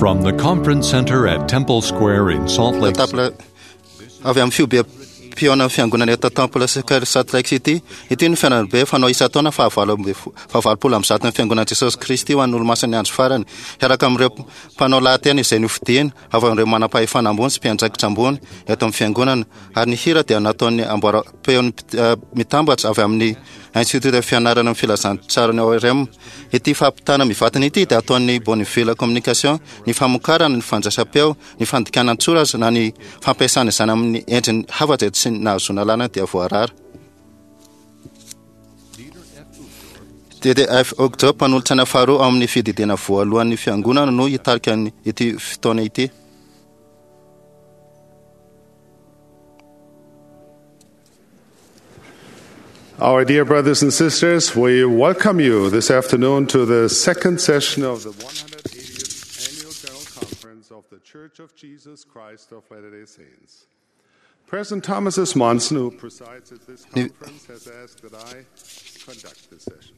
From the Conference Center at Temple Square in Salt Lake Temple avy amin'ny fihobiam-pihaonan'ny fiangonana eto Temple Square Salt Lake City. Ity no fihaonambe fanao isan-taona fahavalo amby fahavalopolo amby zaton'ny fiangonan'i Jesosy Kristy ho an'ny olomasin'ny andro farany, hiaraka amin'ireo mpanao lahateny izay nofidina avy amin'ireo manam-pahefana ambony sy mpiandraikitra ambony eto amin'ny fiangonana, ary ny hira dia nataon'ny amboaram-peon'ny mitambatra avy amin'ny Institota Fianarana ny Filazantsaran'ny ORM. Ity fampitana mivantana ity dia ataon'ny Bonneville Communication, ny famokarana, ny fandraisam-peo, ny fandikana an-tsoratra na ny fampiasana izany amin'ny endriny hafa izay tsy nahazoana alalana dia voarara. DDF Uchtdorf, mpanolotsaina faharoa ao amin'ny fididiana voalohan'ny fiangonana no hitarika ity fotoana ity. Our dear brothers and sisters, we welcome you this afternoon to the second session of the 180th Annual General Conference of the Church of Jesus Christ of Latter day Saints. President Thomas S. Monson, who presides at this conference, has asked that I conduct this session.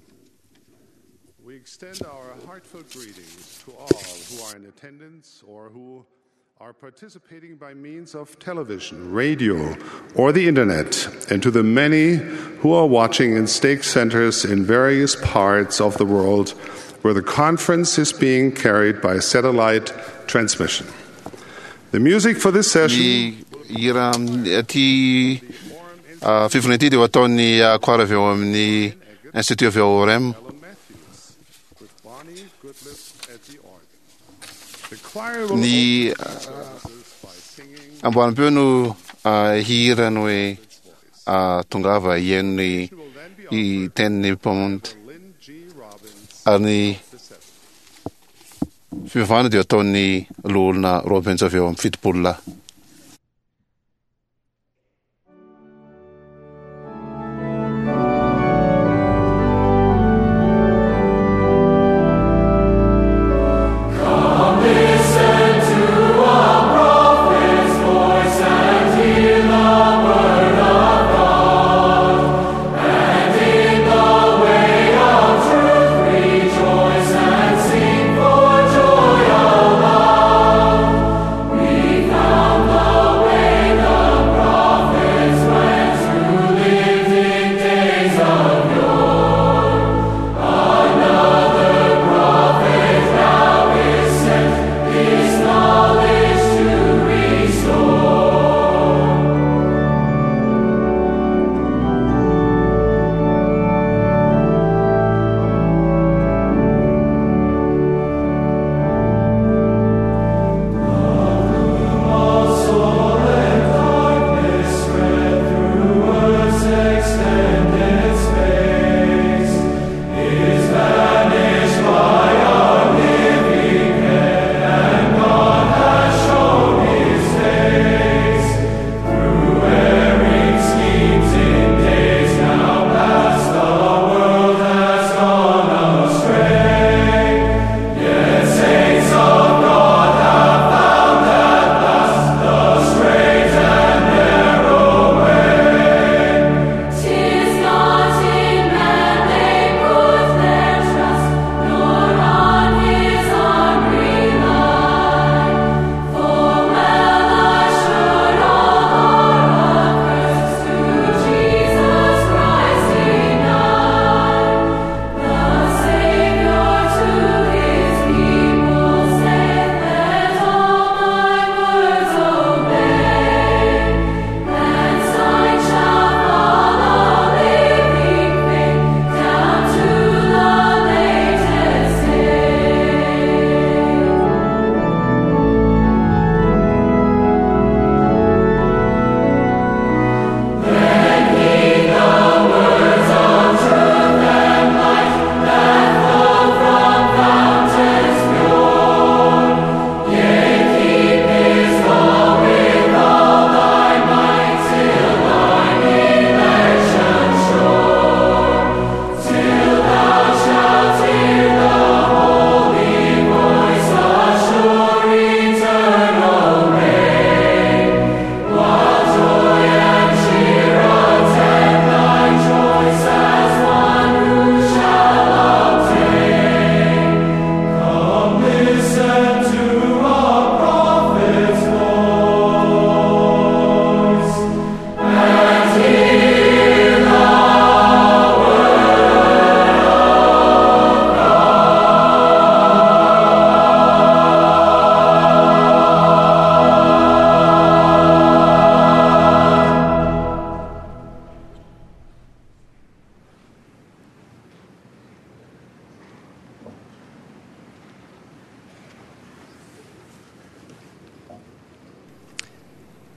We extend our heartfelt greetings to all who are in attendance or who are participating by means of television, radio, or the internet, and to the many who are watching in stake centers in various parts of the world where the conference is being carried by satellite transmission. The music for this session. Ny hira ity fivoriana ity dia ho ataon'ny choir avy ao amin'ny Institut avy ao Orem. Ny amboaram-peo no hihira ny hoe tongava hihaino ny tenin'ny Mpamonjy ary ny fivavahana dia ataon'ny loholona Robbins avy ao amin'ny Fitopololahy.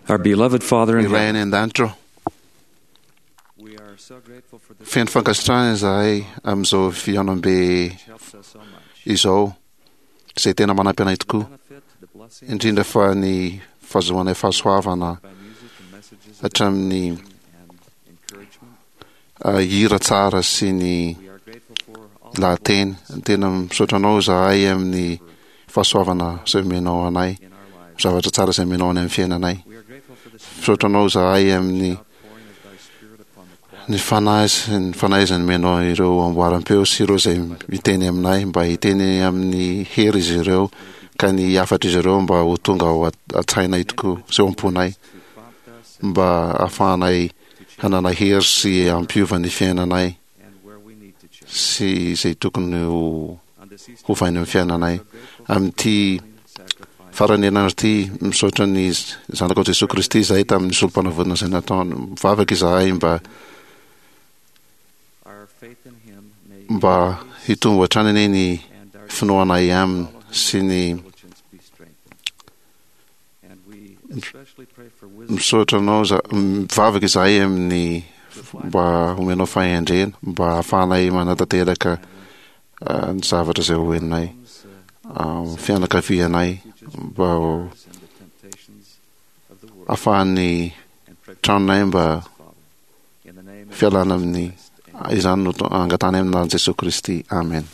Our beloved Father in Ray heaven, any an-danitra ô. Feno fankasitrahana izahay amin'izao fihaonambe izao, izay tena manampy anay tokoa, indrindra fa ny fahazoanay fahasoavana hatramin'ny hira tsara sy ny lahateny. Tena misaotra anao izahay amin'ny fahasoavana izay omenao anay, zavatra tsara izay omenao anay amin'ny fiainanay. Misaotra anao izahay amin'ny ny fanahy sy ny fanahy izay nomenao ireo amboaram-peo sy ireo izay miteny aminay mba hiteny amin'ny hery izy ireo ka ny hafatr'izy ireo mba ho tonga ao an-tsainay tokoa sy ao am-ponay mba hahafahanay hanana hery sy hampiova ny fiainanay sy izay tokony ho hovaina amin'ny fiainanay. Amin'ity faran'ny herinandro ity, misaotra ny Zanakao Jesoa Kristy izahay tamin'ny solom-panavotana izay nataony. Mivavaka izahay mba mba hitombo hatrany anie ny finoanay Aminy sy ny Misaotra anao za, mivavaka izahay amin'ny mba homenao fahendrena mba hahafahanay manatanteraka ny zavatra izay ho henonay, fianakavianay mba ho ahafahan'ny tranonay mba fialana amin'ny izany no angatanay amin'ny anaran'i Jesoa Kristy. Amen.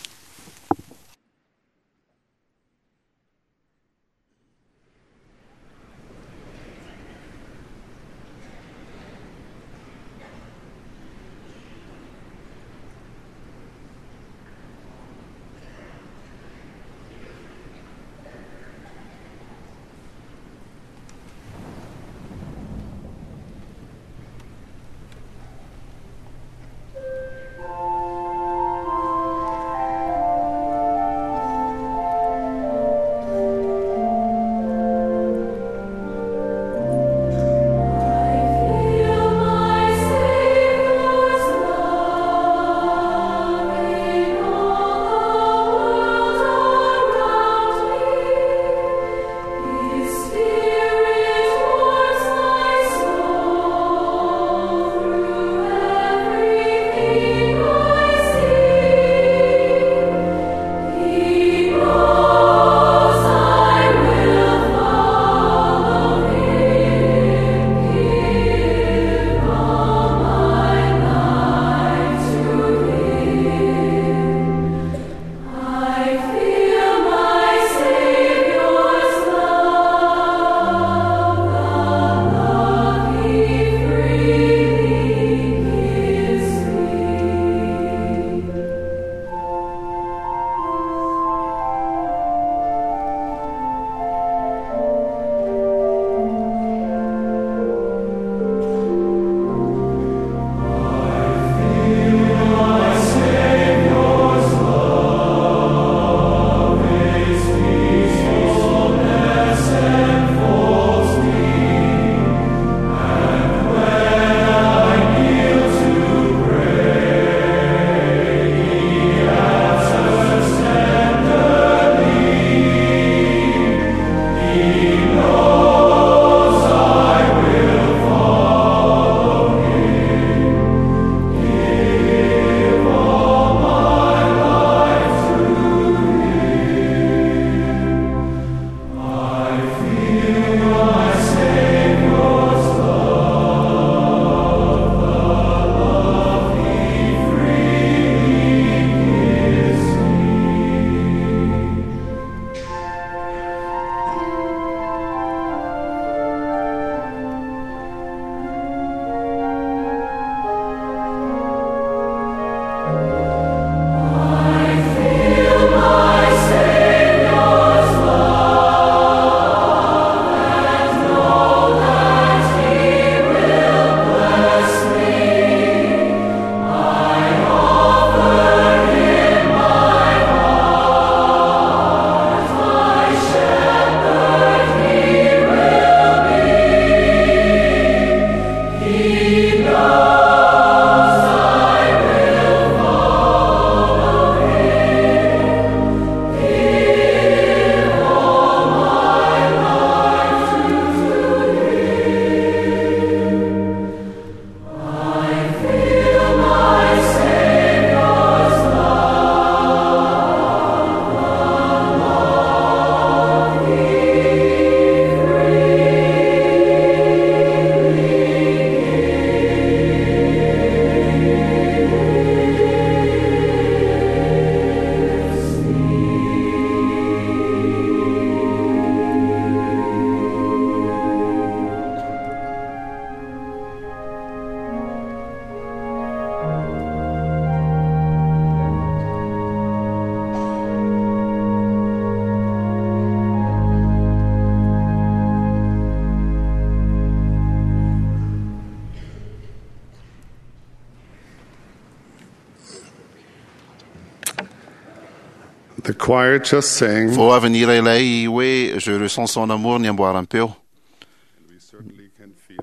The choir just sang. Vao avy nihira ilay hoe Je ressens son amour ny amboaram-peo.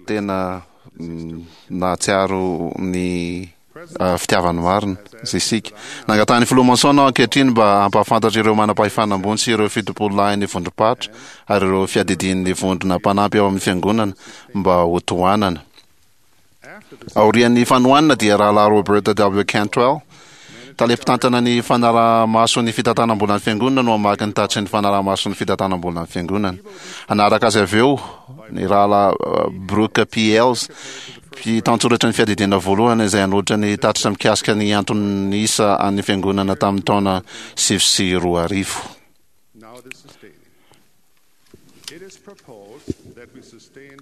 Tena nahatsiaro ny fitiavany marina isika. Nangatahan'ny filoha Monson aho ankehitriny mba hampahafantatra ireo manam-pahefana ambony sy ireo fitopololahin'ny vondrom-paritra ary ireo fiadidian'ny vondrona mpanampy ao amin'ny fiangonana mba hotohanana. Aorian'ny fanohanana dia Rahalahy Robert W. Cantwell, tale mpitantana ny fanaraha-maso ny fitantanam-bolan'ny Fiangonana no hamaky ny tatitry ny fanaraha-maso ny fitantanam-bolan'ny Fiangonana. Hanaraka azy avy eo ny Rahalahy Brooke P. Ells, mpitantsoratra ny fiadidiana voalohany izay hanolotra ny tatitra mikasika ny anton'isa an'ny Fiangonana tamin'ny taona 2009.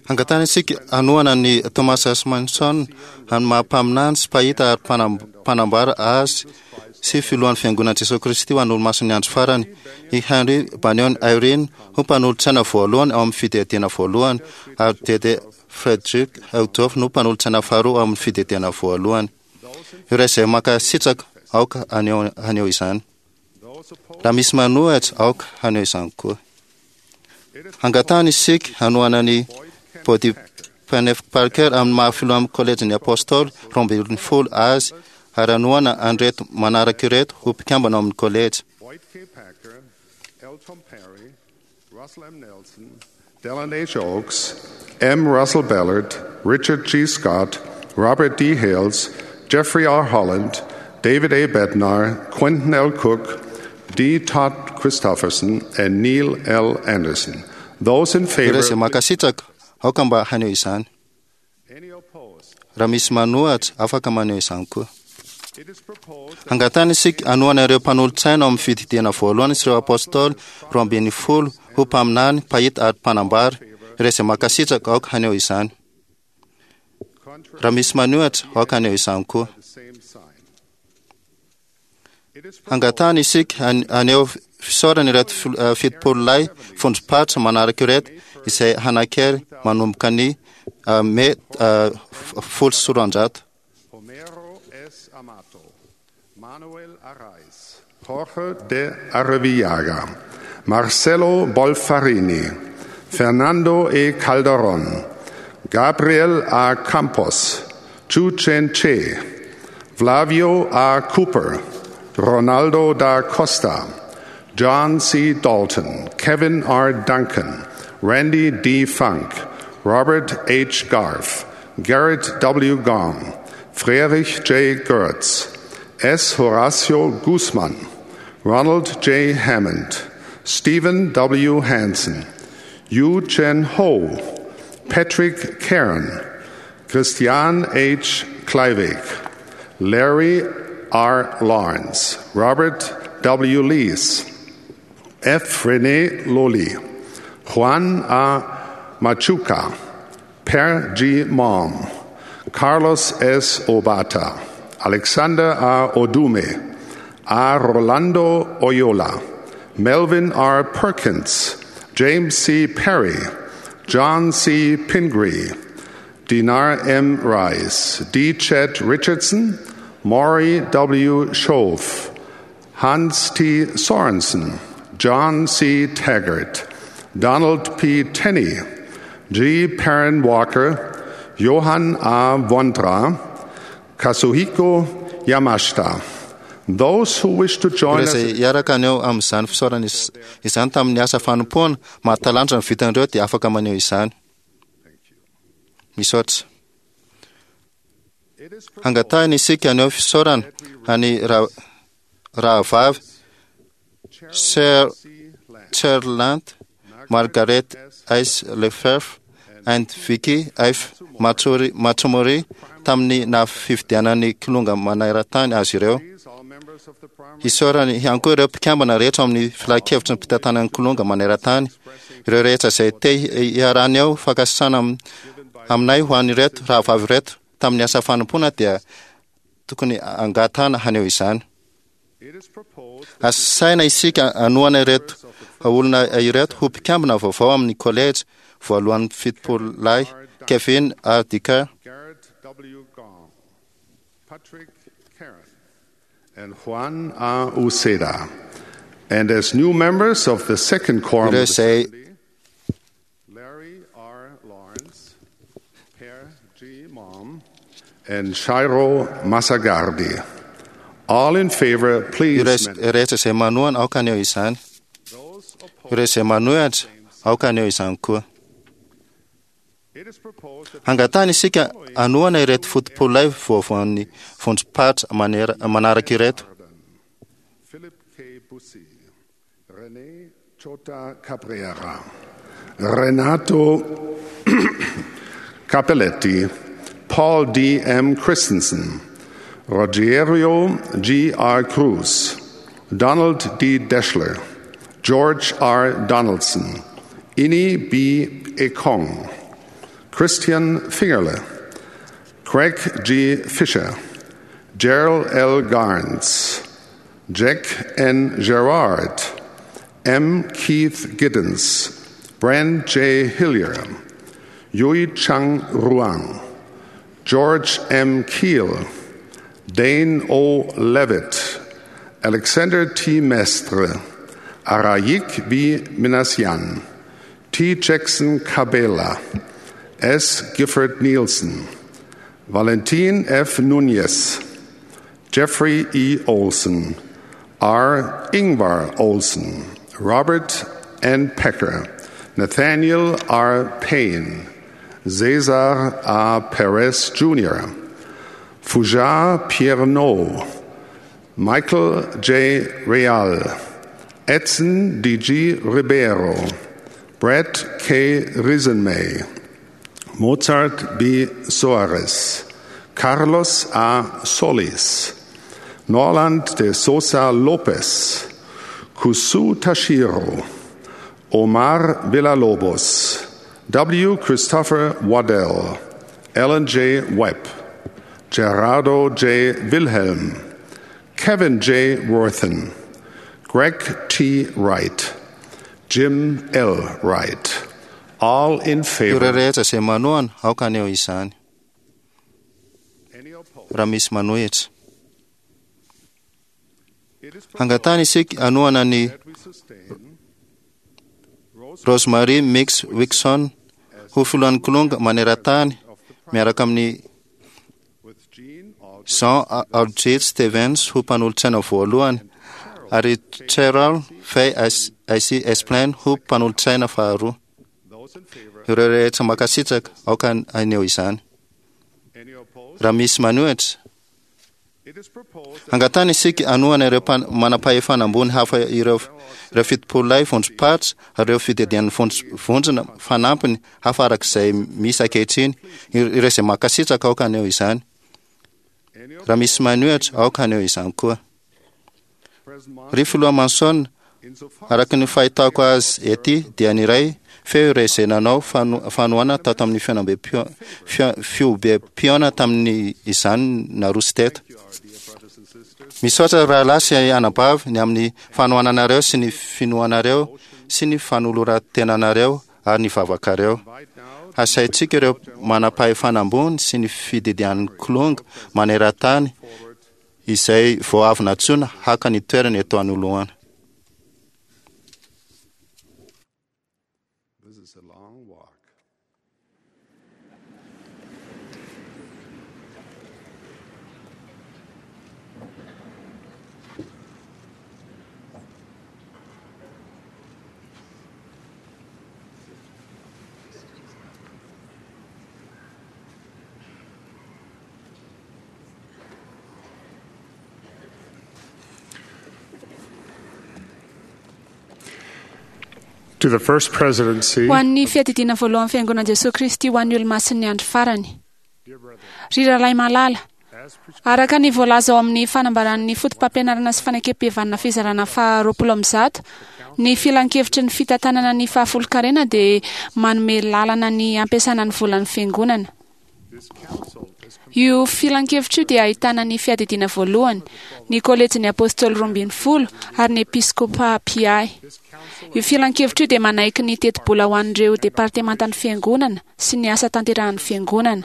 Angatahina isika hanohana an'i Thomas S. Monson amin'ny maha mpaminany sy mpahita ary mpanambara azy sy filohan'ny Fiangonan'i Jesoa Kristy ho an'ny Olomasin'ny Andro Farany, i Henry Banyon Eyring ho mpanolotsaina voalohany ao amin'ny Fidiadiana Voalohany ary Dede Frederick Uchtdorf no mpanolotsaina faharoa ao amin'ny Fidiadiana Voalohany. Ireo izay mankasitraka aoka haneho izany. Raha misy manohitra, aoka haneho izany koa. Angatahana isika hanohana an'i Bodie Penef Parker amin'ny maha filohan'ny Kolejin'ny Apôstôly 12 azy ary hanohana an'ireto manaraka ireto ho mpikambana ao amin'ny kolejy. Boyd K. Packer, L. Tom Perry, Russell M. Nelson, Dallin H. Oaks, M. Russell Ballard, Richard G. Scott, Robert D. Hales, Jeffrey R. Holland, David A. Bednar, Quentin L. Cook, D. Todd Christofferson, and Neil L. Anderson. Those in favor. Ireo izay mankasitraka, aoka mba haneho izany. Raha misy manohatra, afaka maneho izany koa. Angatahina isika hanohana ireo mpanolotsaina ao amin'ny fididiana voalohany sy ireo apôstôly 12 ho mpaminany, mpahita ary mpanambara. Ireo izay mankasitraka, aoka haneho izany. Raha misy manohatra, aoka haneho izany koa. Angatahina isika haneho fisaorana ireto 70 lahy vondrom-paritra manaraka ireto izay hanan-kery manomboka ny Mey 210. Homero S. Amato, Manuel Arraes, Jorge de Arrevillaga, Marcelo Bolfarini, Fernando E. Calderon, Gabriel A. Campos, Chu Chen Che, Flavio A. Cooper, Ronaldo da Costa, John C. Dalton, Kevin R. Duncan, Randy D. Funk, Robert H. Garf, Garrett W. Gong, Friedrich J. Gertz, S. Horacio Guzman, Ronald J. Hammond, Stephen W. Hansen, Yu Chen Ho, Patrick Cairn, Christian H. Kleiweg, Larry R. Lawrence, Robert W. Lees, F. Rene Loli, Juan A. Machuca, Per G. Mom, Carlos S. Obata, Alexander A. Odume, A. Rolando Oyola, Melvin R. Perkins, James C. Perry, John C. Pingree, Dinar M. Rice, D. Chet Richardson, Maury W. Shove, Hans T. Sorensen, John C. Taggart, Donald P. Tenney, G. Perrin Walker, Johann A. Vondra, Kazuhiko Yamashita. Those who wish to join Ireo us izay hiaraka haneho amin'izany fisaorana izany tamin'ny asa fanompoana mahatalanjona ny vitan'ireo dia afaka maneho izany. Misaotra. Angatahina isika haneho fisaorana an'i Rahavavy Cherland, Margaret S. Lefebvre and Vicky F. Matsumori tamin'ny naha-fifidianan'ny Kilonga maneran-tany azy ireo. Isaorana ihany koa ireo mpikambana rehetra ao amin'ny filankevitry ny mpitantanan'ny Kilonga maneran-tany, ireo rehetra izay te hiarahana eo fankasitrahana aminay ho an'ireto rahavavy ireto tamin'ny asa fanompoana dia tokony angatahana haneho izany. Asaina isika hanohana ireto olona ireto ho mpikambana vaovao amin'ny kolejy voalohan'ny 70 lahy, Kevin R. Dicker, Garrett W. Gong, Patrick Caron, and Juan A. Uceda. And as new members of the second quorum Ireo of the izay 70, Larry R. Lawrence, Per G. Mom, and Shiro Masagardi. All in favor, please. Ireo mention. rehetra izay manohana aoka haneho izany. Those opposed, Ireo izay manohitra aoka haneho izany koa. it is proposed that Hangatahana isika hanohana ireto fotopolay vaovaon'ny vondrom-paritra manaraka ireto. Philip K. Bussi, René Chota Cabrera, Renato Capelletti, Paul D. M. Christensen, Rogerio G. R. Cruz, Donald D. Deschler, George R. Donaldson, Ini B. Ekong, Christian Fingerle, Craig G. Fisher, Gerald L. Garnes, Jack N. Gerard, M. Keith Giddens, Brand J. Hillier, Yui Chang Ruang, George M. Keel, Dane O. Levitt, Alexander T. Mestre, Arayik B. Minasian, T. Jackson Cabela, S. Gifford Nielsen, Valentin F. Nunez, Jeffrey E. Olson, R. Ingvar Olson, Robert N. Pecker, Nathaniel R. Payne, Cesar A. Perez Jr., Fujar Piernot, Michael J. Real, Edson D.G. Ribeiro, Brett K. Risenmay, Mozart B. Soares, Carlos A. Solis, Norland de Sosa Lopez, Kusu Tashiro, Omar Villalobos, W. Christopher Waddell, Ellen J. Webb, Gerardo J. Wilhelm, Kevin J. Worthen, Greg T. Wright, Jim L. Wright. All in Ireo favor. rehetra izay manohana aoka haneho izany. Any opposed? Raha misy manohitra. It is proposed Hangatahana isika hanohana ny that we sustain Rosemary Mix Wixon ho filohan'ny Kilonga maneran-tany miaraka amin'ny with Jean Aldrich Jean Aldrich Stevens ho mpanolotsaina voalohany ary Cheryl Fay IC Esplain ho mpanolotsaina faharoa. Those in favor, Ireo rehetra mankasitraka aoka haneho izany. any opposed? Raha misy manohitra, It is proposed that hangatahana isika hanohana ireo manam-pahefana ambony hafa ireo 70 lahy vondrom-paritra ary ireo fididian'ny vondrona fanampiny hafa arak'izay misy ankehitriny. Ireo izay mankasitraka aoka haneho izany. any Raha misy manohitra aoka haneho izany koa. President Monson, Ry filoha Manson, insofar araka ny fahitako azy ety dia ny iray feo ireo izay nanao fanohana tato amin'ny fiobem-piona tamin'ny izany naroso teto. you are, dear brothers and sisters, Misaotra rahalahy sy anabavy ny amin'ny fanohananareo sy ny finoanareo sy ny fanoloran-tenanareo ary ny vavakareo. right now Hasaintsika ireo manam-pahefana ambony sy ny fididian'ny Kilonga maneran-tany izay vao avy nantsoina haka ny toerany eto anoloana. This is a long walk. To the First Presidency, Ho an'ny fiadidiana voalohan'ny fiangonan'i Jesosy Kristy ho an'ny olomasin'ny andro farany. Ry rahalahy malala, araka ny voalaza ao amin'ny fanambaran'ny foto-pampianarana sy fanekempihavanana fizarana faha 120, ny filankevitry ny fitantanana ny fahafolonkarena dia manome lalana ny ampiasana ny volan'ny fiangonana. This council Io filankevitra io dia ahitana ny Fiadidiana Voalohany, ny Kolejin'ny Apôstôly Roambinifolo ary ny Episkôpà Mpiahy. Io filankevitra io dia manaiky ny tetibola ho an'ireo departemantan'ny Fiangonana sy ny asa tanterahan'ny Fiangonana.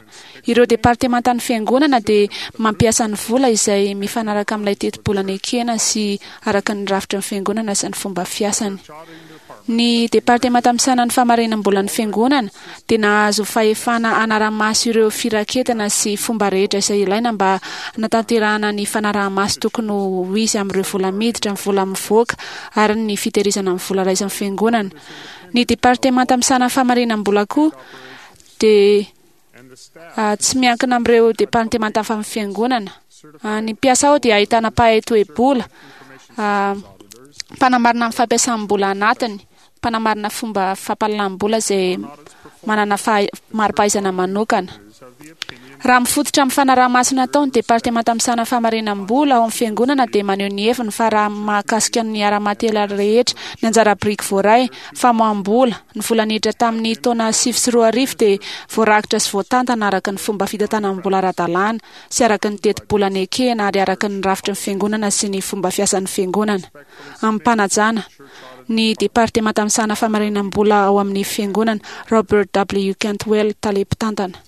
Ireo departemantan'ny Fiangonana dia mampiasa ny vola izay mifanaraka amin'ilay tetibola nekena sy araka ny rafitry ny Fiangonana sy ny fomba fiasany. Ny Departemanta misahana ny Famarinam-bolan'ny Fiangonana dia nahazo fahefana hanara-maso ireo firaketana sy fomba rehetra izay ilaina mba hanatanterahana ny fanaraha-maso tokony ho izy amin'ireo vola miditra, ny vola mivoaka ary ny fitehirizana ny vola raisin'ny Fiangonana. Ny Departemanta misahana ny Famarinam-bola koa dia tsy miankina amin'ireo departemanta hafa amin'ny Fiangonana. Ny mpiasa ao dia ahitana mpahay toe-bola, mpanamarina ny fampiasam-bola anatiny, mpanamarina fomba fampahalalam-bola izay manana mari-pahaizana manokana. Raha mifototra amin'ny fanaraha-maso natao, ny Departemanta misahana famarinam-bola ao amin'ny Fiangonana dia maneho ny heviny fa raha mahakasika ny ara-materialy rehetra, ny anjara biriky voaray, famoaham-bola, ny vola niditra tamin'ny taona 2009 dia voarakitra sy voatantana araka ny fomba fitantanam-bola ara-dalàna sy araka ny tetibola nekena ary araka ny rafitry ny Fiangonana sy ny fomba fiasan'ny Fiangonana. Amim-panajana, ny Departemanta misahana famarinam-bola ao amin'ny Fiangonana, Robert W. Cantwell, Tale Mpitantana.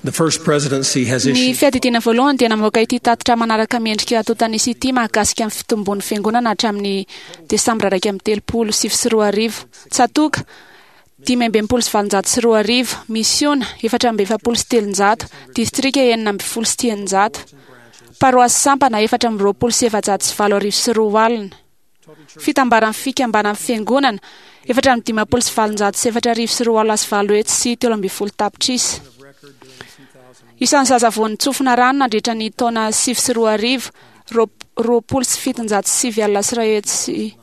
Ny Fiadidiana Voalohany dia namoaka ity tatitra manaraka miendrika antontan'isa ity mahakasika ny fitombon'ny Fiangonana hatramin'ny Desambra 2031. Tsatòka, 2865, Misiona, 344, Distrika, 316, Paroasy sampana, 22428. Fitambaran'ny fikambanan'ny fiangonana, 854,248 tapitrisa. Isan'ny zaza vao nitsofina rano nandritra ny taona 2009, 120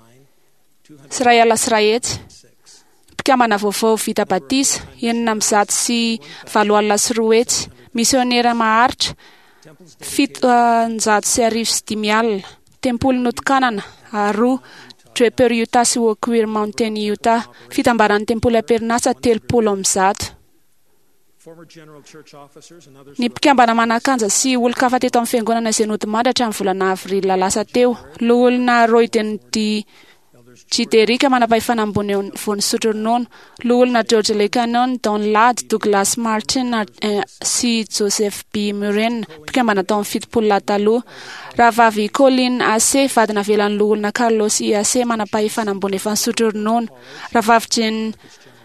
100. Mpikambana vaovao vita batisa, 206 200. Misionera maharitra, 11 705. Tempoly notokanana, roa, Draper Utah sy Oquirrh Mountain Utah. Fitambaran'ny tempoly am-perinasa, 130. Ny mpikambana manan-kanja sy olon-kafa teto amin'ny fiangonana izay nodimandry hatramin'ny volana avril lasa teo. Loholona Royden D. G. Derrick, manam-pahefana ambony vao nisotro ronono. Loholona George Lee Cannon, Don Ladd, Douglas Martin sy Joseph B. Muren, mpikambana tao amin'ny 70 lahy taloha. Rahavavy Colleen Ace, vady navelan'ny loholona Carlos I. Ace, manam-pahefana ambony efa nisotro ronono. Rahavavy Jane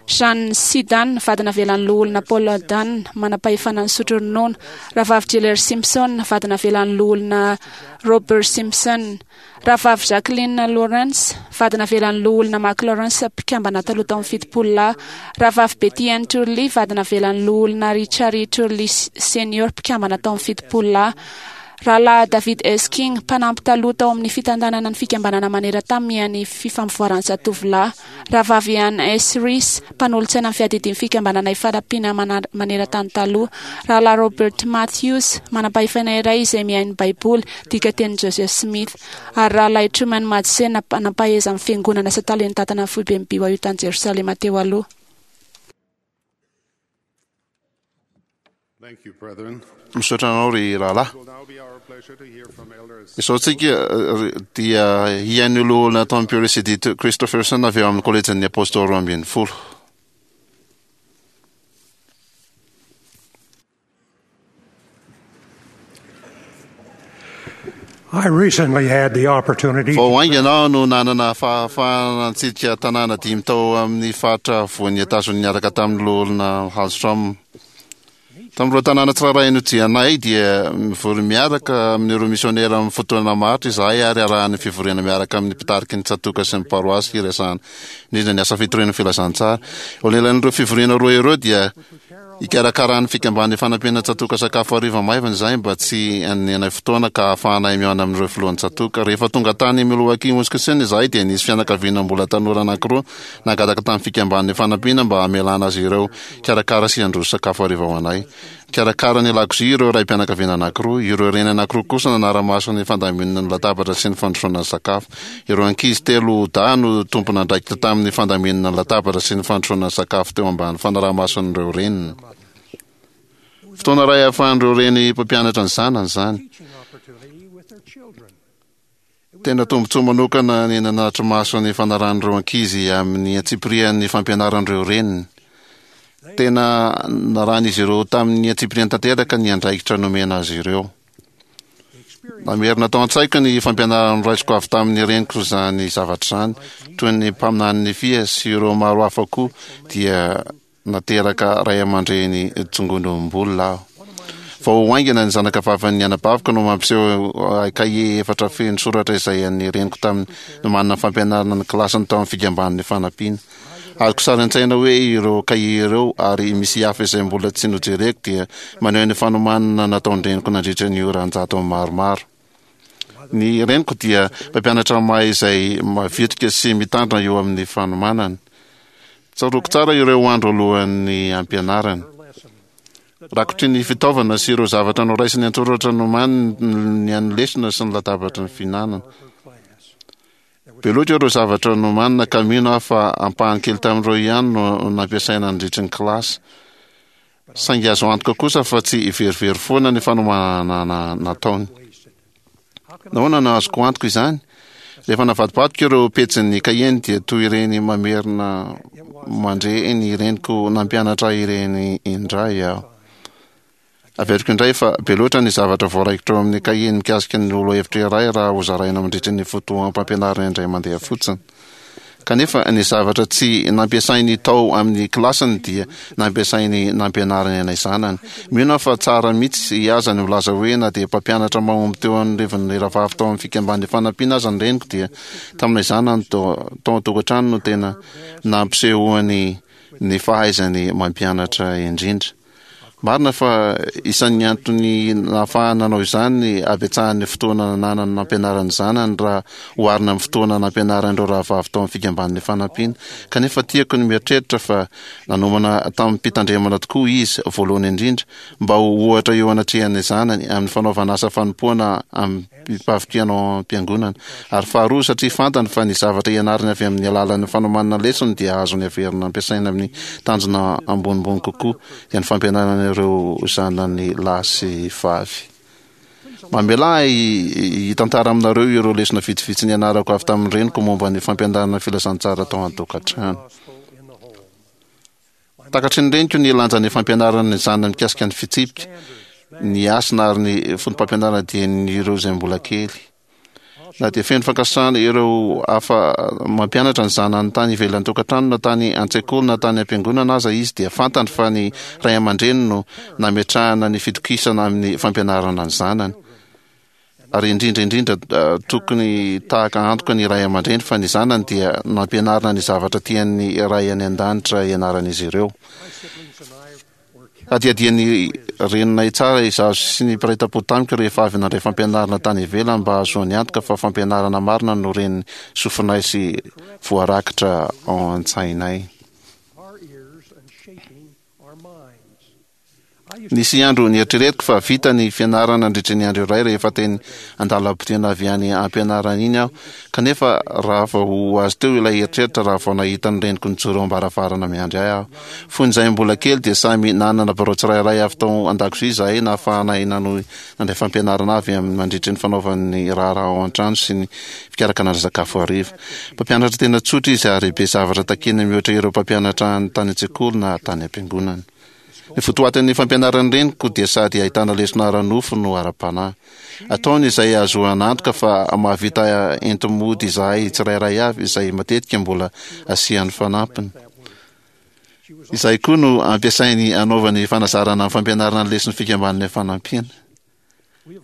Jeanne C. Dunn, vady navelan'ny loholona Paul Dunn, manam-pahefana nisotro ronono. Rahavavy Jiller Simpson, vady navelan'ny loholona Robert Simpson. Rahavavy Jacqueline Lawrence, vady navelan'ny loholona Mac Lawrence, mpikambana taloha tao amin'ny 70 lahy. Rahavavy Betty Ann Turley, vady navelan'ny loholona Richard E. Turley Senior, mpikambana tao amin'ny 70 lahy. Rahalahy David S. King, mpanampy taloha tao amin'ny fitantanana ny fikambanana maneran-tany miahy ny fifampivoaran'ny zatovolahy. Rahavavy Ann S. Reese, mpanolotsaina ny fiadidian'ny fikambanana Ifanampiana maneran-tany taloha. Rahalahy Robert Matthews, manam-pahefana iray izay miahy ny Baiboly, dikatenin'i Joseph Smith. Ary Rahalahy Truman Madsen, nampaheza ny fiangonana sy talen'ny tantana ny foiben'ny BYU tany Jerosalema teo aloha. Misaotra anao ry rahalahy. Izao tsika dia hihaino loholona Tom Pure sy Edith Christopherson avy ao amin'ny Kolejin'ny Apôstôly 12. I recently had the opportunity Vao haingana aho no nanana fahafahana nitsidika tanàna dimy tao amin'ny faritra afovoan'i Etazonia niaraka tamin'ny Loholona Hallstrom. Tamin'ireo tanàna tsirairay nodianay dia mivory miaraka amin'ireo misionera amin'ny fotoana maharitra izahay ary arahan'ny fivoriana miaraka amin'ny mpitariky ny tsatòka sy ny paroasy hiresahana indrindra ny asa fitoriana ny filazantsara. Eo anelan'ireo fivoriana roa ireo dia Ikarakaran'ny fikamban'ny fanampiana tsatòka sakafo hariva maivana izahay mba tsy hanenay fotoana ka hahafahanay mihaona amin'ireo filohan'ny tsatòka. Rehefa tonga tany Milwaukee, Wisconsin izahay dia nisy fianakaviana mbola tanora anankiroa nangataka tamin'ny fikamban'ny fanampiana mba hamelana azy ireo hikarakara sy handroso sakafo hariva ho anay. Nikarakara ny lakozia ireo raim-pianakaviana anankiroa, ireo reny anankiroa kosa nanara-maso ny fandaminana ny latabatra sy ny fandrosoana ny sakafo. Ireo ankizy telo dahy no tompon'andraikitra tamin'ny fandaminana ny latabatra sy ny fandrosoana ny sakafo teo ambany fanaraha-mason'ireo reniny. Fotoana iray ahafahan'ireo reny mpampianatra ny zanany izany. Tena tombontsoa manokana ny nanatri-maso ny fanarahan'ireo ankizy amin'ny antsipirian'ny fampianaran'ireo reniny. Tena narahan'izy ireo tamin'ny antsipiriany tanteraka ny andraikitra nomena azy ireo. Namerina tao an-tsaiko ny fampianarana noraisiko avy tamin'ny reniko izany zavatra izany, toy ny mpaminany Nefia sy ireo maro hafa koa dia Nateraka ray aman-dreny tsongonom-bolona aho. Vao haingana ny zanaka vavin'ny anabaviko no mampiseho ahy kahie efatra feno soratra izay an'ny reniko tamin'ny nomanina fampianarana ny kilasiny tao amin'ny fikambanan'ny fanampiana. Azoko sary an-tsaina hoe ireo kahie ireo ary misy hafa izay mbola tsy nojereko dia maneho ny fanomanana nataon-dreniko nandritra ny ora an-jatony maromaro. Ny reniko dia mpampianatra mahay izay mavitrika sy mitandrina eo amin'ny fanomanana. Tsaroako tsara ireo andro alohan'ny hampianarana. Rakotry ny fitaovana sy ireo zavatra noraisiny an-tsoratra nomaniny ny an'ny lesona sy ny latabatry ny fihinanana. Be loatra ireo zavatra nomanina ka mino aho fa ampahany kely tamin'ireo ihany no nampiasaina nandritry ny kilasy. Saingy azo antoka kosa fa tsy verivery foana ny fanomanana nataony. Nahoana no azoko antoka izany? Rehefa navadibadiko ireo pejin'ny kahieny dia toy ireny mamerina mandre ny reniko nampianatra ahy ireny indray aho. Averiko indray fa be loatra ny zavatra voaraikitra ao amin'ny kahieny mikasika ny lohahevitra iray raha hozaraina mandritra ny fotoam-pampianarana indray mandeha fotsiny. Kanefa ny zavatra tsy nampiasainy tao amin'ny kilasiny dia nampiasainy nampianariny anay zanany. Mino aho fa tsara mihitsy aza ny milaza hoe na dia mpampianatra mahomby teo anivon'ny rahavavy tao amin'ny Fikambanan'ny Fanampiana aza ny reniko dia taminay zanany tao an-tokantrano no tena nampisehoany ny fahaizany mampianatra indrindra. Marina fa isan'ny antony nahafahany nanao izany ny habetsahan'ny fotoana nananany nampianarany ny zanany raha oharina amin'ny fotoana nampianarany ireo rahavavy tao amin'ny Fikambanan'ny Fanampiana. Kanefa tiako ny mieritreritra fa nanomana tamim-pitandremana tokoa izy, voalohany indrindra, mba ho ohatra eo anatrehan'ny zanany amin'ny fanaovana asa fanompoana mpavitrihana ao am-piangonana. Ary faharoa, satria fantany fa ny zavatra ianarany avy amin'ny alalan'ny fanomanana lesona dia azony averina ampiasaina amin'ny tanjona ambonimbony kokoa, dia ny fampianarana ireo zanany lahy sy vavy. Mamelà ahy hitantara aminareo ireo lesona vitsivitsy nianarako avy tamin'ny reniko momba ny fampianarana ny filazantsara tao an-tokantrano. Takatry ny reniko ny lanjan'ny fampianarana ny zanany mikasika ny fitsipika, ny hasina ary ny foto-pampianarana dieny ireo izay mbola kely. Na dia feno fankasitrahana ireo hafa mampianatra ny zanany tany ivelan'ny tokantrano na tany an-tsekoly na tany am-piangonana aza izy dia fantany fa ny ray aman-dreny no nametrahana ny fitokisana amin'ny fampianarana ny zanany. Ary indrindra indrindra tokony tahaka antoka ny ray aman-dreny fa ny zanany dia nampianarina ny zavatra tian'ny Ray any An-danitra hianaran'izy ireo. Hadihadian'ny reninay tsara izaho sy ny mpiray tampo tamiko rehefa avy nandray fampianarana tany ivelany mba hahazoany antoka fa fampianarana marina no ren'ny sofinay sy voarakitra ao an-tsainay. Nisy andro nieritreretiko fa vita ny fianarana nandritra ny andro iray rehefa teny an-dalam-potena avy any am-pianarana iny aho, kanefa raha vao ho azo teo ilay eritreritra raha vao nahita ny reniko nijoro eo am-baravarana miandry ahy aho. Fony izahay mbola kely dia samy nanana birao tsirairay avy tao an-dakozia izahay nahafahanay nanohy nandray fampianarana avy amin'ny mandritry ny fanaovan'ny raharaha ao an-trano sy ny fikarakarana sakafo hariva. Mpampianatra tena tsotra izy ary be zavatra takiana mihoatra ireo mpampianatra tany an-tsekoly na tany am-piangonana. Ny votoatin'ny fampianaran'ny reniko dia sady ahitana lesona ara-nofo no ara-panahy. Ataony izay ahazoana antoka fa mahavita enti-mody izahay tsirairay avy izay matetika mbola asiany fanampiny. Izay koa no ampiasainy anaovany fanazarana amin'ny fampianarana ny leson'ny fikambanana fanampiana.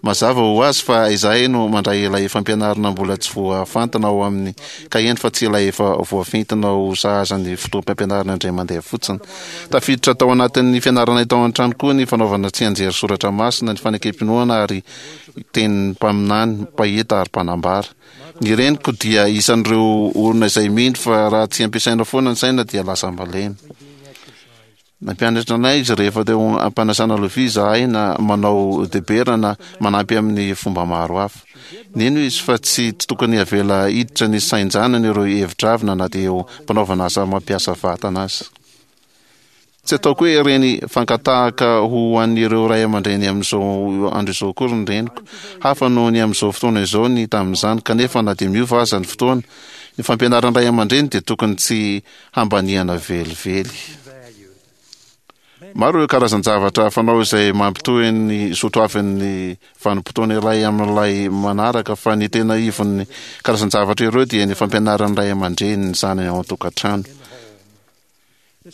Mazava ho azy fa izahay no mandray ilay fampianarana mbola tsy voafantina ao amin'ny kaheny fa tsy ilay efa voafintina ho sahaza ny fotoam-pampianarana indray mandeha fotsiny. Tafiditra tao anatin'ny fianaranay tao an-trano koa ny fanaovana tsianjery soratra masina, ny fanekem-pinoana ary tenin'ny mpaminany, mpahita ary mpanambara. Ny reniko dia isan'ireo olona izay mino fa raha tsy ampiasaina foana ny saina dia lasa malemy. Nampianatra anay izy rehefa teo am-panasana lovia izahay na manao debera na manampy amin'ny fomba maro hafa. Nino izy fa tsy tokony havela hiditra ny sain-janany ireo hevi-dravina na dia eo am-panaovana asa mampiasa vatana aza. Tsy ataoko hoe ireny fankatahaka ho an'ireo ray aman-dreny amin'izao andro izao akory ny reniko. Hafa noho ny amin'izao fotoana izao ny tamin'izany, kanefa na dia miova aza ny fotoana, ny fampianaran'ny ray aman-dreny dia tokony tsy hambaniana velively. Maro ireo karazan-javatra fanao izay mampitohy ny soatoavin'ny vanim-potoana iray amin'ilay manaraka, fa ny tena ivon'ny karazan-javatra ireo dia ny fampianaran'ny ray aman-dreny ny zanany ao an-tokantrano.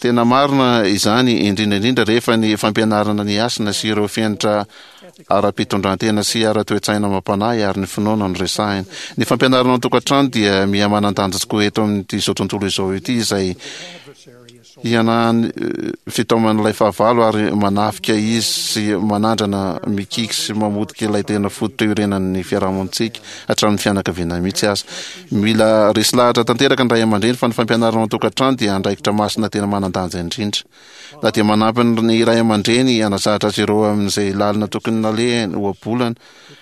Tena marina izany, indrindra indrindra rehefa ny fampianarana ny hasina sy ireo fenitra ara-pitondran-tena sy ara-toe-tsaina amam-panahy ary ny finoana no resahina. Ny fampianarana ao an-tokantrano dia miha-manan-danja tokoa eto amin'ity izao tontolo izao ity izay Hianahan'ny fitaoman'ilay fahavalo ary manafika izy sy manandrana mikiky sy mamotika ilay tena fototra iorenan'ny fiarahamonintsika, hatramin'ny fianakaviana mihitsy aza. Mila resy lahatra tanteraka ny ray aman-dreny fa ny fampianarana ao an-tokantrano dia andraikitra masina tena manan-danja indrindra. Na dia manampy ny ray aman-dreny hanazatra azy ireo amin'izay lalina tokony nalehany ohabolana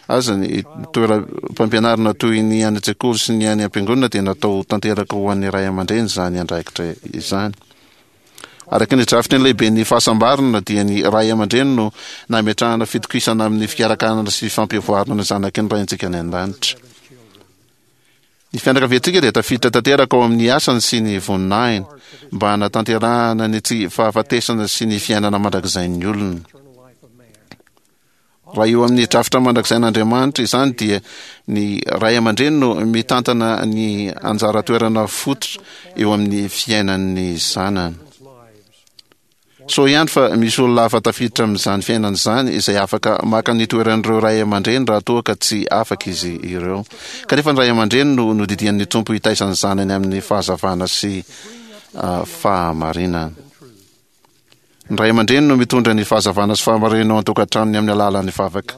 aza ny toeram-pampianarana toy ny any an-tsekoly sy ny any am-piangonana dia natao tanteraka ho an'ny ray aman-dreny izany andraikitra izany. Araka ny drafitry ny lehiben'ny fahasambarana dia ny ray aman-dreny no nametrahana fitokisana amin'ny fikarakarana sy fampivoarana ny zanaky ny Raintsika any an-danitra. Ny fianakaviantsika dia tafiditra tanteraka ao amin'ny asany sy ny voninahiny mba hanatanterahana ny tsy fahafatesana sy ny fiainana mandrakizain'ny olona. Raha eo amin'ny drafitra mandrakizain'Andriamanitra izany dia ny ray aman-dreny no mitantana ny anjara toerana fototra eo amin'ny fiainan'ny zanany. Soa ihany fa misy olona hafa tafiditra amin'izany fiainana izany izay afaka maka ny toeran'ireo ray aman-dreny raha toa ka tsy afaka izy ireo. Kanefa ny ray aman-dreny no nodidian'ny Tompo hitaiza ny zanany amin'ny fahazavana sy fahamarinana. Ny ray aman-dreny no mitondra ny fahazavana sy fahamarinana ao an-tokantranony amin'ny alalan'ny vavaka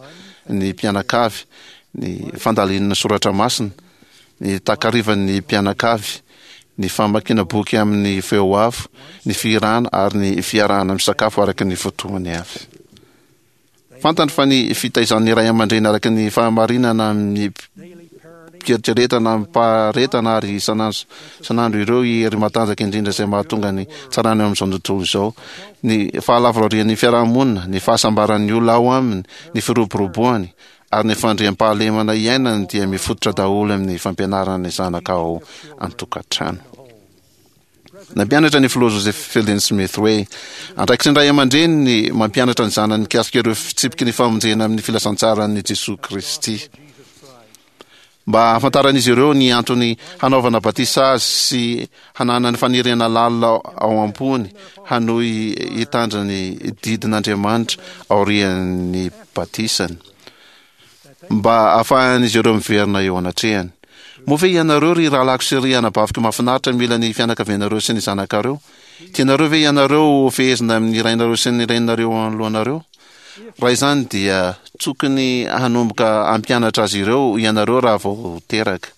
ny mpianakavy, ny fandalinana soratra masina, ny takarivan'ny mpianakavy, ny famakiana boky amin'ny feo avo, ny fihirana ary ny fiarahana misakafo araka ny fotoany avy. Fantany fa ny fitaizan'ny ray aman-dreny araka ny fahamarinana amim-pieritreretana, amim-paharetana ary isan'andro isan'andro ireo hery matanjaka indrindra izay mahatonga ny tsarana eo amin'izao tontolo izao, ny fahalavorarian'ny fiarahamonina, ny fahasambaran'ny olona ao aminy, ny firoboroboany, ary ny fandriampahalemana iainany dia mifototra daholo amin'ny fampianarana ny zanaka ao an-tokantrano. Nampianatra ny filoha Joseph Fielding Smith hoe, Andraikitry ny ray aman-dreny ny mampianatra ny zanany mikasika ireo fitsipiky ny famonjena amin'ny filazantsaran'i Jesoa Kristy. Mba hahafantaran'izy ireo ny antony hanaovana batisa azy sy hananany faniriana lalina ao am-pony hanohy hitandrina ny didin'Andriamanitra aorian'ny batisany. mba hahafahan'izy ireo miverina eo anatrehany. Moa ve ianareo, ry rahalahiko sy ry anabaviko mahafinaritra, mila ny fianakavianareo sy ny zanakareo? Tianareo ve ianareo ho fehezina amin'ny rainareo sy ny reninareo eo anoloanareo? Raha izany dia tokony hanomboka hampianatra azy ireo ianareo raha vao teraka.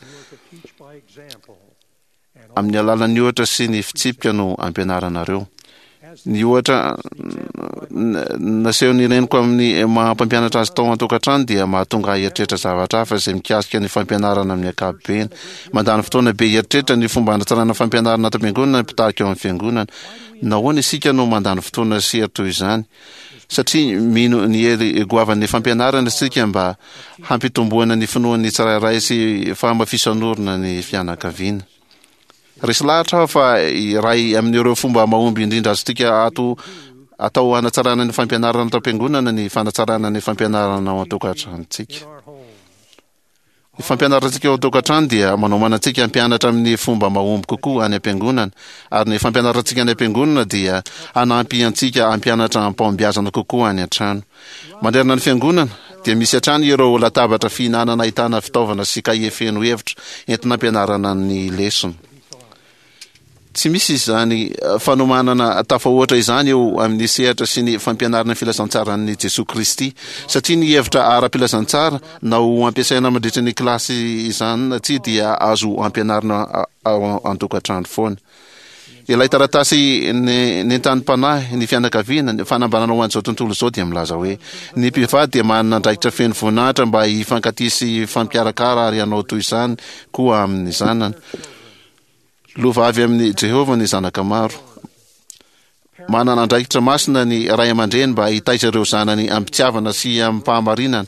Amin'ny alalan'ny ohatra sy ny fitsipika no ampianaranareo. Ny ohatra nasehon'ny reniko amin'ny maha mpampianatra azy tao an-tokantrano dia mahatonga ahy hieritreritra zavatra hafa izay mikasika ny fampianarana amin'ny ankapobeny. Mandany fotoana be hieritreritra ny fomba hanatsarana ny fampianarana ato am-piangonana ny mpitarika ao amin'ny fiangonana. Nahoana isika no mandany fotoana sy hery toy izany? Satria mino ny hery goavan'ny fampianarana isika mba hampitomboana ny finoan'ny tsirairay sy fahamafisan'orina ny fianakaviana. Resy lahatra aho fa iray amin'ireo fomba mahomby indrindra azontsika ato atao hanatsarana ny fampianarana ato am-piangonana ny fanatsarana ny fampianarana ao an-tokantranontsika. Ny fampianarantsika ao an-tokantrano dia manomana antsika hampianatra amin'ny fomba mahomby kokoa any am-piangonana, ary ny fampianarantsika any am-piangonana dia hanampy antsika hampianatra amim-pahombiazana kokoa any an-trano. Manerana ny fiangonana, dia misy hatrany ireo latabatra fihinanana ahitana fitaovana sy kahie feno hevitra entina ampianarana ny lesona. Tsy misy izany fanomanana tafahoatra izany eo amin'ny sehatra sy ny fampianarana ny filazantsaran'i Jesoa Kristy, satria ny hevitra ara-pilazantsara na ho ampiasaina mandritra ny kilasy izany na tsia dia azo ampianarina ao an-tokantrano foana. Ilay taratasy nentanim-panahy ny fianakaviana, ny fanambarana ho an'izao tontolo izao dia milaza hoe, Ny mpivady dia manana andraikitra feno voninahitra mba hifankatia sy hifampiarakara ary hanao toy izany koa amin'ny zanany. Lova avy amin'i Jehovah ny zanaka maro. Manana andraikitra masina ny ray aman-dreny mba hitaiza ireo zanany amim-pitiavana sy amim-pahamarinana,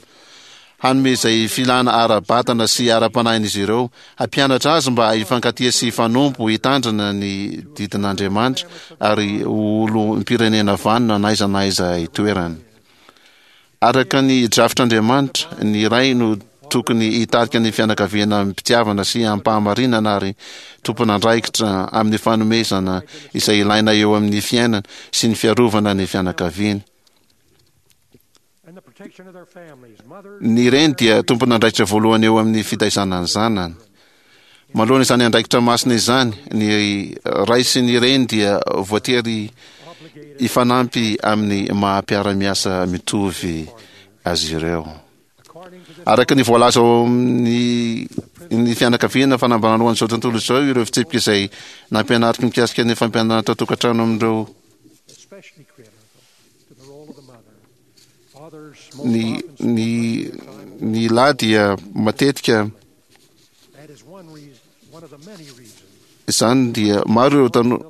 hanome izay filana ara-batana sy ara-panahin'izy ireo, hampianatra azy mba hifankatia sy hifanompo, hitandrina ny didin'Andriamanitra, ary ho olom-pirenena vanona na aiza na aiza itoerany. Araka ny drafitr'Andriamanitra, ny ray no tokony hitarika ny fianakaviana amim-pitiavana sy amim-pahamarinana ary tompon'andraikitra amin'ny fanomezana izay ilaina eo amin'ny fiainana sy ny fiarovana ny fianakaviany. Ny reny dia tompon'andraikitra voalohany eo amin'ny fitaizana ny zanany. Manoloana izany andraikitra masina izany, ny ray sy ny reny dia voatery hifanampy amin'ny maha mpiara-miasa mitovy azy ireo. Araka ny voalaza ao amin'ny ny fianakaviana fanambarana ho an'izao tontolo izao ireo fitsipika izay nampianariko mikasika ny fampianarana tao an-tokantrano amin'ireo ny ny ny lahy dia matetika Izany dia maro ireo tanora.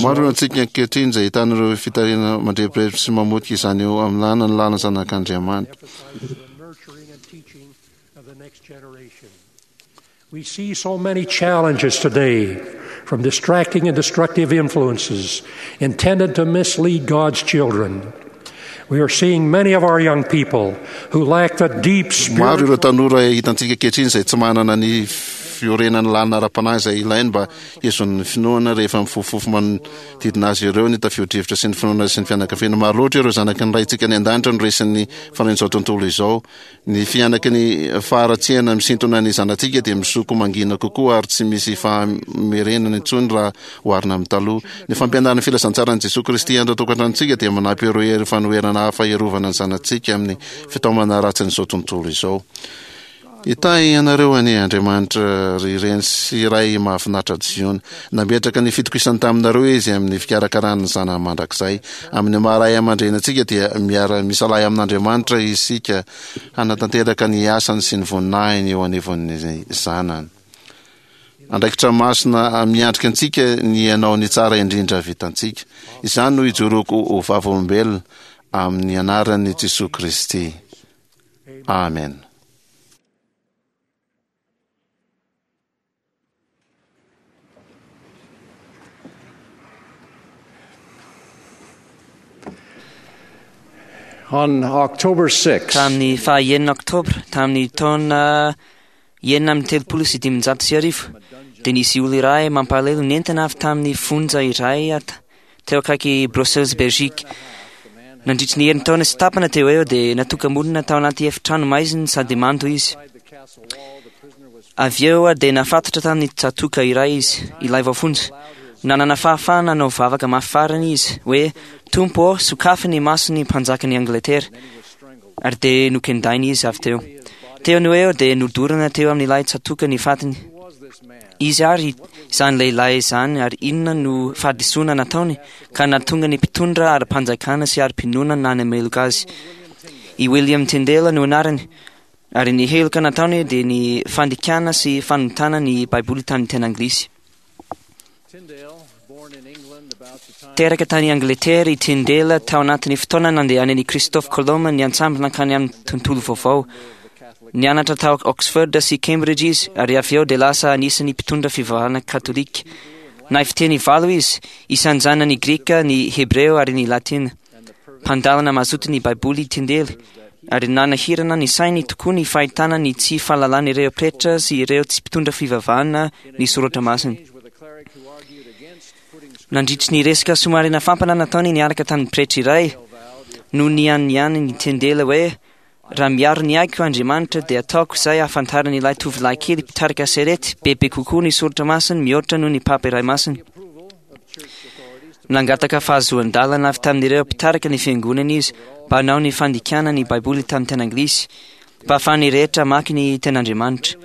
Maro ireo antsika ankehitriny izay ahitana ireo fitarihana mandrebireby sy mamotika izany eo amin'ny lana ny lana zanak'Andriamanitra. We see so many challenges today from distracting and destructive influences intended to mislead God's children. We are seeing many of our young people who lack the deep Maro ireo spiritual tanora hitantsika ankehitriny izay tsy manana ny fiorenan'ny lalina ara-panahy izay ilainy mba hihazonany ny finoana rehefa mifofofofo manodidina azy ireo ny tafio-drivotra sy ny finoana sy ny fianakaviana. Maro loatra ireo zanaky ny Raintsika any an-danitra no resin'ny fanahin'izao tontolo izao. Ny fihanaky ny faharatsiana misintona ny zanatsika dia misoko mangina kokoa ary tsy misy fahamerenana intsony raha oharina amin'ny taloha. Ny fampianaran'ny filazantsaran'i Jesoa Kristy anto an-tokantranontsika dia manampy ireo hery fanoherana hafa hiarovana ny zanatsika amin'ny fitaomana ratsin'izao tontolo izao. Hitahy anareo anie Andriamanitra ry reny sy ray mahafinaritra Ziona. Nametraka ny fitokisany taminareo Izy amin'ny fikarakarany ny zanany mandrakizay. Amin'ny maha ray aman-dreny antsika dia miara-misalahy amin'Andriamanitra isika hanatanteraka ny asany sy ny voninahiny eo anivon'ny zanany. Andraikitra masina miandrika antsika ny hanao ny tsara indrindra vitantsika. Izany no ijoroako ho vavolombelona amin'ny anaran'i Jesoa Kristy. Amen. On October 6, Tamin'ny faha-enina oktobra tamin'ny taona 1536 dia nisy olona iray mampalahelo nentina avy tamin'ny fonja iray teo akaiky Brussels, Belgique. Nandritry ny herintaona sy tapana teo eo dia natoka-monina tao anaty efitrano maizina sady mando izy. Avy eo dia nafatotra tamin'ny tsatoka iray izy, ilay voafonja. Nanana fahafahana hanao vavaka mafy farany izy, hoe, Tompo ô, sokafy ny mason'ny mpanjakan'i Angletera. Ary dia nokendaina izy avy teo. Teo no eo dia nodorana teo amin'ilay tsatoka ny fatiny. Izy ary izany lehilahy izany ary inona no fahadisoana nataony ka nahatonga ny mpitondra ara-panjakana sy ara-pinoana nanameloka azy. I William Tyndale no anarany, ary ny heloka nataony dia ny fandikana sy fanontana ny Baiboly tamin'ny teny anglisy. Teraka tany Angletera i Tyndale tao anatin'ny fotoana nandehanan'i Christophe Colomb niantsambo nankany amin'ny tontolo vaovao. Nianatra tao Oxford sy Cambridge izy ary avy eo dia lasa anisan'ny mpitondra fivavahana katolika. Nahay fiteny valo izy, isan'izany ny grika, ny hebreo ary ny latina. Mpandalina mazoto ny Baiboly i Tyndale ary nanahirana ny sainy tokoa ny fahitana ny tsy fahalalan'ireo pretra sy ireo tsy mpitondra fivavahana ny soratra masina. Nandritry ny resaka somary nafampana nataony niaraka tamin'ny pretra iray, no nianiany ny Tyndale hoe, Raha miaro ny aiko Andriamanitra dia ataoko izay hahafantaran'ilay tovolahy kely mpitarika sarety bebe kokoa ny soratra masiny mihoatra noho ny Papa iray masina. Nangataka fahazoan-dalana avy tamin'ireo mpitarika ny fiangonana izy mba hanao ny fandikana ny Baiboly tamin'ny teny anglisy. mba ahafahan'ny rehetra hamaky ny tenin'Andriamanitra.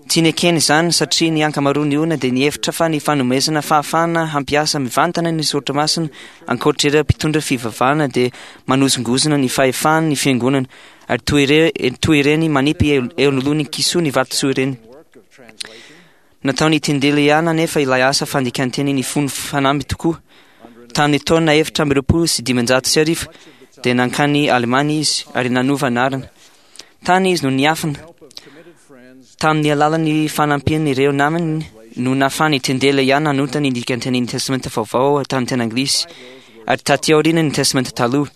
Tsy nekeny izany satria ny ankamaroan'ny olona dia nihevitra fa ny fanomezana fahafahana hampiasa mivantana ny soratra masina ankoatra ireo mpitondra fivavahana dia manozongozona ny fahefan'ny fiangonana ary toy ire- toy ireny manipy eo eo anoloan'ny kisoa ny vatosoa ireny. Nataon'i Tyndale ihany anefa ilay asa fandikan-teny nifono fanamby tokoa. Tamin'ny taona 1524 dia nankany Alemana izy ary nanova anarana. Tany izy no niafina. Tamin'ny alalan'ny fanampian'ireo namany no nahafahan'i Tyndale ihany nanonta ny dikan-tenin'ny Testamenta Vaovao tamin'ny teny anglisy ary taty aoriana ny Testamenta Taloha.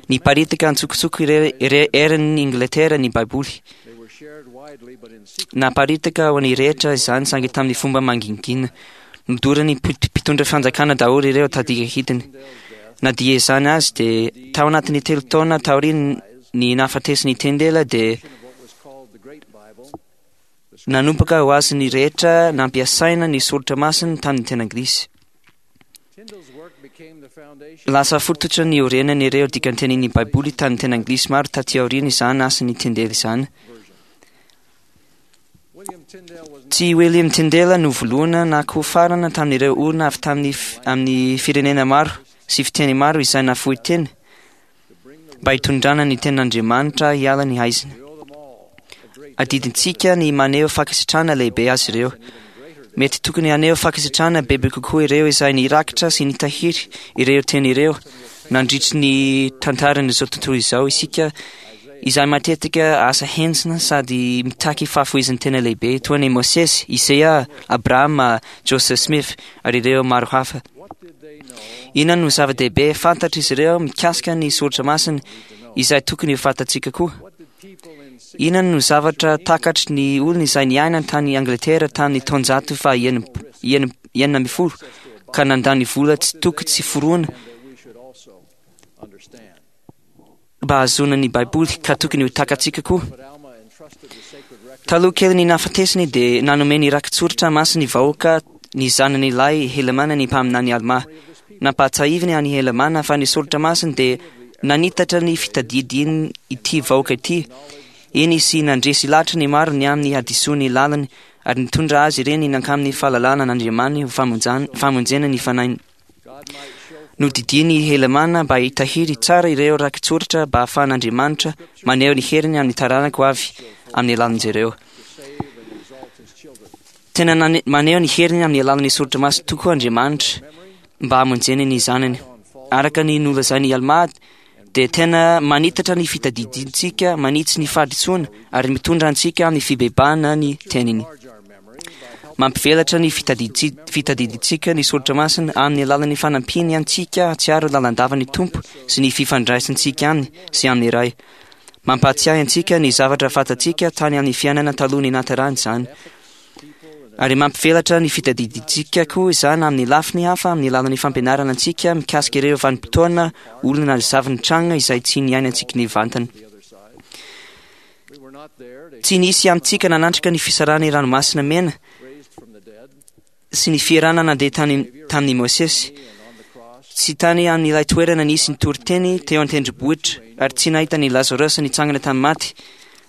Niparitaka antsokosoko ire- ire- eran'ny Ingletera ny Baiboly. Naparitaka ho an'ny rehetra izany saingy tamin'ny fomba mangingina. Nodoran'ny mpitondra fanjakana daholo ireo tadika hidiny. Na dia izany azy dia tao anatin'ny 3 taona taorian'ny nahafatesan'i Tyndale dia nanomboka ho azon'ny rehetra nampiasaina ny soratra masina tamin'ny teny anglisy. Lasa fototra niorenan'ireo dikantenin'ny Baiboly tamin'ny teny anglisy maro taty aoriana izany asan'i Tyndale izany. Tsy William Tyndale no voalohany na koa farany tamin'ireo olona avy tamin'ny amin'ny firenena maro sy fiteny maro izay nafoy teny mba hitondrana ny tenin'Andriamanitra hiala ny haizina. Adidintsika ny maneho fankasitrahana lehibe azy ireo. Mety tokony haneho fankasitrahana bebe kokoa ireo izay nirakitra sy nitahiry ireo teny ireo nandritry ny tantaran'izao tontolo izao isika, izay matetika asa henjana sady mitaky fahafoizan-tena lehibe toa an'i Mosesy, Isaia, Abrahama, Joseph Smith ary ireo maro hafa. Inona no zava-dehibe fantatr'izy ireo mikasika ny soratra masina izay tokony ho fantatsika koa? Inona no zavatra takatry ny olona izay niaina tany Angletera tamin'ny taonjato faha 16 ka nandany vola tsy toko tsy forohana mba hahazoana ny Baiboly ka tokony ho takatsika koa? Taloha kelin'ny nahafatesany dia nanome ny rakitsoratra masina ny vahoaka ny zanany lahy Helamàna ny mpaminany Almà. Nampahatsiahiviny an'i Helamàna fa ny soratra masina dia nanitatra ny fitadidiany ity vahoaka ity, eny sy nandresy lahatra ny maro ny amin'ny hadisoan'ny lalany ary nitondra azy ireny nankamin'ny fahalalana an'Andriamaniny ho famonjena ny fanahiny. Nodidian'i Helamàna mba hitahiry tsara ireo rakitsoratra mba hahafahan'Andriamanitra maneho ny heriny amin'ny taranaka ho avy amin'ny alalan'izy ireo. Tena maneho ny heriny amin'ny alalan'ny soratra masina tokoa Andriamanitra mba hamonjeny ny zanany. Araka ny nolazain'i Almà dia tena manitatra ny fitadidintsika, manitsy ny fahadisoana ary mitondra antsika amin'ny fibebahana ny teniny. Mampivelatra ny fitadidintsika ny soratra masina amin'ny alalan'ny fanampiany antsika hahatsiaro lalandava ny Tompo sy ny fifandraisantsika aminy sy amin'ny Ray. Mampahatsiahy antsika ny zavatra fantatsika tany amin'ny fiainana taloha ny nahaterahany izany. Ary mampivelatra ny fitadidintsika koa izany amin'ny lafiny hafa amin'ny alalan'ny fampianarana antsika mikasika ireo vanim-potoana, olona na zava-nitranga izay tsy niainantsika nivantana. Tsy nisy amintsika nanatrika ny fisarahan'ny ranomasina mena sy ny fierana nandeha tany tamin'i Mosesy. Tsy tany amin'ilay toerana nisy ny toriteny teo an-tendrombohitra, ary tsy nahita an'i Lazarosy nitsangana tamin'ny maty.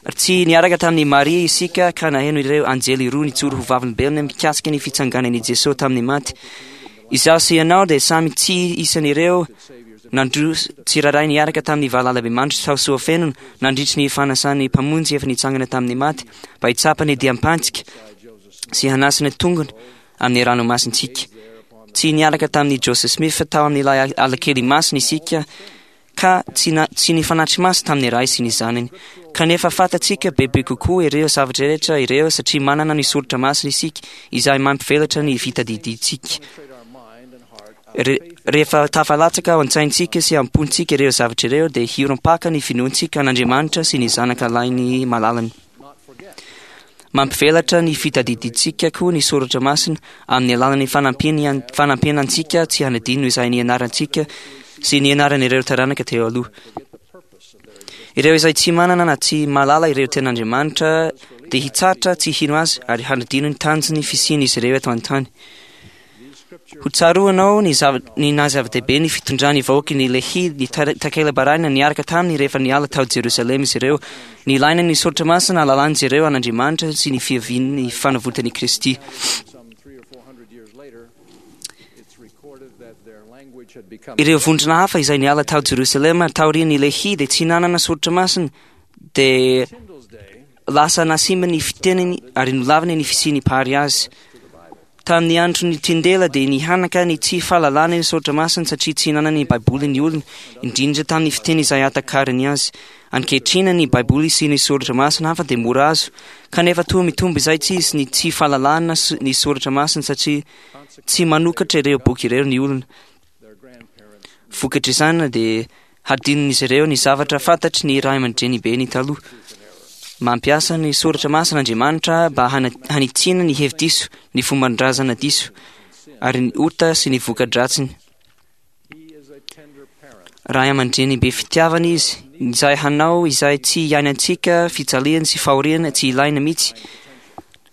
Ary tsy niaraka tamin'i Maria isika ka naheno ireo anjely roa nijoro ho vavolombelona mikasika ny fitsanganan'i Jesoa tamin'ny maty. Izaho sy ianao dia samy tsy isan'ireo nandroso tsirairay niaraka tamin'ny valalabemandry tao Soafenona nandritry ny fanasan'ny Mpamonjy efa nitsangana tamin'ny maty mba hitsapa ny diam-pantsika sy hanasa ny tongony amin'ny ranomasintsika. Tsy niaraka tamin'i Joseph Smith tao amin'ilay alakely masina isika ka tsy na, tsy nifanatri-maso tamin'ny Ray sy ny Zanany. Kanefa fantatsika bebe kokoa ireo zavatra rehetra ireo satria manana ny soratra masina isika izay mampivelatra ny fitadidintsika. Re, rehefa tafalatsaka ao an-tsaintsika sy am-pontsika ireo zavatra ireo dia hiorim-paka ny finoantsika an'Andriamanitra sy ny Zanaka lahiny malalany. Mampivelatra ny fitadidintsika koa ny soratra masina amin'ny alalan'ny fanampiana antsika tsy hanadino izay nianarantsika sy nianaran'ireo taranaka teo aloha. Ireo izay tsy manana na tsy mahalala ireo tenin'Andriamanitra dia hitsahatra tsy hino azy ary hanadino ny tanjon'ny fisian'izy ireo eto an-tany. Ho tsaroanao ny zava ny naha zava-dehibe ny fitondran'ny vahoaky ny Lehi ny takela-barahina niaraka taminy rehefa niala tao Jerosalema izy ireo. Nilaina ny soratra masina hahalalan'izy ireo an'Andriamanitra sy ny fiavian'ny fanavotan'i Kristy. Ireo vondrona hafa izay niala tao Jerosalema taorian'i Lehi dia tsy nanana soratra masina, dia lasa nasimba ny fiteniny ary nolaviny ny fisian'ny Mpahary azy. Tamin'ny andron'i Tyndale dia nihanaka ny tsy fahalalana ny soratra masina satria tsy nanana ny Baiboly ny olona, indrindra tamin'ny fiteny izay ahatakarany azy. Ankehitriny ny Baiboly sy ny soratra masina hafa dia mora azo, kanefa toa mitombo izaitsizy ny tsy fahalalana ny soratra masina satria tsy manokatra ireo boky ireo ny olona. Vokatr'izany dia hadinon'izy ireo ny zavatra fantatry ny ray aman-drenibeny taloha. Mampiasa ny soratra masina Andriamanitra mba hanitsiana ny hevi-diso, ny fomban-drazana diso, ary ny ota sy ny voka-dratsiny. Ray aman-dreny be fitiavana izy, izay hanao izay tsy hiainantsika fijaliana sy fahoriana tsy ilaina mihitsy,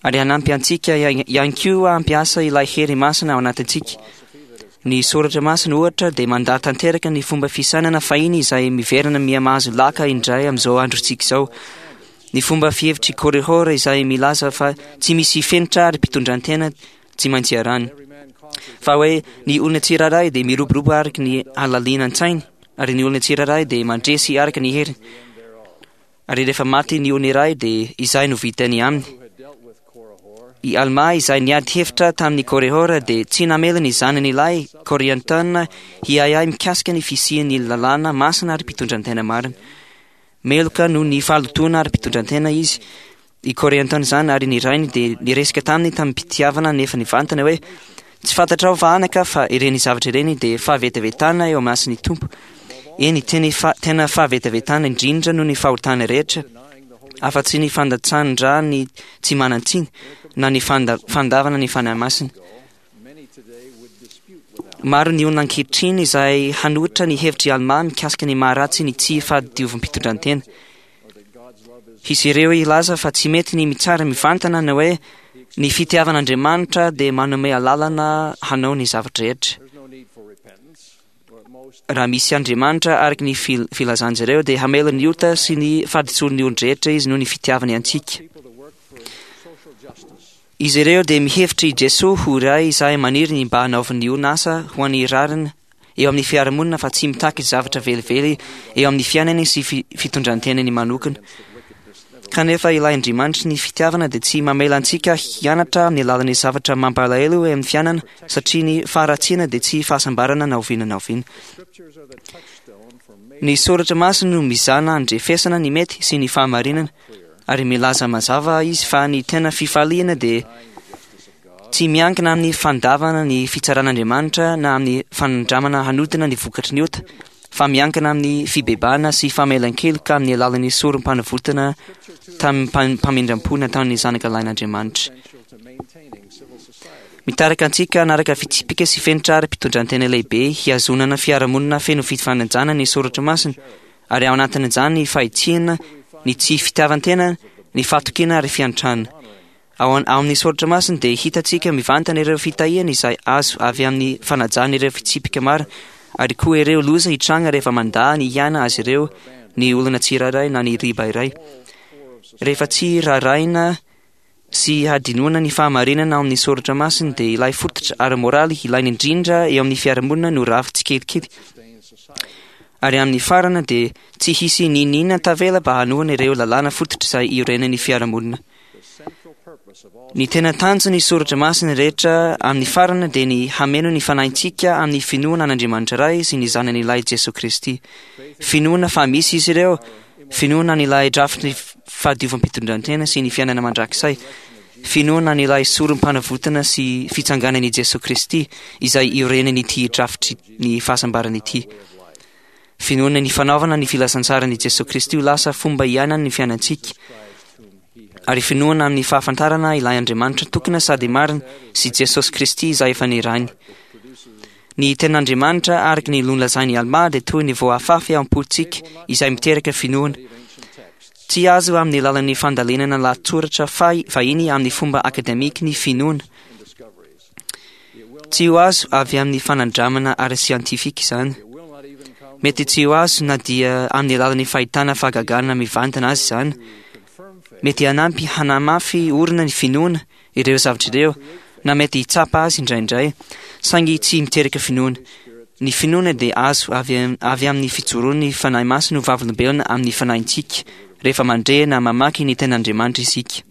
ary hanampy antsika ihany koa hampiasa ilay hery masina ao anatintsika. Ny soratra masina, ohatra, dia mandà tanteraka ny fomba fisainana fahiny izay miverina miha-mahazo laka indray amin'izao androntsika izao. Ny fomba fihevitr'i Korihor izay milaza fa tsy misy fenitra ary mpitondran-tena tsy maintsy iarahany. Fa hoe ny olona tsirairay dia miroborobo araka ny halalinan-tsainy, ary ny olona tsirairay dia mandresy araka ny heriny. Ary rehefa maty ny olona iray dia izay no vitany aminy. I Almà izay niady hevitra tamin'i Korihor dia tsy namela ny zanany lahy Korianton hiahiahy mikasika ny fisian'ny lalàna masina ary mpitondran-tena marina. Meloka noho ny fahalotoana ary mpitondran-tena izy. I Korianton izany ary ny rainy dia niresaka taminy tamim-pitiavana nefa nivantana hoe, Tsy fantatrao va anaka fa ireny zavatra ireny dia fahavetavetana eo imason'ny Tompo? Eny, teny fa, tena fahavetavetana indrindra noho ny fahotana rehetra, afa-tsy ny fandatsahan-dra ny tsy manan-tsiny na ny fanda, fandavana ny Fanahy Masina. Maro ny olona ankehitriny izay hanohitra ny hevitr'i Almà mikasika ny maha-ratsy ny tsy fahadiovam-pitondrantena. Hisy ireo hilaza fa tsy mety ny mitsara mivantana ny hoe ny fitiavan'Andriamanitra dia manome alalana hanao ny zava-drehetra. Raha misy Andriamanitra araka ny filazan'izy ireo dia hamela ny ota sy ny fahadisoan'ny olon-drehetra izy noho ny fitiavany antsika. Izy ireo dia mihevitra i Jesoa ho iray izay maniry ny mba hanaovan'ny olona asa ho an'ny rariny eo amin'ny fiarahamonina fa tsy mitaky zavatra velively eo amin'ny fiainany sy fitondran-tenany manokana. Kanefa ilay Andriamanitry ny fitiavana dia tsy mamela antsika hianatra amin'ny alalan'ny zavatra mampalahelo eo amin'ny fiainana, satria ny faharatsiana dia tsy fahasambarana na oviana na oviana. Ny soratra masina no mizana handrefesana ny mety sy ny fahamarinana, ary milaza mazava izy fa ny tena fifaliana dia Tsy miankina amin'ny fandavana ny fitsaran'Andriamanitra na amin'ny fanandramana hanodina ny vokatry ny ota, fa miankina amin'ny fibebahana sy famelan-keloka amin'ny alalan'ny sorom-panavotana tamim-pamindram-po nataon'ny Zanaka Lahin'Andriamanitra. Mitarika antsika hanaraka fitsipika sy fenitra ara-pitondran-tena lehibe hihazonana fiarahamonina feno fifanajana ny Soratra Masina, ary ao anatin'izany ny fahitsiana, ny tsy fitiavan-tena, ny fahatokiana ary fiantrana. Ao amin'ny Soratra Masina dia hitantsika mivantana ireo fitahiana izay azo avy amin'ny fanajana ireo fitsipika marina, ary koa ireo loza hitranga rehefa mandà ny hiaina azy ireo ny olona tsirairay na ny riba iray. Rehefa tsy raharahiana sy hadinoana ny fahamarinana ao amin'ny Soratra Masina dia ilay fototra ara-moraly ilaina indrindra eo amin'ny fiarahamonina no rava tsikelikely. Ary amin'ny farany dia tsy hisy n'inon'inona tavela mba hanohana ireo lalàna fototra izay iorenan'ny fiarahamonina. Ny tena tanjon'ny soratra masina rehetra amin'ny farany dia ny hameno ny fanahintsika amin'ny finoana an'Andriamanitra Ray sy ny Zanany Lahy Jesoa Kristy. Finoana fa misy Izy ireo, finoana an'ilay drafitry ny fahadiovam-pitondrantena sy ny fiainana mandrakizay, finoana an'ilay sorom-panavotana sy fitsanganan'i Jesoa Kristy izay iorenan'ity drafitry ny fahasambarana ity. Finoana ny fanaovana ny filazantsaran'i Jesoa Kristy ho lasa fomba iainany ny fiainantsika, ary finoana amin'ny fahafantarana ilay Andriamanitra tokana sady marina sy Jesosy Kristy izay efa nirahiny. Ny tenin'Andriamanitra araka ny nolazain'i Almà dia toy ny voafafy ao am-pontsika izay miteraka finoana. Tsy azo amin'ny alalan'ny fandalinana lahatsoratra fahiny amin'ny fomba akademika ny finoana. Tsy ho azo avy amin'ny fanandramana ara-siantifika izany. Mety tsy ho azo na dia amin'ny alalan'ny fahitana fahagagana mivantana azy izany. Mety hanampy hanamafy orina ny finoana ireo zavatra ireo, na mety hitsapa azy indraindray, saingy tsy miteraka finoana. Ny finoana dia azo avy avy amin'ny fijoroan'ny Fanahy Masina ho vavolombelona amin'ny fanahintsika rehefa mandre na mamaky ny Tenin'Andriamanitra isika.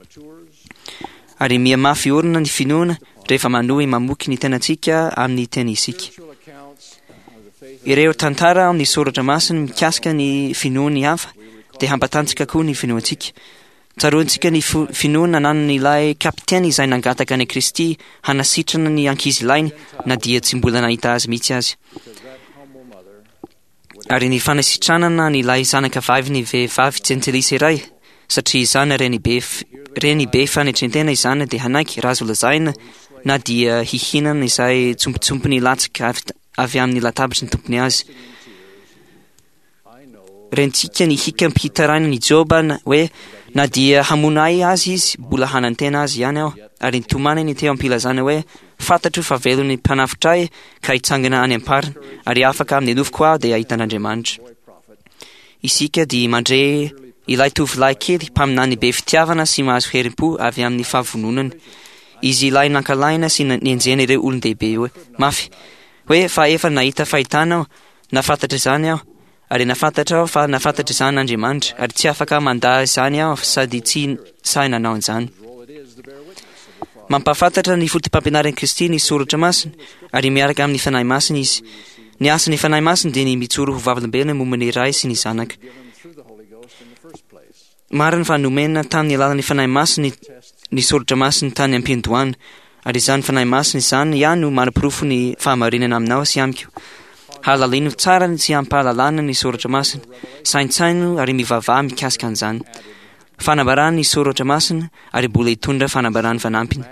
Ary mihamafy orina ny finoana rehefa manohy mamoky ny tenantsika amin'ny teny isika. Ireo tantara amin'ny soratra masina mikasika ny finoan'ny hafa dia hampatanjaka koa ny finoantsika. Tsaroantsika ny finoana nanan'ilay kapiteny izay nangataka an'i Kristy hanasitrana ny ankizilahiny na dia tsy mbola nahita azy mihitsy aza. Ary ny fanasitranana an'ilay zanaka vavin'ny vehivavy jentilisa iray, satria izany renibe renibe fanetren-tena izany dia hanaiky raha azo lazaina na dia hihinana izay tsompitsompiny latsaka avy amin'ny latabatry ny tompony azy. Rentsika ny hikam-pitarainan'i Joba hoe na dia hamono ahy azy izy, mbola hanantena azy ihany aho, ary nitomaniny teo am-pilazana hoe fantatro fa velon'ny mpanafotra ahy ka hitsangana any am-pariny, ary afaka amin'ny nofoko aho dia hahita an'Andriamanitra. Isika dia mandre ilay tovolahy kely mpaminany be fitiavana sy mahazo herim-po avy amin'ny fahavononany. Izy ilay nankalaina sy nenjehina ireo olon-dehibe hoe mafy hoe fa efa nahita fahitana aho, nahafantatra izany aho, ary nahafantatra aho fa nahafantatra izany Andriamanitra, ary tsy afaka mandà izany aho sady tsy sahy nanao an'izany. Mampahafantatra ny fotopampianaran'i Kristy ny Soratra Masina, ary miaraka amin'ny Fanahy Masina Izy. Ny asan'ny Fanahy Masina dia ny mijoro ho vavolombelona momba ny Ray sy ny Zanaka. Marina fa nomena tamin'ny alalan'ny Fanahy Masina ny Soratra Masina tany am-piandohana, ary izany Fanahy Masina izany ihany no manaporofo ny fahamarinana aminao sy amiko. Halalino tsara ny tsy ampahalalana ny Soratra Masina, saintsaino ary mivavaha mikasika an'izany. Fanambarana ny Soratra Masina ary mbola hitondra fanambarana fanampiny.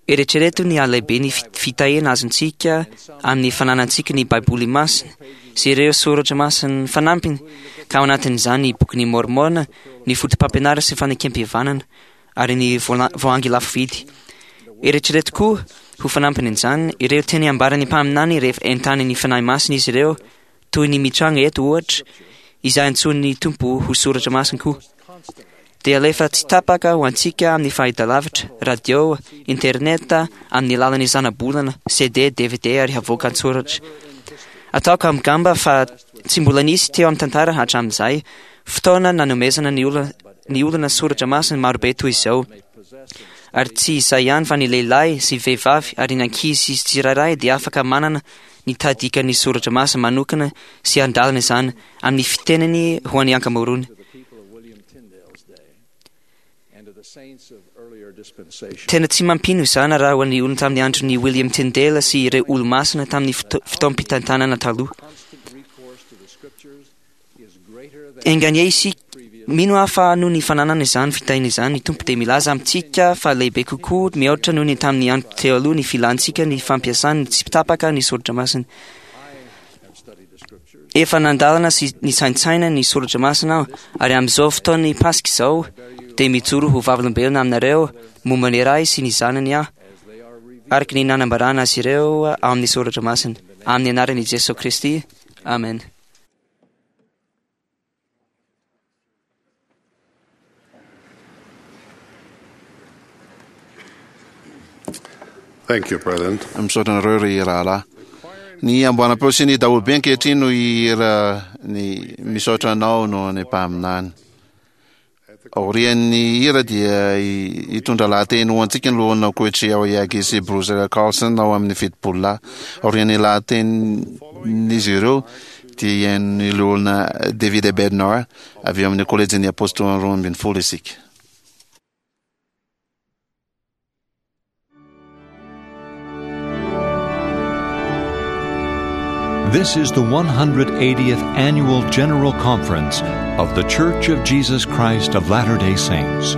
Eritrereto ny halehiben'ny fitahiana azontsika amin'ny fananantsika ny Baiboly Masina sy ireo soratra masina fanampiny, ka ao anatin'izany ny Bokin'i Môrmôna, ny Fotopampianarana sy Fanekempihavanana, ary ny Voahangy Lafo Vidy. Eritrereto koa, ho fanampin'izany, ireo teny ambaran'ny mpaminany rehefa entanin'ny Fanahy Masina izy ireo, toy ny mitranga eto ohatra, izay antsoin'ny Tompo ho soratra masina koa. Dia alefa tsy tapaka ho antsika amin'ny fahitalavitra, radio, internet, amin'ny alalan'ny zanabolana, CD, dvd ary havoaka an-tsoratra. Ataoko amgamba fa tsy mbola nisy teo amin'ny tantara hatramin'izay fotoana nanomezana ny olona ny olona soratra masina marobe toy izao. Ary tsy izay ihany fa ny lehilahy sy vehivavy ary ny ankizy sy tsirairay dia afaka manana ny tahadikan'ny soratra masina manokana sy handalina izany amin'ny fiteniny ho an'ny ankamaroany. Tena tsy mampino izany raha ho an'ny olona tamin'ny andron'i William Tyndale sy ireo olo-masina tamin'ny fotoam-pitantanana taloha. Enga anie isika, mino aho fa noho ny fananana izany fitahiana izany, ny Tompo dia milaza amintsika fa lehibe kokoa mihoatra noho ny tamin'ny andro teo aloha ny filantsika ny fampiasany tsy tapaka ny soratra masina. Efa nandalana sy nisaintsaina ny soratra masina aho, ary amin'izao fotoan'ny Paska izao dia mijoro ho vavolombelona aminareo momba ny Ray sy ny Zanany aho, araka ny nanambarana azy ireo ao amin'ny soratra masina. Amin'ny anaran'i Jesoa Kristy, Amen. Thank you, President. Misaotra anareo ry rahalahy. Ny amboaram-peo sy ny daholobe ankehitriny no hihira ny misaotra anao noho ny mpaminany. Aorian'ny hira dia hitondra lahateny ho antsika ny loholona Koichi Aoyagi sy Bruce Carlson ao amin'ny 70 lahy. Aorian'ny lahatenin'izy ireo dia hihaino ny loholona David A. Bednar avy ao amin'ny Kolejin'ny Apôstôly 12 isika. This is the 180th Annual General Conference of The Church of Jesus Christ of Latter day Saints.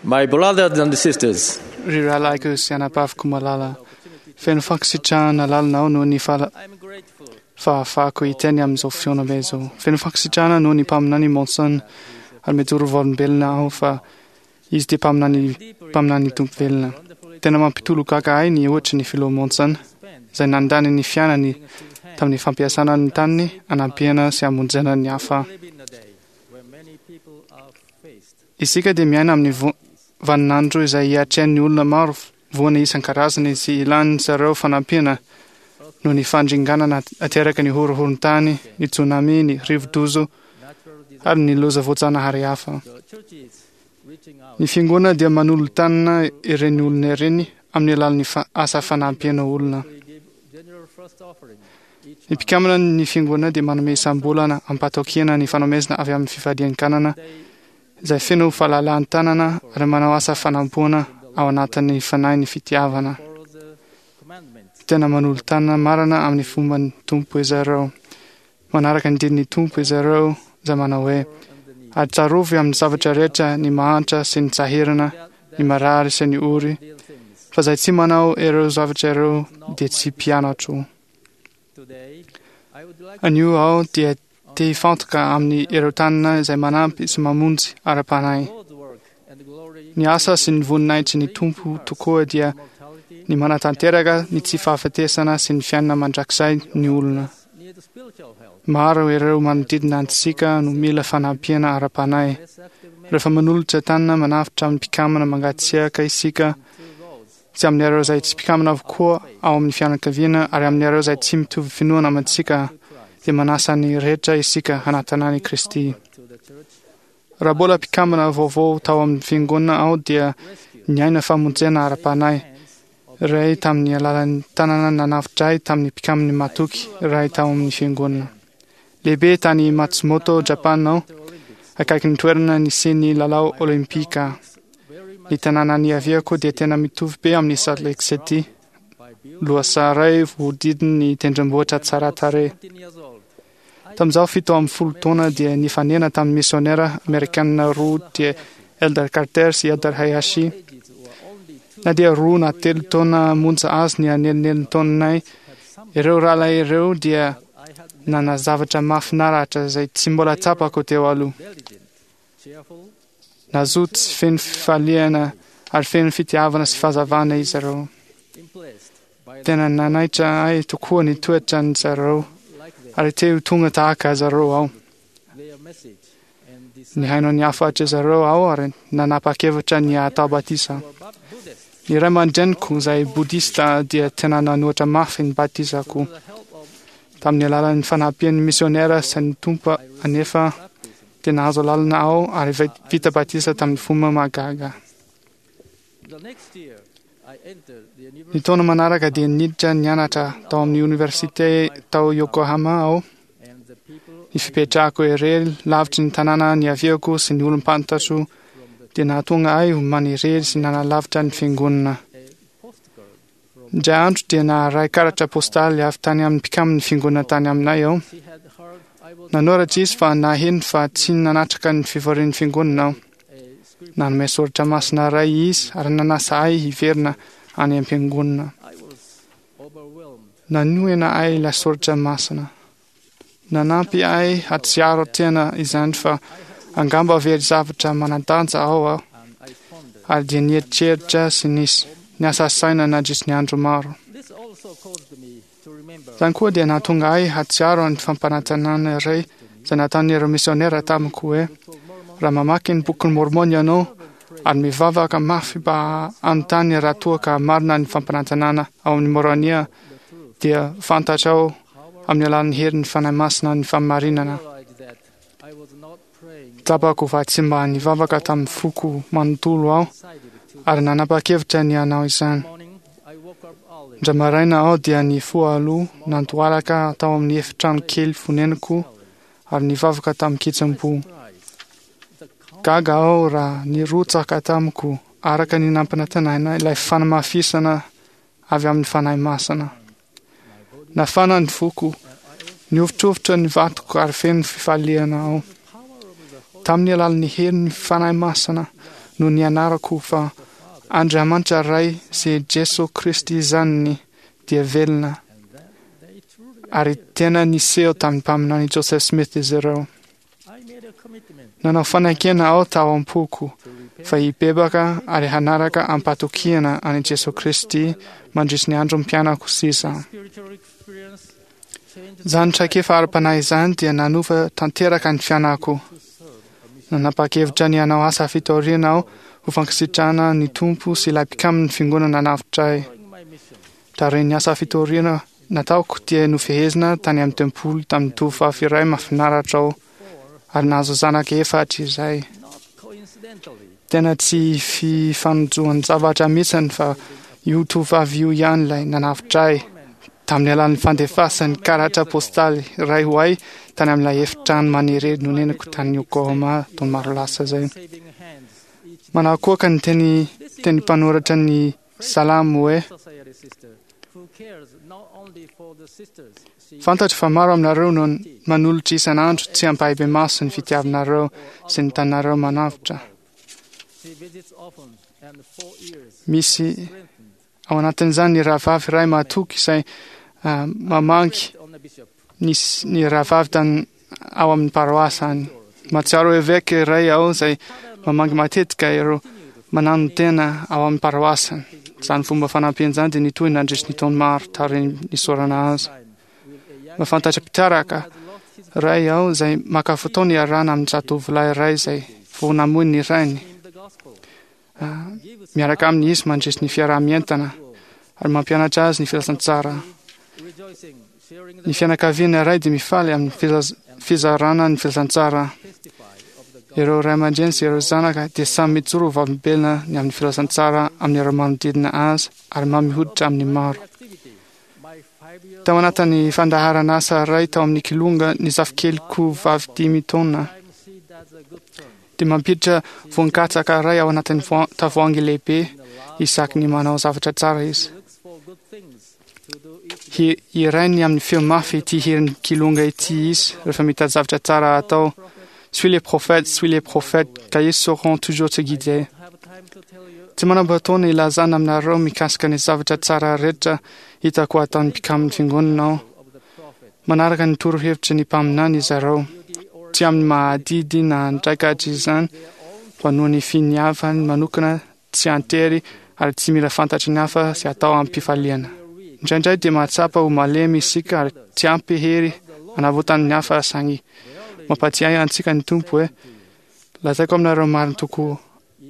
My brothers and sisters, Ry rahalahiko sy anabaviko malala, feno fankasitrahana lalina aho noho ny fahafahako hiteny amin'izao fihaonambe izao. Feno fankasitrahana noho ny mpaminany Monson ary mijoro vavolombelona aho fa izy dia mpaminany mpaminany Tompo velona. Tena mampitolagaga ahy ny ohatry ny filoha Monson izay nandany ny fiainany tamin'ny fampiasana ny taniny hanampiana sy hamonjena ny hafa. Isika dia miaina amin'ny vaninandro izay hiatrehan'ny olona maro voana isan-karazany sy ilan'ny zareo fanampiana noho ny fandringanana ateraky ny horohoron-tany, ny tsunami, ny rivo-doza ary ny loza voajanahary hafa. Ny fiangonana dia manolo-tanana ireny olona ireny amin'ny alalan'ny asa fanampiana olona. Ny mpikambana ny fiangonana dia manome isam-bolana am-pahatokiana ny fanomezana avy amin'ny fifadian-kanana izay feno fahalalahan-tanana ary manao asa fanampoana ao anatin'ny fanahin'ny fitiavana. Tena manolo-tanana marina amin'ny fomban'ny Tompo izy ireo. Manaraka ny didin'ny Tompo izy ireo izay manao hoe, Ary tsarovy amin'ny zavatra rehetra ny mahantra sy ny sahirana, ny marary sy ny ory, fa izay tsy manao ireo zavatra ireo dia tsy mpianatro. Anio aho dia te hifantoka amin'ny ireo tanana izay manampy sy mamonjy ara-panahy. Ny asa sy ny voninahitry ny Tompo tokoa dia ny manatanteraka ny tsy fahafatesana sy ny fiainana mandrakizay ny olona. Maro ireo manodidina antsika no mila fanampiana ara-panahy. Rehefa manolotra tanana manavotra amin'ny mpikambana mangatsiaka isika, sy amin'ireo izay tsy mpikambana avokoa ao amin'ny fianakaviana ary amin'ireo izay tsy mitovy finoana amintsika, dia manasa ny rehetra isika hanatona an'i Kristy. Raha mbola mpikambana vaovao tao amin'ny fiangonana aho dia niaina famonjena ara-panahy iray tamin'ny alalan'ny tanana nanavotra ahy tamin'ny mpikambana matoky iray tao amin'ny fiangonana. Lehibe tany Matsumoto, Japana aho, akaikin'ny toerana nisian'ny lalao Olympika. Ny tanàna niaviako dia tena mitovy be amin'i Salt Lake City, lohasaha iray voahodidin'ny tendrombohitra tsara tarehy. Tamin'izaho 17 taona dia nifanena tamin'ny misionera amerikanina roa dia Elder Carter sy Elder Hayashi. Na dia 2 na 3 taona monja azy ny anelinelintaonanay, ireo rahalahy ireo dia nanana zavatra mahafinaritra izay tsy mbola tsapako teo aloha. Nazoto sy feno fifaliana ary feno fitiavana sy fahazavana izy ireo. Tena nanaitra ahy tokoa ny toetran-dry zareo ary te ho tonga tahaka azy ireo aho. Nihaino ny hafatry zareo aho ary nanapa-kevitra ny hatao batisa. Ny ray aman-dreniko izay bodista dia tena nanohitra mafy ny batisako. Tamin'ny alalan'ny fanampian'ny misionera sy ny Tompo anefa dia nahazo alalana aho ary vita batisa tamin'ny fomba mahagaga. Ny taona manaraka dia niditra nianatra tao amin'ny oniversite tao Yokohama aho. Ny fipetrahako irery lavitry ny tanàna niaviako sy ny olom-pantatro dia nahatonga ahy ho manirery sy nanalavitra ny fiangonana. Indray andro dia naharay karatra postaly avy tany amin'ny mpikamin'ny fiangonana tany aminay aho. Nanoratra izy fa naheno fa tsy nanatrika ny fivorian'ny fiangonana aho. Nanome soratra masina iray izy ary nanasa ahy hiverina any am-piangonana. Nanohina ahy ilay soratra masina. Nanampy ahy hahatsiaro tena izany fa angamba very zavatra manan-danja ao aho, ary dia nieritreritra sy nisy niasa saina nandritry ny andro maro. Izany koa dia nahatonga ahy hahatsiaro ny fampanantenana iray izay nataon'ireo misionera tamiko hoe, Raha mamaky ny Bokin'i Môrmôna ianao ary mivavaka mafy mba hanontany raha toa ka marina ny fampanantenana ao amin'ny Môrônia, dia fantatrao amin'ny alalan'ny herin'ny Fanahy Masina ny fahamarinana. Tsapako fa tsy mba nivavaka tamin'ny foko manontolo aho ary nanapa-kevitra ny hanao izany. Indray maraina aho dia nifoha aloha nandohalaka tao amin'ny efitrano kely fonenako ary nivavaka tamin-kitsim-po. Gaga aho raha nirotsaka tamiko araka ny nampanantenaina ilay fanamafisana avy amin'ny Fanahy Masina. Nafana ny foko, nihovitrovitra ny vatoko ary feno fifaliana aho. Tamin'ny alalan'ny herin'ny Fanahy Masina no nianarako fa Andriamanitra Ray sy Jesoa Kristy Zanany dia velona, ary tena niseho tamin'ny mpaminany Joseph Smith izy ireo. Nanao fanekena aho tao am-poko fa hibebaka ary hanaraka am-patokiana an'i Jesoa Kristy mandritry ny androm-piainako sisa. Izany traikefa ara-panahy izany dia nanova tanteraka ny fiainako. Nanapa-kevitra ny hanao asa fitoriana aho ho fankasitrahana ny Tompo sy ilay mpikamin'ny Fiangonana nanavotra ahy. Taorian'ny asa fitoriana nataoko dia nofehezina tany amin'ny tempoly tamin'ny tovovavy iray mahafinaritra aho ary nahazo zanaka efatra izahay. Tena tsy fifanojoan-javatra mihitsy fa io tovovavy io ihany ilay nanavotra ahy tamin'ny alalan'ny fandefasany karatra postaly iray ho ahy tany amin'ilay efitrano manirery nonenako tany Yokohama taona maro lasa izay. Manakoaka ny teny teny mpanoratra ny Salamo hoe, Fantatro fa maro aminareo no manolotra isan'andro tsy ampahibemaso ny fitiavanareo sy ny tanareo manavotra. Misy ao anatin'izany ny rahavavy iray mahatoky izay mamangy ny, ny rahavavy tany ao amin'ny paroasy any. Mahatsiaro eveka iray aho izay mamangy matetika ireo mananotena ao amin'ny paroasiny. Izany fomba fanampiana izany dia nitohy nandritry ny taona maro taorian'ny nisorana azy. Mahafantatra mpitaraka iray aho izay maka fotoana iarahana amin'ny zatovolahy iray izay vao namoy ny rainy. Miaraka aminy izy mandritry ny fiaraha-mientana ary mampianatra azy ny filazantsara. Ny fianakaviana iray dia mifaly amin'ny fizarana ny filazantsara. Ireo ray aman-dreny sy ireo zanaka dia samy mijoro ho vavolombelona ny amin'ny filazantsara amin'ireo manodidina azy ary mamy hoditra amin'ny maro. Tao anatin'ny fandaharan'asa iray tao amin'ny Kilonga ny zafikeliko vavy dimy taona dia mampiditra voan-katsaka iray ao anatin'ny tavoahangy lehibe isaky ny manao zavatra tsara izy. Hirainy amin'ny feo mafy ity hirin'ny Kilonga ity izy rehefa mitady zavatra tsara atao. Suis les prophètes, suis les prophètes, car ils sauront toujours te guider. Tsy manam-potoana ilazana aminareo mikasika ny zavatra tsara rehetra hitako ataon'ny mpikamin'ny fiangonana aho. Manaraka ny torohevitry ny mpaminany izy ireo. Tsy amin'ny maha-adidy na andraikatra izany, fa noho ny finiavany manokana tsy an-tery ary tsy mila fantatry ny hafa sy atao amim-pifaliana. Indraindray dia mahatsapa ho malemy isika ary tsy ampy hery hanavotana ny hafa saingy mampatsiahy antsika ny Tompo hoe, Lazaiko aminareo marina tokoa,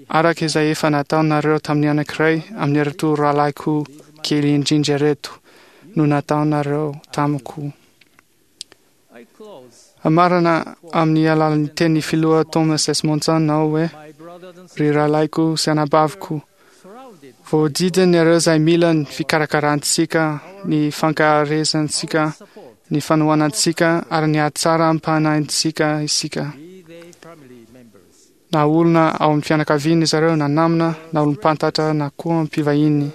araka izay efa nataonareo tamin'ny anankiray amin'ireto rahalahiko kely indrindra ireto no nataonareo tamiko. Hamarana amin'ny alalan'ny tenin'ny Filoha Thomas S. Monson aho hoe, Ry rahalahiko sy anabaviko, voahodidina ireo izay mila ny fikarakarantsika, ny fankaherezantsika, ny fanohanantsika ary ny hatsaram-panahintsika isika. Na olona ao amin'ny fianakaviana izy ireo, na namana, na olom-pantatra, na koa mpivahiny.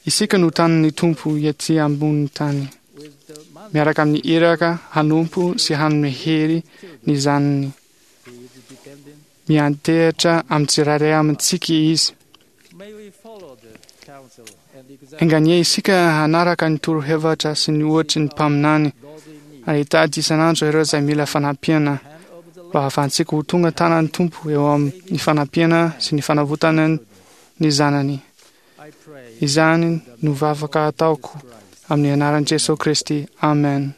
Isika no tanin'ny Tompo ety ambonin'ny tany, miaraka amin'ny iraka hanompo sy hanome hery ny zanany. Miantehitra amin'ny tsirairay amintsika Izy. Enganie isika hanaraka ny torohevitra sy ny ohatry ny mpaminany ary hitady isan'andro ireo izay mila fanampiana mba hahafahantsika ho tonga tanan'ny Tompo eo amin'ny fanampiana sy ny fanavotana ny zanany. Izany no vavaka ataoko amin'ny anaran'i Jesoa Kristy. Amen.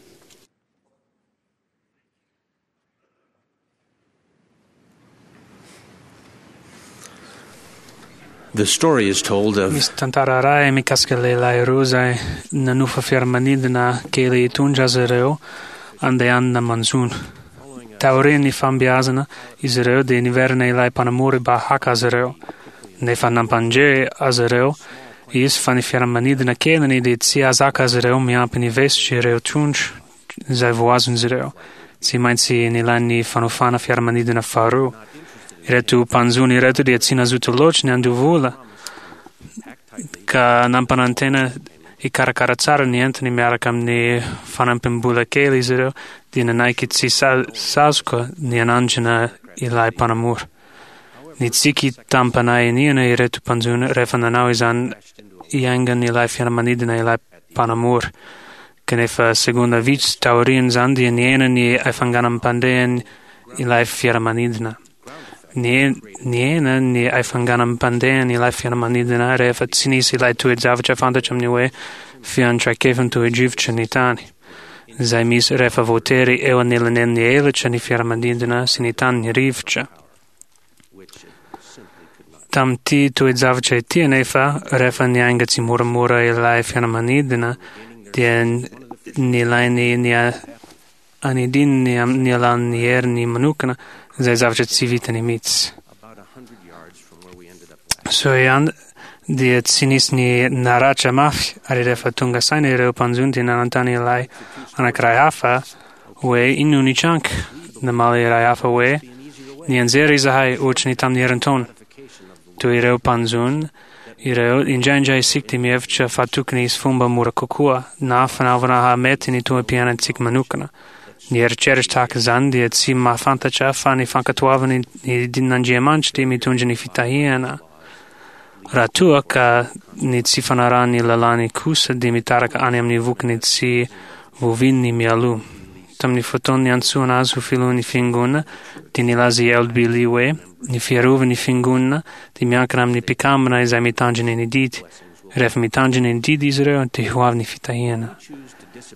The story is told of Misy tantara iray mikasika lehilahy roa izay nanofa fiaramanidina kely hitondra azy ireo andehanana manjono. Taorian'ny fambiazana, izy ireo dia niverina ilay mpanamory mba haka azy ireo. Nefa nampandre azy ireo izy fa ny fiaramanidina keliny dia tsy hahazaka azy ireo miampy ny vesitry ireo trondro izay voazon'izy ireo. Tsy maintsy nilain'ny fanofana fiaramanidina faharoa. Ireto mpanjono ireto dia tsy nazoto loatra ny handoa vola ka nampanantena hikarakara tsara ny entany miaraka amin'ny fanampim-bola kely izy ireo dia nanaiky tsy sazoka ny hanandrana ilay mpanamory. Nitsiky tamim-panahy iniana ireto mpanjono rehefa nanao izany hiaingan'ilay fiaramanidina ilay mpanamory. Kanefa segondra vitsy taorian'izany dia nihena ny haifanganam-pandehan' ilay fiaramanidina. Nihena ny haifanganam-pandehan' ilay fiaramanidina rehefa tsy nisy ilay toe-javatra fantatra amin'ny hoe fiantraikefan'ny toe-drivotra ny tany, izay misy rehefa voatery eo anelanelan'ny elatra ny fiaramanidina sy ny tany ny rivotra. Tamin'ity toe-javatra ity anefa, rehefa niainga tsimoramora ilay fiaramanidina dia nilainy ny anidiny amin'ny alalan'ny heriny manokana, izay zavatra tsy vitany mihitsy. Soa ihany dia tsy nisy ny naratra mafy ary rehefa tonga saina ireo mpanjono dia nanontany ilay anankiray hafa hoe inona no nitranga. Namaly iray hafa hoe nianjera izahay ohatry ny tamin'ny herintaona. Toy ireo mpanjono ireo, indraindray isika dia mihevitra fa tokony hisy fomba mora kokoa na fanaovana hahamety ny toe-piainantsika manokana. Ny eritreritra tahaka izany dia tsy mahafantatra fa ny fankatoavana ny didin'Andriamanitra dia mitondra ny fitahiana. Raha toa ka ny tsy fanarahana ny lalàny kosa dia mitaraka any amin'ny vokany tsy voavininy mialoha. Tamin'ny fotoana niantsoana azy ho filohan'ny Fiangonana dia nilaza i LB Lee hoe, Ny fiarovan'ny Fiangonana dia miankina amin'ny mpikambana izay mitandrina ny didy. Rehefa mitandrina ny didy izy ireo dia ho avy ny fitahiana.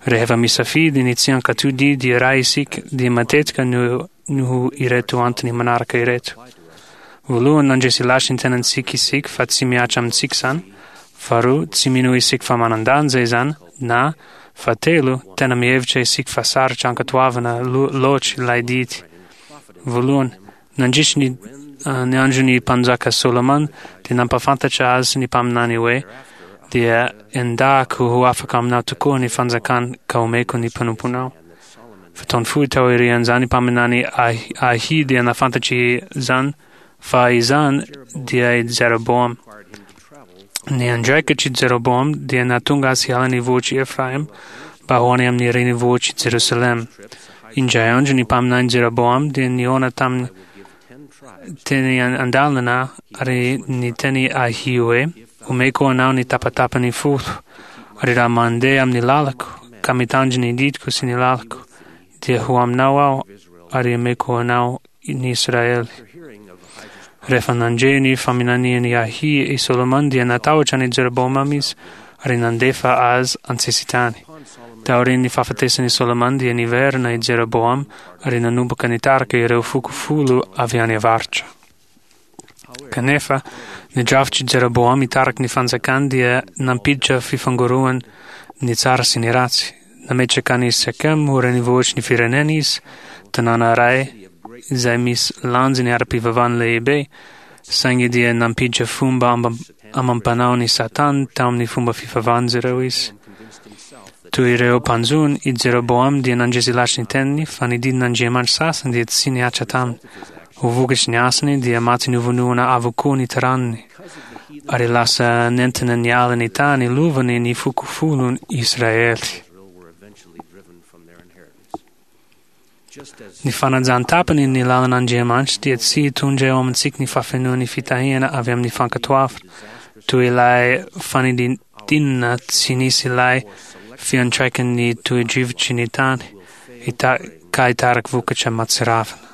Rehefa misafidy ny tsy hankatò didy iray isika dia matetika no noho ireto antony manaraka ireto. Voalohany, nandresy lahatra ny tenantsika isika fa tsy mihatra amintsika izany. Faharoa, tsy mino isika fa manan-danja izany, na, fahatelo, tena mihevitra isika fa sarotra ankatoavina loatra ilay didy. Voalohany, nandritry ny ny andron'ny mpanjaka Solomona dia nampahafantatra azy ny mpaminany hoe, Dia endahako ho afaka aminao tokoa ny fanjakana ka omeko ny mpanomponao. Fotoana fohy taorian'izany mpaminany Ahia dia nahafantatra izany fa izany dia i Jeroboama. Ny andraikitr'i Jeroboama dia nahatonga azy hiala ny vohitr'i Efraima mba ho any amin'ny renivohitr'i Jerosalema. Indray andro ny mpaminany Jeroboama dia nihaona taminy teny an-dalana ary niteny Ahia hoe, Omeko anao ny tapatapany folo, ary raha mandeha amin'ny lalako, ka mitandrina ny didiko sy ny lalako, dia ho aminao aho ary omeko anao ny Israely. Rehefa nandre ny faminanian'i Ahia i Solomona dia natahotra an'i Jeroboama izy ary nandefa azy an-tsesitany. Taorian'ny fahafatesan'i Solomona dia niverina i Jeroboama ary nanomboka nitarika ireo foko folo avy any avaratra. Kanefa, ny drafitr'i Jeroboama hitariky ny fanjakany dia nampiditra fifangoroana ny tsara sy ny ratsy. Nametraka an'i Sekem ho renivohitry ny firenena izy, tanàna iray izay misy lanjany ara-pivavahana lehibe, saingy dia nampiditra fomba amam-panao ny Satana tao amin'ny fomba fivavahan'izy ireo izy. Toy ireo mpanjono, i Jeroboama dia nandresy lahatra ny teniny fa ny didin'Andriamanitra sasany dia tsy nihatra taminy. Ho vokatry ny asany dia maty novonoina avokoa ny taranany, ary lasa nentina niala ny tany lovany ny foko folon'i Israely. Ny fanajan-tapany ny lalan'Andriamanitra dia tsy hitondra eo amintsika ny fahafenoan'ny fitahiana avy amin'ny fankatoavana, toy ilay fanidinana tsy nisy ilay fiantraikan'ny toe-drivotry ny tany, ka hitariky vokatra mahatsiravina.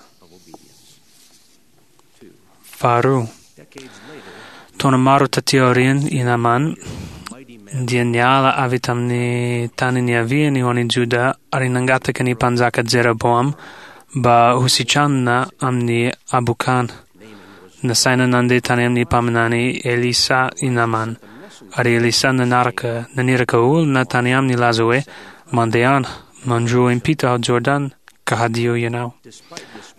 Faharoa, taona maro taty aoriana i Namana dia niala avy tamin'ny tany niaviany ho any Joda ary nangataka ny mpanjaka Jeroboama mba hositranina amin'ny habokana. Nasaina nandeha tany amin'ny mpaminany Elisa i Namana, ary Elisa nanaraka naniraka olona tany aminy nilaza hoe, Mandehana, mandroa impito ao Jordana, ka hadio ianao.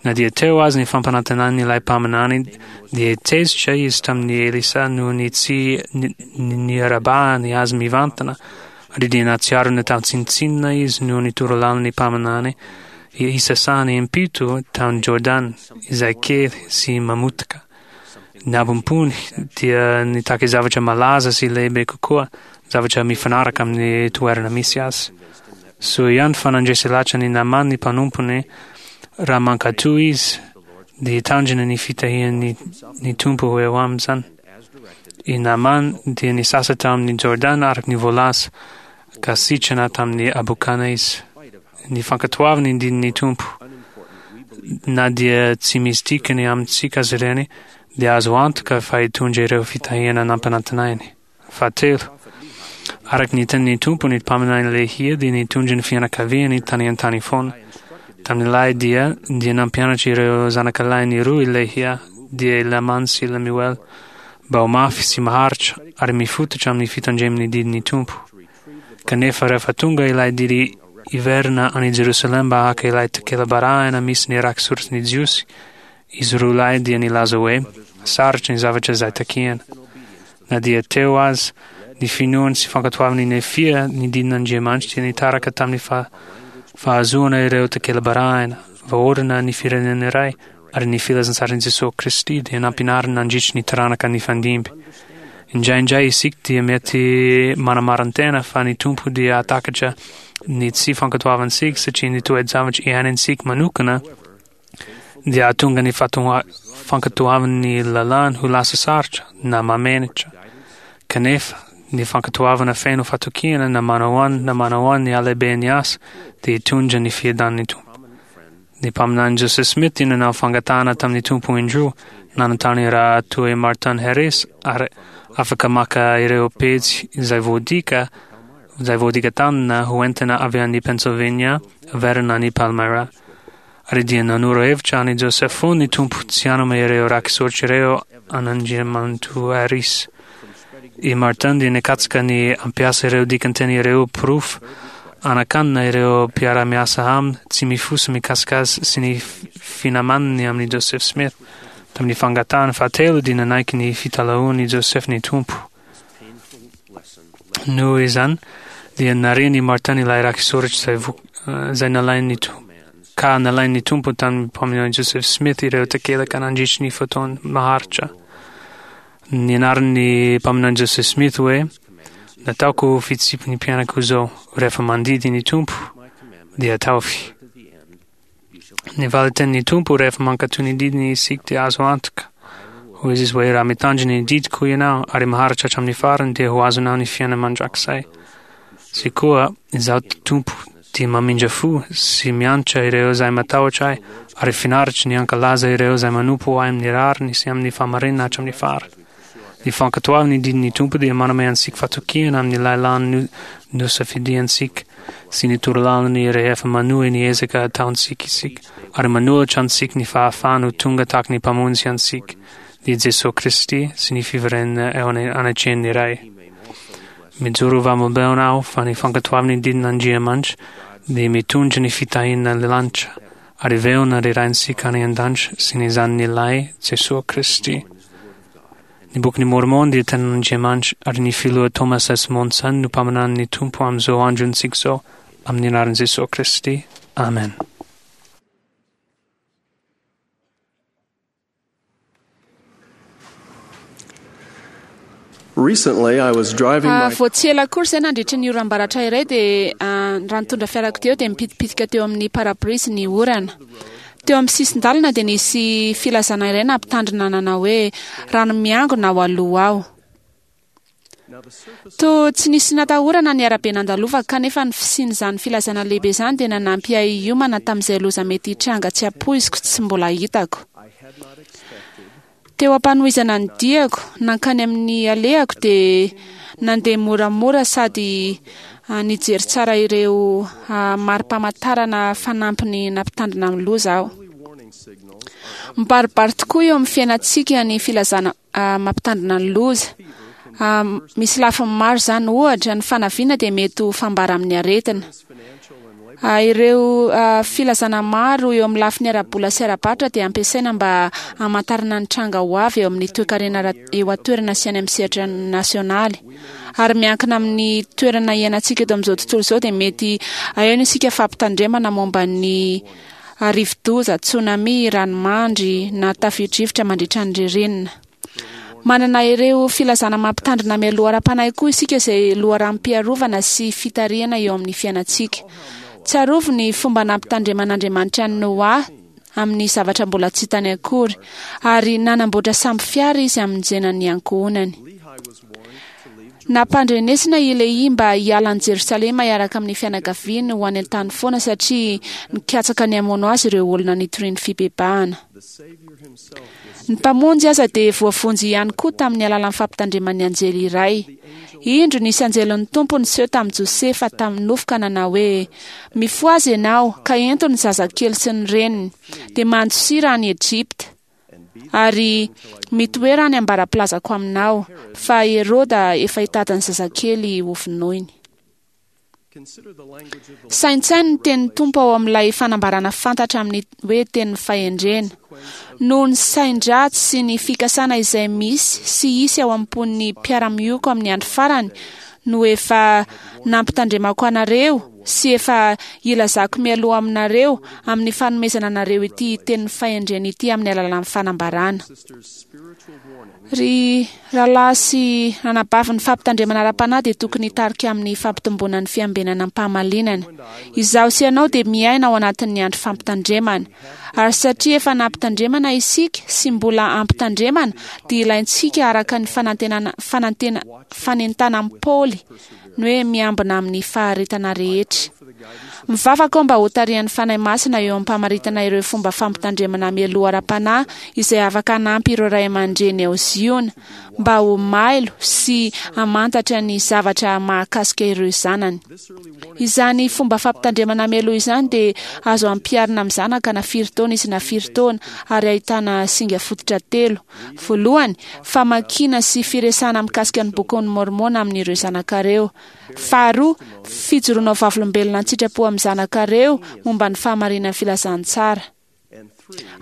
Na dia teo aza ny fampanantenan'ilay mpaminany, dia tezitra izy tamin'i Elisa noho ny tsy niarabahany azy mivantana, ary dia nahatsiaro natao tsinontsinona izy noho ny torolalan'ny mpaminany hisasahany impito tany Jordana, izay kely sy mamotaka. Ny abom-pony dia nitaky zavatra malaza sy lehibe kokoa, zavatra mifanaraka amin'ny toerana misy azy. Soa ihany fa nandresy lahatra an'i Namàna ny mpanompony, raha mankatò izy, dia hitandrina ny fitahian'ny ny Tompo ho eo aminy izany. I Naaman dia nisasa tamin'ny Jordana araka ny voalaza, ka sitrana tamin'ny habokana izy. Ny fankatoavana ny didin'ny Tompo, na dia tsy misy dikany amintsika aza ireny, dia azo antoka fa hitondra ireo fitahiana nampanantenainy. Fahatelo, araka ny tenin'ny Tompo, ny mpaminany Lehia dia nitondra ny fianakaviany tany an-tany foana. Tamin'ilay dia, dia nampianatra ireo zanakalahiny roa i Lehia, dia i Lamana sy i Lemuela, mba ho mafy sy maharitra ary mifototra amin'ny fitandreman'ny didin'ny Tompo. Kanefa rehefa tonga ilay didy hiverina any Jerosalema mba haka ilay takela-barahina misy ny raki-soratry ny Jiosy, izy roa lahy dia nilaza hoe sarotra ny zavatra izay takiana. Na dia teo aza ny finoany sy fankatoavan'i Nefia ny didin'Andriamanitra dia nitaraka tamin'ny fahazoana ireo takela-barahina, voaorina ny firenena iray, ary ny filazantsaran'i Jesoa Kristy dia nampianarina nandritry ny taranaka nifandimby. Indraindray isika dia mety manamarin-tena fa ny Tompo dia hahatakatra ny tsy fankatoavantsika satria ny toe-javatra iainantsika manokana dia hahatonga ny fankatoavan'ny lalàny ho lasa sarotra na mahamenatra. Kanefa, ny fankatoavana feno fatokiana na manao an na manao an ny halehiben'ny asa dia hitondra ny fiadan'ny Tompo. Ny mpaminany Joseph Smith dia nanao fangatahana tamin'ny Tompo indroa, nanontany raha toa i Martin Harris ary afaka maka ireo pejy izay voadika izay voadika tamina ho entina avy any Pennsylvania haverina any Palmyra. Ary dia nanoro hevitra an'i Joseph foana ny Tompo tsy hanome ireo raki-tsoratra ireo an'Andriamatoa Harris. I Martin dia nikatsaka ny hampiasa ireo dikanteny ireo porofo hanakanana ireo mpiara-miasa aminy tsy mifosa mikasika azy sy ny finamanany amin'i Joseph Smith. Tamin'ny fangatahany fahatelo dia nanaiky ny fitalahoan'i Joseph ny Tompo. Noho izany dia narian'i Martin ilay raki-soratra izay izay nalain'ny Tompo ka nalain'ny Tompo tamin'ny mpaminany Joseph Smith ireo takelaka nandritry ny fotoana maharitra. Nianaran'ny mpaminany Joseph Smith hoe, Nataoko ho fitsipiky ny mpianako izao, rehefa mandidy ny Tompo, dia ataovy. Ny valin-tenin'ny Tompo rehefa mankatò ny didiny isika dia azo antoka. Hoy Izy hoe, Raha mitandrina ny didiko ianao ary maharitra hatramin'ny farany dia ho azonao ny fiainana mandrakizay. Sy koa, Izaho Tompo dia mamindra fo sy miantra ireo izay matahotra Ahy, ary finaritro ny hankalaza ireo izay manompo Ahy amin'ny rariny sy amin'ny fahamarinana hatramin'ny farany. Ny fankatoavana ny didin'ny Tompo dia manome antsika fatokiana amin'ny lalàny nosafidiantsika sy ny torolalany rehefa manohy ny ezaka ataontsika isika, ary manolotra antsika ny fahafahana ho tonga tahaka ny Mpamonjy antsika, dia Jesoa Kristy, sy ny fiverenana eo anatrehan'ny Ray. Mijoro ho vavolombelona aho fa ny fankatoavana ny didin'Andriamanitra dia mitondra ny fitahiana ny lanitra, ary velona ry Raintsika any an-danitra sy ny Zanany Lahy, Jesoa Kristy. Ny Bokin'i Môrmôna dia tenin'Andriamanitra, ary ny Filoha Thomas S. Monson no mpaminanin'ny Tompo amin'izao androntsika izao, amin'ny anaran'i Jesoa Kristy, amen. Recently, I was driving Ah, my vao tsy ela akory izay nandritra ny oram-baratra iray dia ah, raha nitondra fiarakodia aho dia nipitipitika teo amin'ny parabrise ny orana. Teo amin'ny sisin-dalana dia nisy filazana iray nampitandrina nanao hoe rano miangona ao aloha ao. Toa tsy nisy natahorana ny arabe nandalovako kanefa ny fisian'izany filazana lehibe izany dia nanampy ahy hiomana tamin'izay loza mety hitranga tsy ampoiziko tsy mbola hitako. Teo am-panohizana ny diako nankany amin'ny alehako dia nandeha moramora sady nijery tsara ireo mari-pamantarana fanampiny nampitandrina amin'ny loza aho. Mibaribary tokoa eo amin'ny fiainantsika ny filazana mampitandrina ny loza. Misy lafiny maro izany. Ohatra, ny fanaviana dia mety ho fambara amin'ny aretina. Ireo filazana maro eo amin'ny lafiny ara-bola sy ara-barotra dia ampiasaina mba hamantarana ny tranga ho avy eo amin'ny toekarena eo an-toerana sy any amin'ny sehatra nasionaly. Ary miankina amin'ny toerana iainantsika eto amin'izao tontolo izao dia mety aheno isika fampitandremana momba ny rivodoza, tsunami, ranomandry na tafio-drivotra mandritra ny ririnina. Manana ireo filazana mampitandrina mialoha ara-panahy koa isika izay loharanom-piarovana sy fitarihana eo amin'ny fiainantsika. Tsarovy ny fomba nampitandreman'Andriamanitra an'i Noa. amin'ny zavatra mbola tsy hitany akory, ary nanamboatra sambo fiara izy hamonjena ny ankohonany. Nampandrenesina i Lehia mba hiala an'i Jerosalema hiaraka amin'ny fianakaviany ho any an-tany foana satria nikatsaka ny hamono azy ireo olona nitoriany fibebahana. Ny Mpamonjy aza dia voavonjy ihany koa tamin'ny alalan'ny fampitandreman'ny anjely iray. Indro nisy anjelin'ny Tompo niseho tamin'i Josefa tamin'ny nofy ka nanao hoe, Mifohaza ianao, ka ento ny zazakely sy ny reniny, dia mandosira any Egypta, ary mitoera any ambara-pilazako aminao, fa Heroda efa hitady ny zazakely hovonoiny. Saintsaino ny tenin'ny Tompo ao amin'ilay fanambarana fantatra amin'ny hoe tenin'ny fahendrena. Noho ny sain-dratsy sy ny fikasana izay misy sy hisy ao am-pon'ny mpiara-mioko amin'ny andro farany no efa nampitandremako anareo sy efa ilazako mialoha aminareo amin'ny fanomezana anareo ity tenin'ny fahendrena ity amin'ny alalan'ny fanambarana. Ry rahalahy sy ranabavy, ny fampitandremana ara-panahy dia tokony hitarika amin'ny fampitomboana ny fiambenana am-pahamalinana. Izaho sy ianao dia miaina ao anatin'ny andro fampitandremana. Ary satria efa nampitandremana isika sy mbola ampitandremana, dia ilaintsika araka ny fanantenana, fanantena, fanentanan'i Paoly, ny hoe miambina amin'ny faharetana rehetra. Mivavaka aho mba hotarihan'ny Fanahy Masina eo am-pamaritana ireo fomba fampitandremana mialoha ara-panahy izay afaka hanampy ireo ray aman-dreny ao Ziona mba ho mailo sy hamantatra ny zavatra mahakasika ireo zanany. Izany fomba fampitandremana mialoha izany dia azo ampiharina amin'ny zanaka na firy taona izy na firy taona ary ahitana singa fototra telo. Voalohany, famakiana sy firesahana mikasika ny Bokin'i Môrmôna amin'ireo zanakareo. Faharoa, fijoroana ho vavolombelona an-tsitrapo amin'ny zanakareo momba ny fahamarinan'ny filazantsara.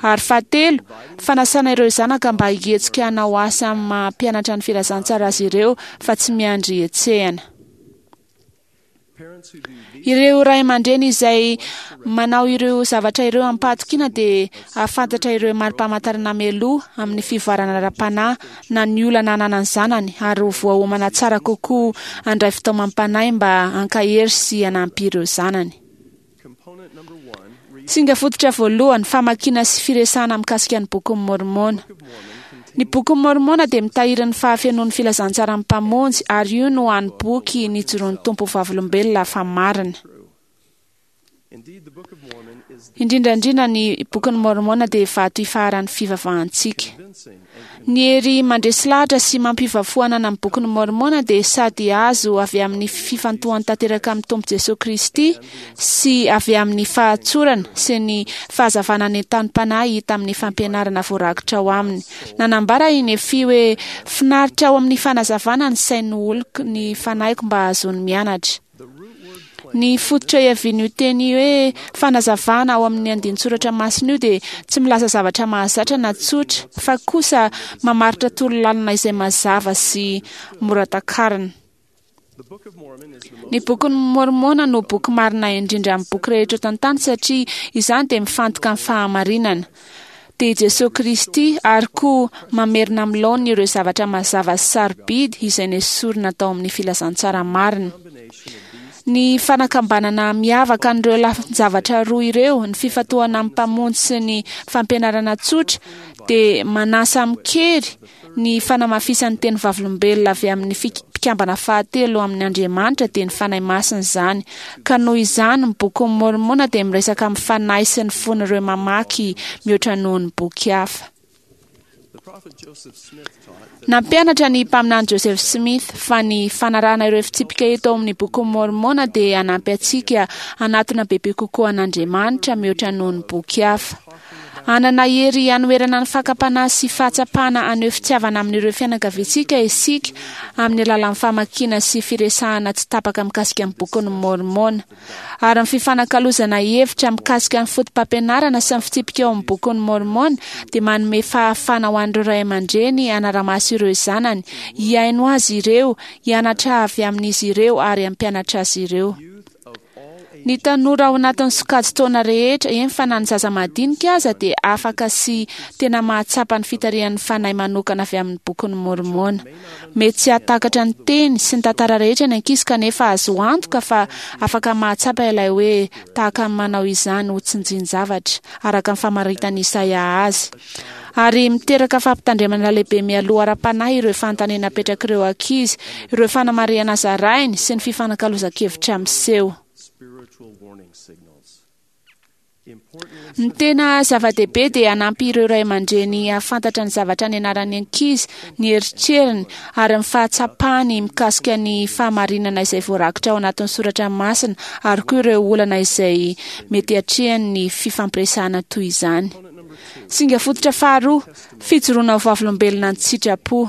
Ary fahatelo, fanasana ireo zanaka mba hihetsika hanao asa amin'ny maha mpianatra ny filazantsara azy ireo fa tsy miandry hetsehana. Ireo ray aman-dreny izay manao ireo zavatra ireo amim-pahatokiana dia hahafantatra ireo mari-pamantarana mialoha amin'ny fivoarana ara-panahy na ny olana ananan'ny zanany ary ho voaomana tsara kokoa handray fitaomam-panahy mba hankahery sy hanampy ireo zanany. Singa fototra voalohany, famakiana sy firesahana mikasika ny Bokin'i Môrmôna. Ny Bokin'i Môrmôna dia mitahiry ny fahafenoan'ny filazantsaran'ny Mpamonjy ary io no hany boky nijoroan'ny Tompo ho vavolombelona fa marina. Indrindra indrindra ny Bokin'i Môrmôna dia vato ifaharan'ny fivavahantsika. Ny hery mandresy lahatra sy mampiova fo ananan'ny Bokin'i Môrmôna dia sady azo avy amin'ny fifantohany tanteraka amin'ny Tompo Jesoa Kristy sy avy amin'ny fahatsorana sy ny fahazavana nentanim-panahy hita amin'ny fampianarana voarakitra ao aminy. Nanambara i Nefia hoe, Finaritra ao amin'ny fanazavana ny sain'ny oloko ny fanahiko mba hahazoany mianatra. Ny fototra iavian'io teny hoe fanazavana ao amin'ny andinin-tsoratra masina io dia tsy milaza zavatra mahazatra na tsotra, fa kosa mamaritra torolalana izay mazava sy mora takarina. Ny Bokin'i Môrmôna no boky marina indrindra amin'ny boky rehetra eto an-tany satria izany dia mifantoka amin'ny fahamarinana, dia i Jesoa Kristy, ary koa mamerina amin'ny laoniny ireo zavatra mazava sy sarobidy izay nesorina tao amin'ny filazantsara marina. Ny fanakambanana miavaka an'ireo lafin-javatra roa ireo, ny fifantohana amin'ny Mpamonjy sy ny fampianarana tsotra, dia manasa amin-kery ny fanamafisan'ny teny vavolombelona avy amin'ny mpikambana fahatelo amin' Andriamanitra dia ny Fanahy Masina izany, ka noho izany ny Bokin'i Môrmôna dia miresaka amin'ny fanahy sy ny fon'ireo mamaky mihoatra noho ny boky hafa. Nampianatra ny Mpaminany Joseph Smith fa ny fanarahana ireo fitsipika eto ao amin'ny Bokin'i Môrmôna dia hanampy antsika hanatona bebe kokoa an'Andriamanitra mihoatra noho ny boky hafa. Hanana hery hanoherana ny fakam-panahy sy fahatsapana haneho fitiavana amin'ireo fianakaviantsika isika amin'ny alalan'ny famakiana sy firesahana tsy tapaka mikasika ny Bokin'i Môrmôna. Ary ny fifanakalozana hevitra mikasika ny fotopampianarana sy ny fitsipika ao amin'ny Bokin'i Môrmôna dia manome fahafahana ho an'ireo ray aman-dreny hanara-maso ireo zanany, hihaino azy ireo, hianatra avy amin'izy ireo ary hampianatra azy ireo. Ny tanora ao anatin'ny sokajin-taona rehetra, eny fa na ny zaza madinika aza, dia afaka sy tena mahatsapa ny fitarihan'ny Fanahy manokana avy amin'ny Bokin'i Môrmôna. Mety tsy hahatakatra ny teny sy ny tantara rehetra ny ankizy kanefa azo antoka fa afaka mahatsapa ilay hoe tahaka ny manao izany ho tsinjin-javatra, araka ny famaritan'i Isaia azy. Ary miteraka fampitandremana lehibe mialoha ara-panahy ireo fanontaniana apetrak'ireo ankizy, ireo fanamarihana zarainy sy ny fifanakalozan-kevitra miseho. Ny tena zava-dehibe dia hanampy ireo ray aman-dreny hahafantatra ny zavatra nianaran'ny ankizy, ny eritreriny ary ny fahatsapany mikasika ny fahamarinana izay voarakitra ao anatin'ny soratra masina ary koa ireo olana izay mety hatrehany ny fifampiresahana toy izany. Singa fototra faharoa, fijoroana ho vavolombelona an-tsitrapo.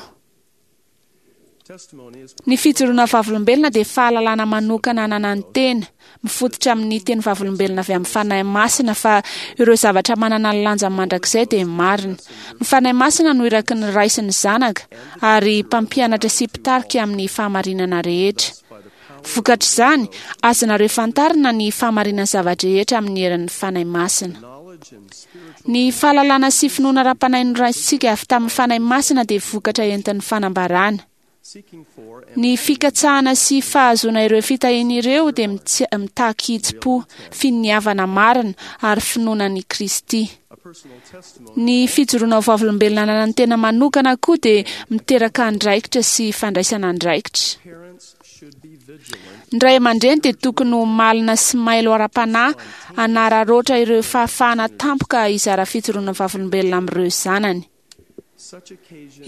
Ny fijoroana ho vavolombelona dia fahalalana manokana ananan'ny tena, mifototra amin'ny teny vavolombelona avy amin'ny Fanahy Masina fa ireo zavatra manana ny lanjany mandrakizay dia marina. Ny Fanahy Masina no iraky ny Ray sy ny Zanaka ary mpampianatra sy mpitarika amin'ny fahamarinana rehetra. Vokatr'izany, azonareo fantarina ny fahamarinan'ny zava-drehetra amin'ny herin'ny Fanahy Masina. Ny fahalalana sy finoana ara-panahy noraisintsika avy tamin'ny Fanahy Masina dia vokatra entin'ny fanambarana. Ny fikatsahana sy fahazoana ireo fitahiana ireo dia mitaky hitsim-po, finiavana marina ary finoana an'i Kristy. Ny fijoroana ho vavolombelona ananan'ny tena manokana koa dia miteraka andraikitra sy fandraisana andraikitra. Ny ray aman-dreny dia tokony ho malina sy mailo ara-panahy hanararaotra ireo fahafahana tampoka hizara fijoroana vavolombelona amin'ireo zanany.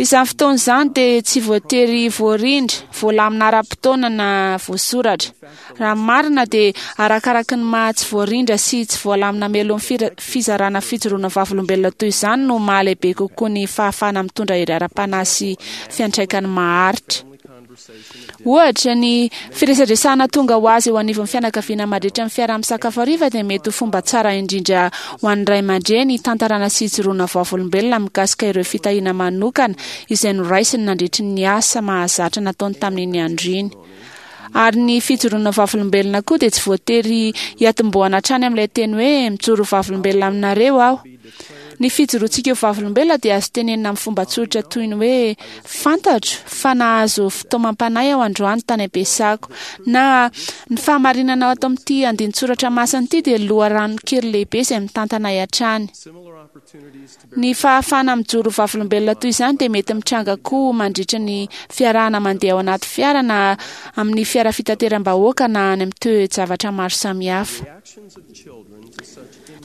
Izany fotoana izany dia tsy voatery voarindra, voalamina ara-potoana na voasoratra. Raha ny marina dia arakaraky ny maha tsy voarindra sy tsy voalamina mialoha ny fizarana fijoroana vavolombelona toy izany no maha lehibe kokoa ny fahafahana mitondra hery ara-panahy sy fiantraikany maharitra. Ohatra, ny firesadresahana tonga ho azy eo anivon'ny fianakaviana mandritra ny fiaraha-misakafo hariva dia mety ho fomba tsara indrindra ho an'ny ray aman-dreny hitantarana sy hijoroana vavolombelona mikasika ireo fitahiana manokana izay noraisiny nandritry ny asa mahazatra nataony tamin'iny andro iny. Ary ny fijoroana vavolombelona koa dia tsy voatery hiatombohana hatrany amin'ilay teny hoe mijoro vavolombelona aminareo aho. Ny fijoroantsika ho vavolombelona dia azo tenenina amin'ny fomba tsotra toy ny hoe fantatro fa nahazo fitaomam-panahy aho androany tany am-piasako na ny fahamarinana ato amin'ity andinin-tsoratra masina ity dia loharanon-kery lehibe izay mitantana ahy hatrany. Ny fahafahana mijoro ho vavolombelona toy izany dia mety mitranga koa mandritra ny fiarahana mandeha ao anaty fiara na amin'ny fiara fitateram-bahoaka na any amin'ny toe-javatra maro samihafa.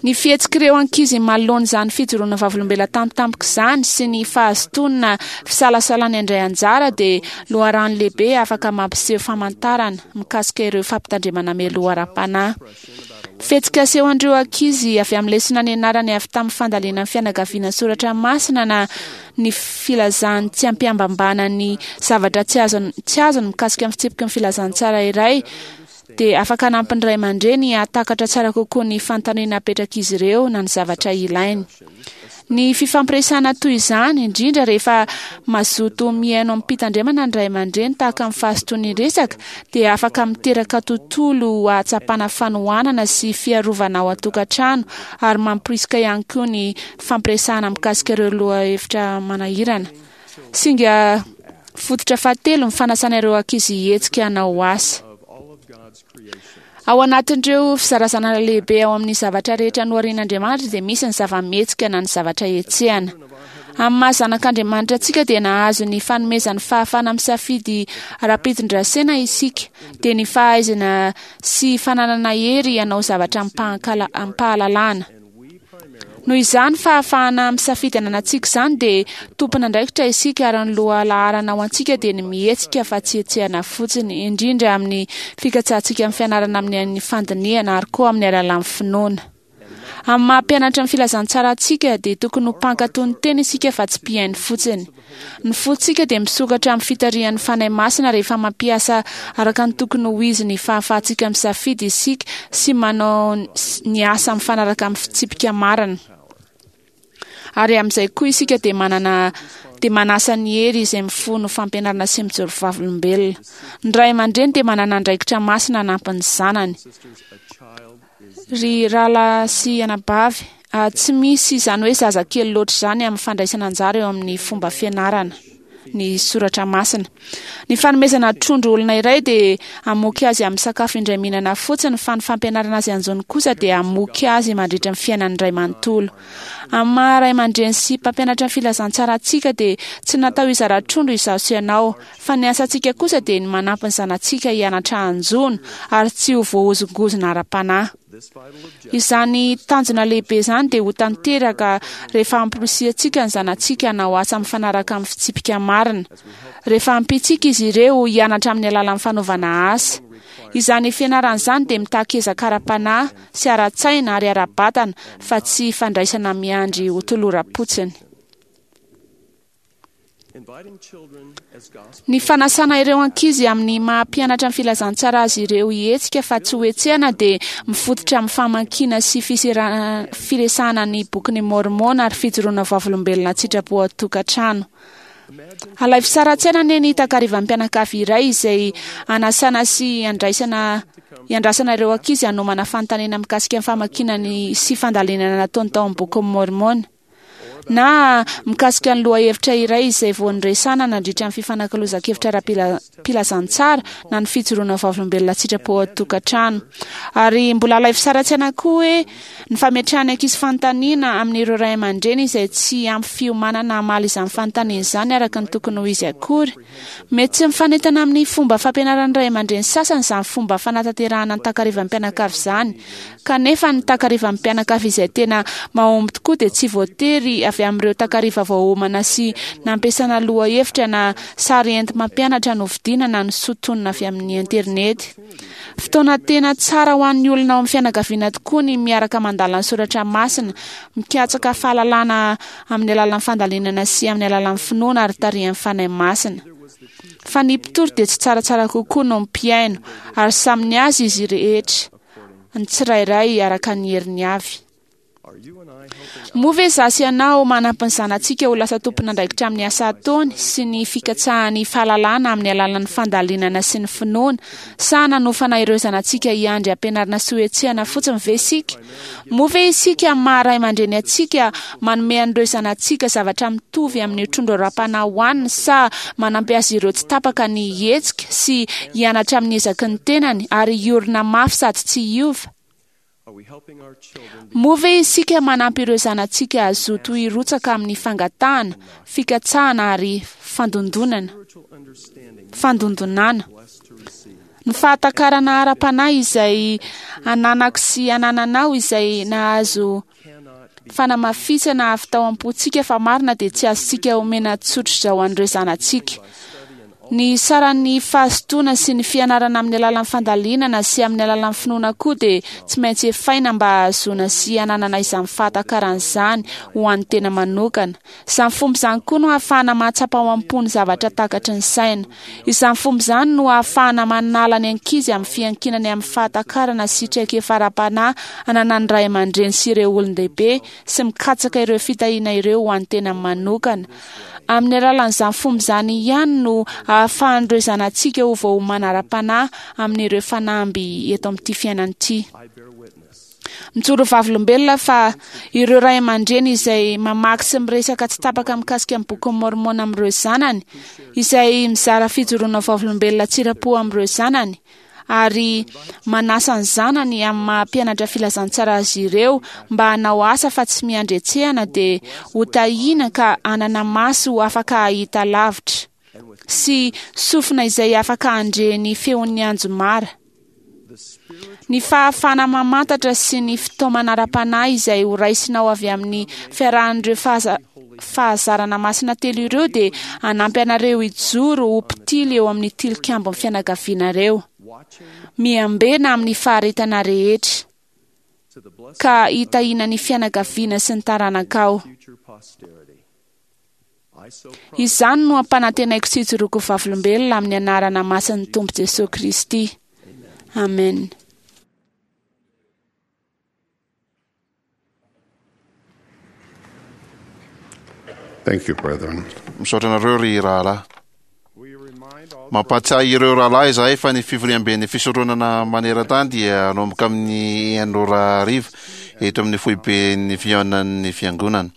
Ny fihetsik'ireo ankizy manoloana izany fijoroana vavolombelona tampotampoka izany sy ny fahazotoana fisalasalany handray anjara dia loharano lehibe afaka mampiseho famantarana mikasika ireo fampitandremana mialoha ara-panahy. Fihetsika asehon'ireo ankizy avy amin'ny lesona nianarany avy tamin'ny fandalinan'ny fianakaviana soratra masina na ny filazany tsy am-pihambambana ny zavatra tsy azony tsy azony mikasika ny fitsipiky ny filazantsara iray dia afaka hanampy ny ray aman-dreny hahatakatra tsara kokoa ny fanontaniana apetrak'izy ireo na ny zavatra ilainy. Ny fifampiresahana toy izany, indrindra rehefa mazoto mihaino amim-pitandremana ny ray aman-dreny tahaka ny fahazotoan'ny resaka, dia afaka miteraka tontolo ahatsapana fanohanana sy fiarovana ao an-tokantrano ary mamporisika ihany koa ny fampiresahana mikasika ireo lohahevitra manahirana. Singa fototra fahatelo ny fanasana ireo ankizy hihetsika hanao asa. Ao anatin'ireo fizarazanana lehibe ao amin'ny zavatra rehetra noharian'Andriamanitra dia misy ny zava-mihetsika na ny zavatra hetsehana. Amin'ny maha zanak'Andriamanitra antsika dia nahazo ny fanomezan'ny fahafahana misafidy ara-pitondrasena isika, dia ny fahaizana sy fananana hery hanao zavatra amim-pahalalana. Noho izany fahafahana misafidy ananantsika izany dia tompon'andraikitra isika ary ny lohalaharana ho antsika dia ny mihetsika fa tsy hetsehana fotsiny, indrindra amin'ny fikatsahantsika ny fianarana amin'ny fandinihana ary koa amin'ny alalan'ny finoana. Amin'ny maha mpianatra ny filazantsara antsika dia tokony ho mpankatò ny teny isika fa tsy mpihaino fotsiny. Ny fontsika dia misokatra amin'ny fitarihan'ny Fanahy Masina rehefa mampiasa araka ny tokony ho izy ny fahafahantsika misafidy isika sy manao ny asa mifanaraka amin'ny fitsipika marina. Ary amin'izay koa isika dia manana dia manasa ny hery izay mifono fampianarana sy mijoro vavolombelona. Ny ray aman-dreny dia manana andraikitra masina hanampy ny zanany. Ry rahalahy sy anabavy, tsy misy izany hoe zazakely loatra izany amin'ny fandraisana anjara eo amin'ny fomba fianarana ny soratra masina. Ny fanomezana trondro olona iray dia hamoky azy amin'ny sakafo indray mihinana fotsiny, fa ny fampianarana azy hanjono kosa dia hamoky azy mandritra ny fiainany iray manontolo. Amin'ny maha ray aman-dreny sy mpampianatra ny filazantsara antsika dia tsy natao hizara trondro izaho sy ianao, fa ny asantsika kosa dia ny manampy ny zanatsika hianatra hanjono ary tsy ho voahozongozona ara-panahy. Izany tanjona lehibe izany dia ho tanteraka rehefa amporisihantsika ny zanatsika hanao asa mifanaraka amin'ny fitsipika marina, rehefa ampiantsika izy ireo hianatra amin'ny alalan'ny fanaovana asa. Izany fianarana izany dia mitaky ezaka ara-panahy sy ara-tsaina ary ara-batana fa tsy fandraisana miandry ho toloram-potsiny. Ny fanasana ireo ankizy amin'ny maha mpianatra ny filazantsara azy ireo hihetsika fa tsy hohetsehana dia mifototra amin'ny famakiana sy firesahana ny Bokin'i Môrmôna ary fijoroana vavolombelona an-tsitrapo ao an-tokantrano. Alaivo sary an-tsaina anie ny takarivan'ny mpianakavy iray izay anasana sy andraisana iandrasana ireo ankizy hanomana fanontaniana mikasika ny famakiana ny sy fandalinana nataony tao amin'ny Bokin'i Môrmôna. Na mikasika ny lohahevitra iray izay vao niresahana nandritra ny fifanakalozan-kevitra ara-pilazantsara na ny fijoroana vavolombelona an-tsitrapo ao an-tokantrano. Ary mbola alaivo sary an-tsaina koa hoe ny fametrahan'ny ankizy fanontaniana amin'ireo ray aman-dreny izay tsy ampy fiomanana hamaly izany fanontaniana izany araka ny tokony ho izy akory. Mety tsy mifanentana amin'ny fomba fampianaran'ny ray aman-dreny sasany izany fomba fanatanterahana ny takarivan'ny mpianakavy izany. Kanefa ny takarivan'ny mpianakavy izay tena mahomby tokoa dia tsy voatery avy amin'ireo takariva voaomana sy nampiasana lohahevitra na sary enti-mampianatra novidiana na nosintonina avy amin'ny interinety. Fotoana tena tsara ho an'ny olona ao amin'ny fianakaviana tokoa ny miaraka mandala ny soratra masina, mikatsaka fahalalana amin'ny alalan'ny fandalinana sy amin'ny alalan'ny finoana ary tarihan'ny Fanahy Masina. Fa ny mpitory dia tsy tsaratsara kokoa noho ny mpihaino, ary samy ny azy izy rehetra, ny tsirairay araka ny heriny avy. Moa ve izaho sy ianao manampy ny zanatsika ho lasa tompon'andraikitra amin'ny asa ataony sy ny fikatsahany fahalalana amin'ny alalan'ny fandalinana sy ny finoana, sa nanofana ireo zanatsika hiandry hampianarina sy hohetsehana fotsiny ve isika? Moa ve isika amin'ny maha ray aman-dreny antsika manome an'ireo zanatsika zavatra mitovy amin'ny trondro ara-panahy hohaniny sa manampy azy ireo tsy tapaka ny hihetsika sy hianatra amin'ny ezaky ny tenany ary hiorina mafy sady tsy hiova? Moa ve isika manampy ireo zanatsika hazoto hirotsaka amin'ny fangatahana, fikatsahana ary fandondonana? Fandondonana. Ny fahatakarana ara-panahy izay ananako sy anananao izay nahazo fanamafisana avy tao am-pontsika fa marina dia tsy azontsika omena tsotr'izao an'ireo zanatsika. Ny saran'ny fahazotoana sy ny fianarana amin'ny alalan'ny fandalinana sy amin'ny alalan'ny finoana koa dia tsy maintsy efaina mba hahazoana sy hananana izany fahatakarana izany ho an'ny tena manokana. Izany fomba izany koa no ahafahana mahatsapa ao am-po ny zavatra takatry ny saina. Izany fomba izany no ahafahana manala ny ankizy amin'ny fiankinany amin'ny fahatakarana sy traikefa ara-panahy ananan'ny ray aman-dreny sy ireo olon-dehibe sy mikatsaka ireo fitahiana ireo ho an'ny tenany manokana. Amin'ny alalan'izany fomba izany ihany no ahafahan'ireo zanatsika ho voaomana ara-panahy amin'ireo fanamby eto amin'ity fiainana ity. Mijoro vavolombelona fa ireo ray aman-dreny izay mamaky sy miresaka tsy tapaka mikasika ny Bokin'i Môrmôna amin'ireo zanany, izay mizara fijoroana vavolombelona an-tsitrapo amin'ireo zanany, ary manasa ny zanany amin'ny maha mpianatra filazantsara azy ireo mba hanao asa fa tsy miandry hetsehana dia ho tahiana ka hanana maso afaka hahita lavitra sy sofina izay afaka handre ny feon'ny anjomara. Ny fahafahana mamantatra sy ny fitaomana ara-panahy izay ho raisinao avy amin'ny fiarahan'ireo fahazarana masina telo ireo dia hanampy anareo hijoro ho mpitily eo amin'ny tilikambon'ny fianakavianareo. Miambena amin'ny faharetana rehetra, ka hitahiana ny fianakaviana sy ny taranakao. Izany no ampanantenaiko sy ijoroako ho vavolombelona amin'ny anarana masin'ny Tompo Jesoa Kristy. Amen. Thank you, brethren. Misaotra anareo ry rahalahy. Mampahatsiahy ireo rahalahy izahay fa ny fivoriamben'ny fisoronana maneran-tany dia hanomboka amin'ny enina ora hariva eto amin'ny foiben'ny fihaonan'ny fiangonana.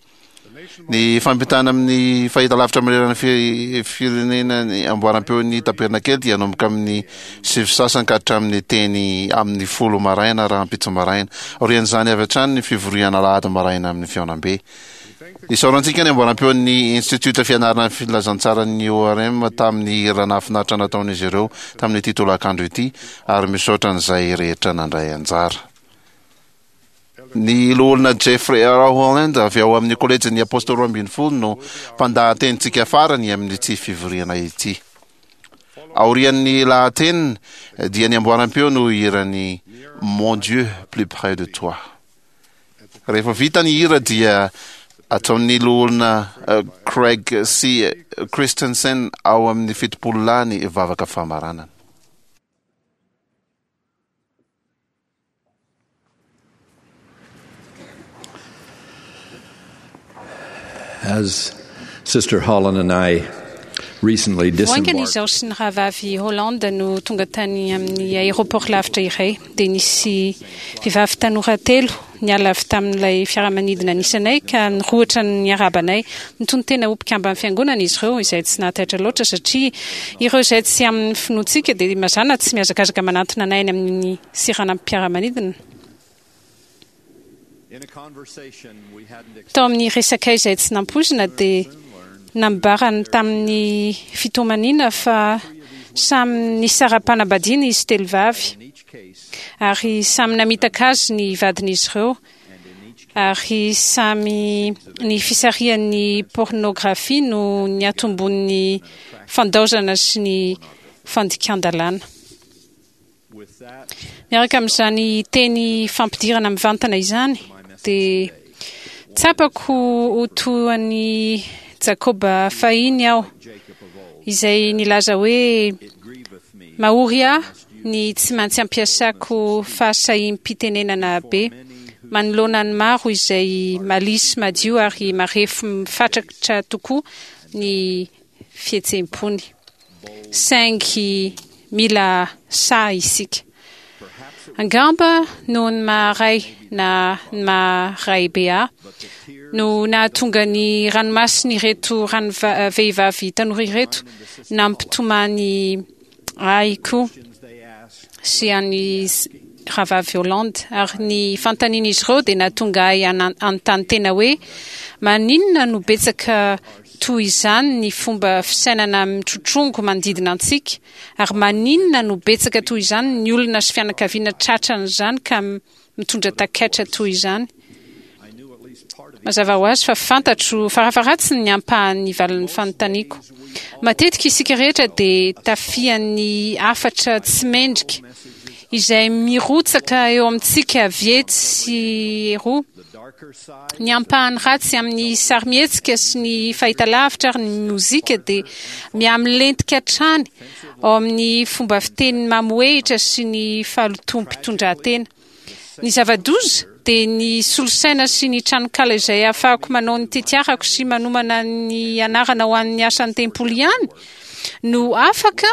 Ny fampitana amin'ny fahitalavitra manerana ny firenena ny amboaram-peon'ny tabernakely dia hanomboka amin'ny sivy sasany ka hatramin'ny teny amin'ny folo maraina rahampitso maraina. Aorian'izany avy hatrany ny fivoriana alahady maraina amin'ny fihaonambe. Isaorantsika ny amboaram-peon'ny Institiota Fianarana ny Filazantsaran'ny ORM tamin'ny hira nahafinaritra nataon'izy ireo tamin'ity tolakandro ity ary misaotra an'izay rehetra nandray anjara. Ny Loholona Jeffrey R. Holland avy ao amin'ny Kolejin'ny Apôstôly Roambinifolo no mpandahatenintsika farany amin'ity fivoriana ity. Aorian'ny lahateniny dia ny amboaram-peo no hiran'ny Mon Dieu plus près de toi. Rehefa vita ny hira dia ataon'ny Loholona Craig C. Christensen ao amin'ny 70 lahy ny vavaka famaranana. As Sister Holland and I recently Vao haingana disembarked izaho sy ny rahavavy Holland no tonga tany amin'ny aéroport lavitra iray, dia nisy vehivavy tanora telo niala avy tamin'ilay fiaramanidina nisy anay ka nirohotra niarahaba anay. Nitonon-tena ho mpikamban'ny fiangonana izy ireo, izay tsy nahataitra loatra satria ireo izay tsy amin'ny finoantsika dia mazàna tsy mihazakazaka manantona anay any amin'ny seranam-piaramanidina. Tao amin'ny resakay izay tsy nampoizina dia nambarany tamin'ny fitomaniana fa samy nisara-panambadiana izy telo vavy ary samy namitaka azy ny vadin'izy ireo ary samy ny fisarihan'ny pôrnôgrafia no niatombon'ny fandaozana sy ny fandikan-dalàna. Miaraka amin'izany teny fampidirana mivantana izany, dia tsapako ho toa an'i Jakoba fahiny aho, izay nilaza hoe, Mahory ahy ny tsy maintsy ampiasako fahasahiam-pitenenana be manoloana ny maro izay malisy madio ary marefo mifatratra tokoa ny fihetseham-pony. Saingy mila sahy isika. Angamba noho ny maha ray na ny maha raibe ahy no nahatonga ny ranomasin'ireto vehivavy tanora ireto nampitomany ahy koa sy an'i Rahavavy Holland. Ary ny fanontanian'izy ireo dia nahatonga ahy hanontany tena hoe, Maninona no betsaka toy izany ny fomba fisainana mitrotrongo manodidina antsika? Ary maninona no betsaka toy izany ny olona sy fianakaviana tratran'izany ka mitondra takaitra toy izany? Mazava ho azy fa fantatro farafaharatsiny ny ampahan'ny valin'ny fanontaniako. Matetika isika rehetra dia tafihan'ny hafatra tsy mendrika izay mirotsaka eo amintsika avy etsy sy eroa. Ny ampahany ratsy amin'ny sarimihetsika sy ny fahitalavitra ary ny mozika dia mihamilentika hatrany ao amin'ny fomba fiteny mamohehitra sy ny fahalotoam-pitondrantena. Ny zava-doza dia ny solosaina sy ny tranonkala izay ahafahako manao ny tetiarako sy manomana ny anarana ho an'ny asan'ny tempoly ihany no afaka,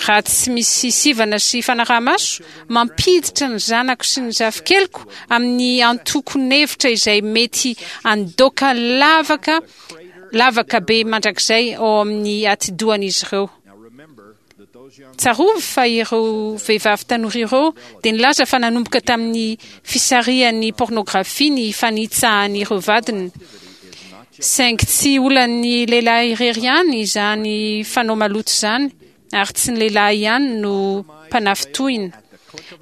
raha tsy misy sivana sy fanaraha-maso, mampiditra ny zanako sy ny zafikeliko amin'ny antokon'hevitra izay mety handoaka lavaka lavaka be mandrakizay ao amin'ny atidohan'izy ireo. Tsarovy fa ireo vehivavy tanora ireo dia nilaza fa nanomboka tamin'ny fisarihan'ny pôrnôgrafia ny fanitsahan'ireo vadiny. Saingy tsy olan'ny lehilahy irery ihany izany fanao maloto izany, ary tsy ny lehilahy ihany no mpanafintohina.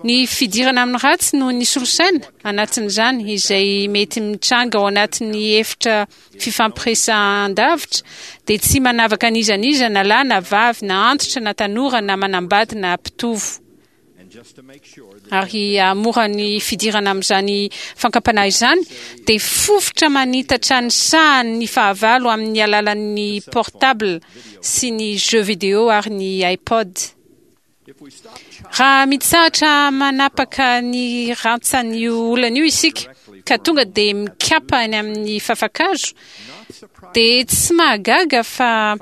Ny fidirana amin'ny ratsy noho ny solosaina, anatin'izany, izay mety mitranga ao anatin'ny efitra fifampiresahan-davitra dia tsy manavaka an'iza n'iza na lahy na vavy na antitra na tanora na manambady na mpitovo. Ary hahamora ny fidirana amin'izany fankam-panahy izany dia fofotra manitatra ny sahany ny fahavalo amin'ny alalan'ny portable sy ny jeux vidéo ary ny iPod. Raha mitsahatra manapaka ny rantsan'io olana io isika ka tonga dia mikapa any amin'ny fafa-kazo, dia tsy mahagaga fa.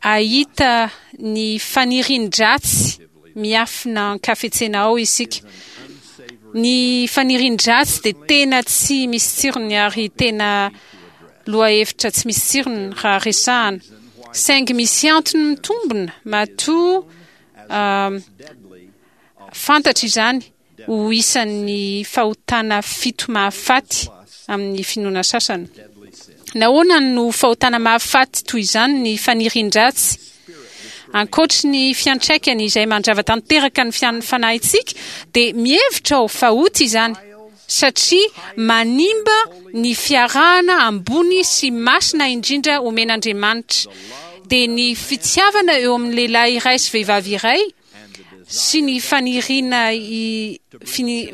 hahita ny fanirian-dratsy miafina an-kafetsena ao isika. Ny fanirian-dratsy dia tena tsy misy tsirony ary tena lohahevitra tsy misy tsirony raha resahana. Saingy misy antony mitombina matoa fantatra izany ho isan'ny fahotana fito mahafaty amin'ny finoana sasany. Nahoana no fahotana mahafaty toy izany ny fanirian-dratsy? Ankoatry ny fiantraikany izay mandrava tanteraka ny fanahintsika, dia mihevitra aho fa ota izany, satria manimba ny fiarahana ambony sy masina indrindra omen'Andriamanitra, dia ny fitiavana eo amin'ny lehilahy iray sy vehivavy iray, sy ny faniriana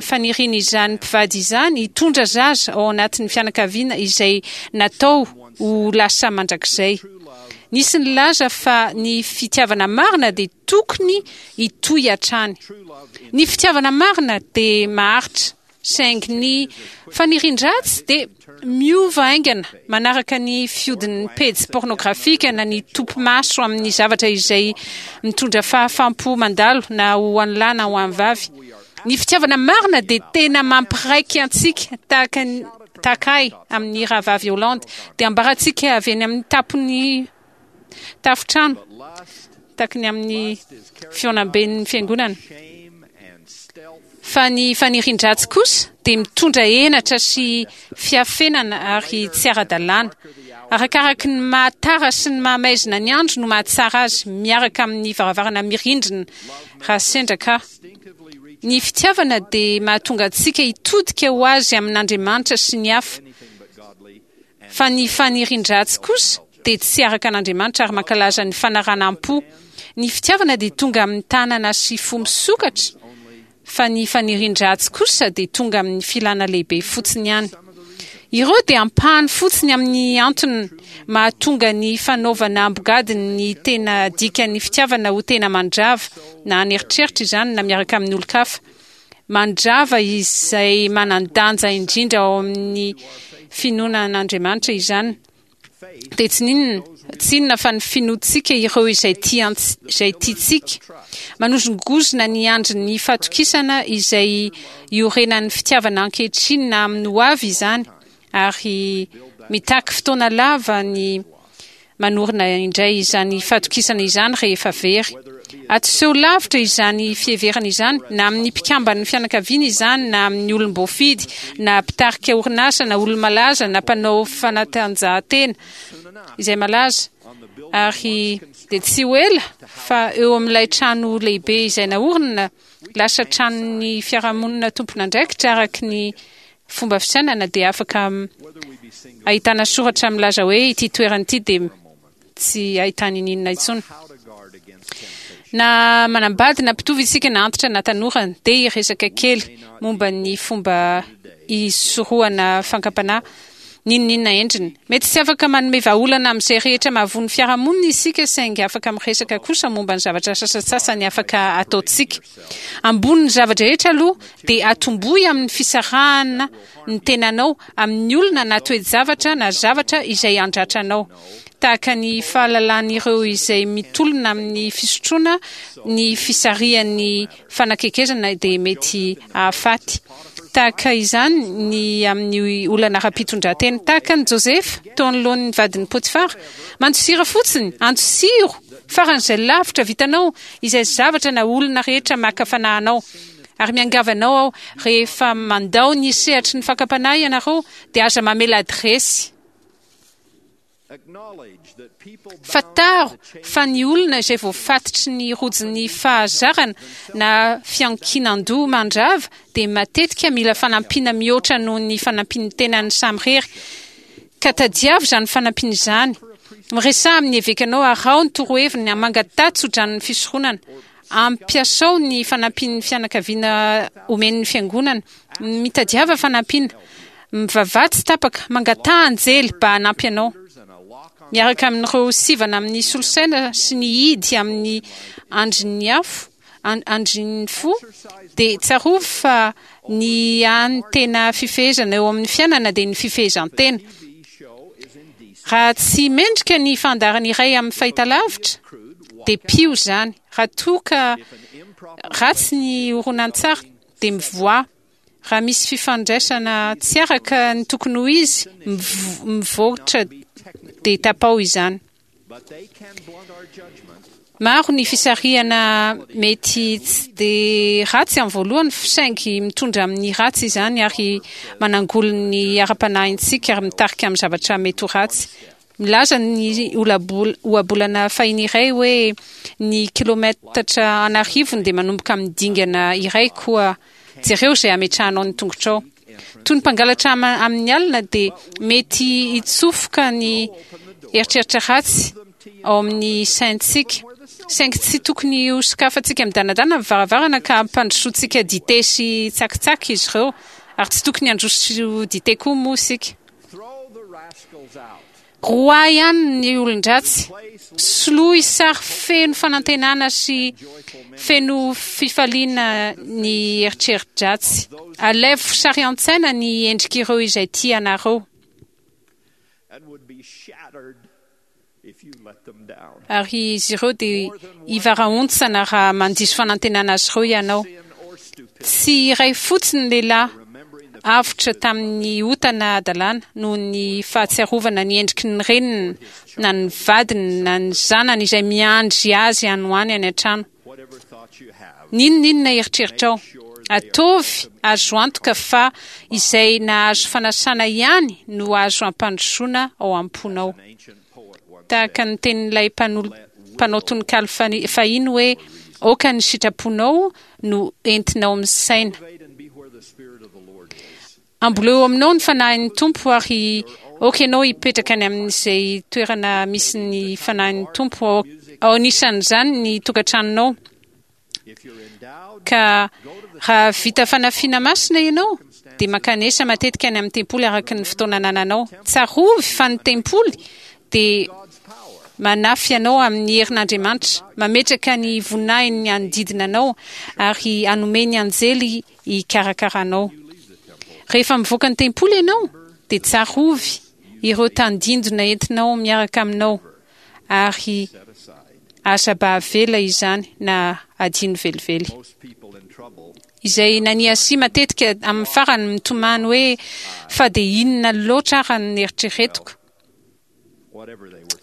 fanirian'izany mpivady izany hitondra zaza ao anatin'ny fianakaviana izay natao ho lasa mandrakizay. Nisy nilaza fa ny fitiavana marina dia tokony hitohy hatrany. Ny fitiavana marina dia maharitra. Saingy ny fanirian-dratsy dia miova haingana manaraka ny fihodin'ny pejy pôrnôgrafika na ny topi-maso amin'ny zavatra izay mitondra fahafaham-po mandalo na ho an'ny lahy na ho an'ny vavy. Ny fitiavana marina dia tena mampiraika antsika tahaka ny tahaka ahy amin'ny rahavavy Hollande dia ambarantsika avy eny amin'ny tampon'ny tafontrano tahaka ny amin'ny fihaonamben'ny fiangonana. Fa ny fanirian-dratsy kosa dia mitondra henatra sy fiafenana ary tsy ara-dalàna. Arakaraky ny maha tara sy ny maha maizina ny andro no mahatsara azy miaraka amin'ny varavarana mirindrina raha sendra ka. Ny fitiavana dia mahatonga antsika hitodika ho azy amin'Andriamanitra sy ny hafa. Fa ny fanirian-dratsy kosa dia tsy araka an'Andriamanitra ary mankalaza ny fanaranam-po. Ny fitiavana dia tonga amin'ny tanana sy fo misokatra, fa ny fanirian-dratsy kosa dia tonga amin'ny filana lehibe fotsiny ihany. Ireo dia ampahany fotsiny amin'ny antony mahatonga ny fanaovana ambogadiny ny tena dikan'ny fitiavana ho tena mandrava, na an'eritreritra izany na miaraka amin'ny olon-kafa. Mandrava izay manan-danja indrindra ao amin'ny finoana an'Andriamanitra izany. Dia tsy n'inona, tsy inona fa ny finoantsika ireo izay tia izay tiantsika. Manozongozona ny andrin'ny fatokisana izay iorenan'ny fitiavana ankehitriny na amin'ny ho avy izany, ary mitaky fotoana lava ny manorina indray izany fatokisana izany rehefa very. Atoseho lavitra izany fiheverana izany, na amin'ny mpikamban'ny fianakaviana izany, na amin'ny olom-boafidy, na mpitarika orinasa, na olo-malaza, na mpanao fanatanjahantena izay malaza. Ary dia tsy ho ela fa eo amin'ilay trano lehibe izay naorina, lasa tranon'ny fiarahamonina tompon'andraikitra araka ny fomba fisainana dia afaka ahitana soratra milaza hoe ity toerana ity dia tsy ahitana ininona intsony. Na manambady na mpitovo isika na antitra na tanora dia hiresaka kely momba ny fomba hisorohana fankam-panahy n'inon'inona endriny. Mety tsy afaka manome vahaolana amin'izay rehetra mahavoa ny fiarahamonina isika saingy afaka miresaka kosa momba ny zavatra sasantsasany afaka ataontsika. Ambonin'ny zava-drehetra aloha dia atombohy amin'ny fisarahana ny tenanao amin'ny olona na toe-javatra na zavatra izay handratra anao. Tahaka ny fahalalan'ireo izay mitolona amin'ny fisotroana ny fisarihan'ny fanakekezana dia mety hahafaty. Tahaka izany ny amin'ny olana ara-pitondran-tena. Tahaka an'i Josefa teo anoloan'ny vadin'i Potifara. Mandosira fotsiny, andosiro faran'izay lavitra vitanao izay zavatra na olona rehetra maka fanahy anao. Ary miangavy anao aho, rehefa mandao ny sehatry ny fakam-panahy ianareo, dia aza mamela adiresy. Fantaro fa ny olona izay voafatotry ny rojon'ny fahazarana na fiankinan-doha mandrava dia matetika mila fanampiana mihoatra noho ny fanampian'ny tenany samirery. Ka tadiavo izany fanampiana izany. Miresaha amin'ny evekanao, araho ny toroheviny, mangataha tsodranon'ny fisoronana. Ampiasao ny fanampian'ny fianakaviana omen'ny Fiangonana. Mitadiava fanampiana. Mivavaha tsy tapaka. Mangataha anjely mba hanampy anao. Miaraka amin'ireo sivana amin'ny solosaina sy ny hidy amin'ny andrin'ny afo, andrin'ny fo, dia tsarovy fa ny hany tena fifehezana eo amin'ny fiainana dia ny fifehezan-tena. Raha tsy mendrika ny fandaharana iray amin'ny fahitalavitra, dia piho izany. Raha toa ka ratsy ny horonantsary, dia mivoaha. Raha misy fifandraisana tsy araka ny tokony ho izy, mivoatra dia tapaho izany. Maro ny fisarihana mety tsy dia ratsy amin'ny voalohany saingy mitondra amin'ny ratsy izany ary manangoly ny ara-panahintsika ary mitarika amin'ny zavatra mety ho ratsy. Milaza ny ohabolana fahiny iray hoe ny kilometatra an'arivony dia manomboka amin'ny dingana iray koa jereo izay ametrahanao ny tongotrao. Toy ny mpangalatra amin'ny alina dia mety hitsofoka ny eritreritra ratsy ao amin'ny saintsika, saingy tsy tokony hosokafantsika midanadana ny varavarana ka hampandrosoantsika dite sy tsakitsaky izy ireo, ary tsy tokony handroso dite koa moa isika. Roahy ihany ny olon-dratsy. Soloy sary feno fanantenana sy feno fifaliana ny eritreri-dratsy. Alaivo sary an-tsaina ny endrik'ireo izay tia anareo. Ary izy ireo dia hivarahontsana raha mandiso fanantenana azy ireo ianao. Tsy iray fotsiny ny lehilahy avotra tamin'ny ota na hadalana noho ny fahatsiarovana ny endriky ny reniny na ny vadiny na ny zanany izay miandry azy any ho any any an-trano. N'inon'inona eritreritrao, ataovy azo antoka fa izay nahazo fanasana ihany no azo ampandrosoana ao am-ponao. Tahaka ny tenin'ilay mpanao tononkalo fahiny hoe, Aoka ny sitraponao no entinao misaina. Amboleo eo aminao ny Fanahin'ny Tompo ary aoka ianao hipetraka any amin'izay toerana misy ny Fanahin'ny Tompo, ao anisan'izany ny tokantranonao. Ka raha vita fanafiana masina ianao, dia mankanesa matetika any amin'ny tempoly araka ny fotoana anananao. Tsarovy fa ny tempoly dia manafy anao amin'ny herin'Andriamanitra, mametraka ny voninahiny hanodidina anao ary hanome ny anjely hikarakara anao. Rehefa mivoaka ny tempoly ianao, dia tsarovy ireo tandindona entinao miaraka aminao ary aza mba avela izany na adino velively. Izay naniasia matetika amin'ny farany mitomany hoe fa dia inona loatra ara no neritreretiko.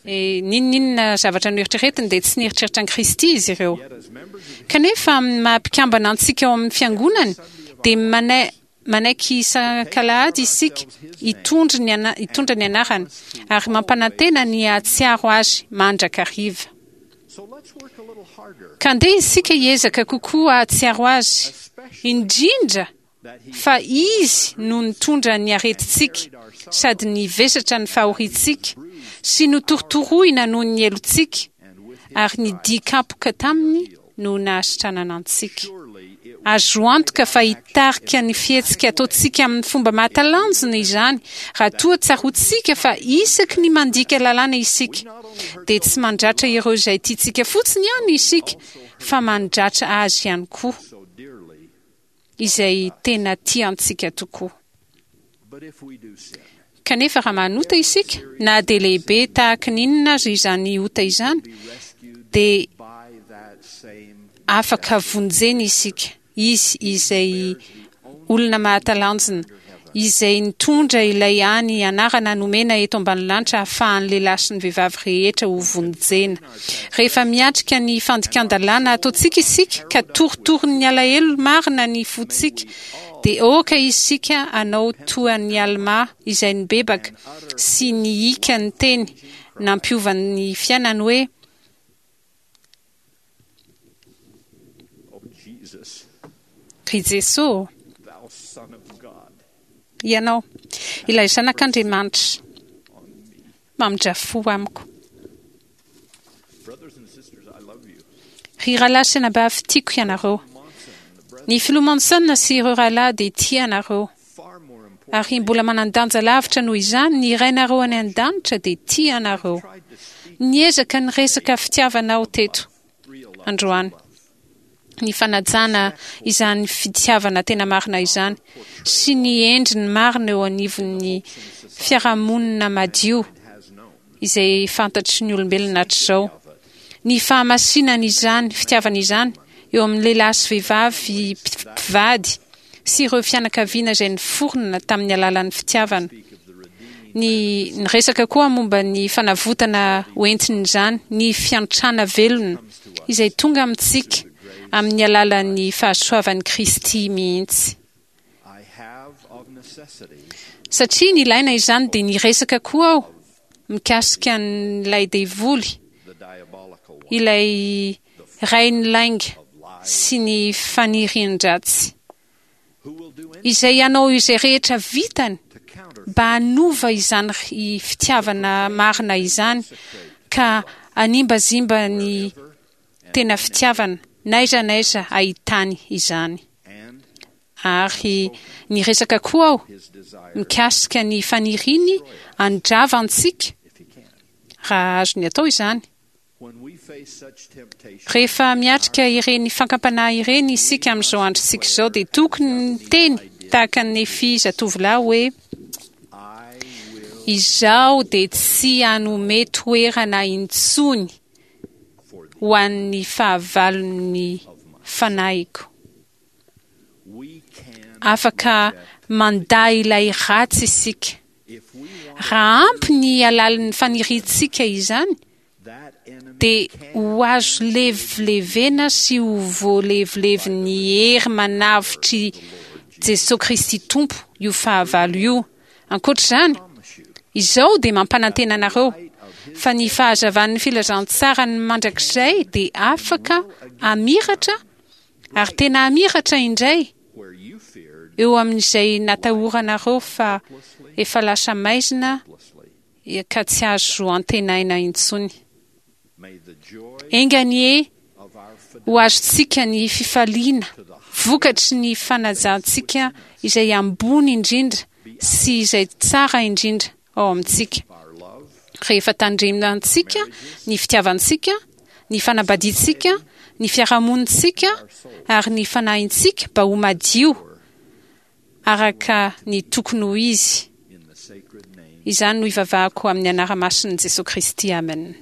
E, n'inon'inona zavatra noeritreretiny dia tsy nieritreritra an'i Kristy izy ireo. Kanefa amin'ny maha mpikambana antsika ao amin'ny fiangonany dia manaiky isan-kalahady isika hitondra ny hitondra ny anarany ary mampanantena ny hahatsiaro azy mandrakariva. Ka andeha isika hiezaka kokoa hahatsiaro azy, indrindra fa Izy no nitondra ny aretintsika sady nivesatra ny fahoriantsika sy notorotoroina noho ny helotsika, ary ny dian-kapoka taminy no nahasitranana antsika. Azo antoka fa hitarika ny fihetsika ataontsika amin'ny fomba mahatalanjona izany raha toa tsaroantsika fa isaky ny mandika lalàna isika, dia tsy mandratra ireo izay tiantsika fotsiny ihany isika fa mandratra Azy ihany koa. izay tena tia antsika tokoa. Kanefa raha manota isika, na dia lehibe tahaka ny inona aza izany ota izany, dia afaka vonjena isika, Izy izay olona mahatalanjona, izay nitondra ilay hany anarana nomena eto ambany lanitra hahafahan'ny lehilahy sy ny vehivavy rehetra ho vonjena. Rehefa miatrika ny fandikan-dalàna ataontsika isika ka torotoronin'ny alahelo marina ny fontsika, dia aoka isika hanao toa an'i Almà izay nibebaka sy nihiaka ny teny nampiova ny fiainany hoe, Ry Jesoa ô, Ianao, ilay Zanak'Andriamanitra, mamindrà fo amiko. Ry rahalahy sy anabavy, tiako ianareo. Ny Filoha Monson sy ireo rahalahy dia tia anareo. Ary mbola manan-danja lavitra noho izany, ny Rainareo any An-danitra dia tia anareo. Niezaka niresaka fitiavana aho teto androany. Ny fanajana izany fitiavana tena marina izany, sy ny endriny marina eo anivon'ny fiarahamonina madio. izay fantatry ny olombelona hatrizao. Ny fahamasinan'izany fitiavana izany eo amin'ny lehilahy sy vehivavy mpivady sy ireo fianakaviana izay niforona tamin'ny alalan'ny fitiavana. Ny niresaka koa momba ny fanavotana hoentin'izany, ny fiantrana velona izay tonga amintsika amin'ny alalan'ny fahasoavan'i Kristy mihitsy. Satria nilaina izany dia niresaka koa aho mikasika an'ilay devoly, ilay rain'ny lainga sy ny fanirian-dratsy, izay hanao izay rehetra vitany mba hanova izany fitiavana marina izany ka hanimbazimba ny tena fitiavana n'aiza n'aiza ahitany izany. Ary niresaka koa aho mikasika ny faniriany handrava antsika, raha azony atao izany. Rehefa miatrika ireny fankampanahy ireny isika amin'izao androntsika izao, dia tokony miteny tahaka an'i Nefia zatovolahy hoe, Izaho dia tsy hanome toerana intsony ho an'ny fahavalon'ny fanahiko. Afaka mandà ilay ratsy isika. Raha ampy ny halalin'ny faniriantsika izany, dia ho azo levilevena sy ho voalevilevin'ny hery manavotr'i Jesoa Kristy Tompo io fahavalo io. Ankoatra izany, izao dia mampanantena anareo fa ny fahazavan'ny filazantsarany mandrakizay dia afaka hamiratra ary tena hamiratra indray eo amin'izay natahoranareo fa efa lasa maizina ka tsy azo antenaina intsony. Enga anie ho azontsika ny fifaliana vokatry ny fanajantsika izay ambony indrindra sy izay tsara indrindra ao amintsika. Rehefa tandremantsika ny fitiavantsika, ny fanambadiantsika, ny fiarahamonintsika ary ny fanahintsika mba ho madio araka ny tokony ho izy. Izany no ivavahako amin'ny anara-masin'i Jesoa Kristy, amen.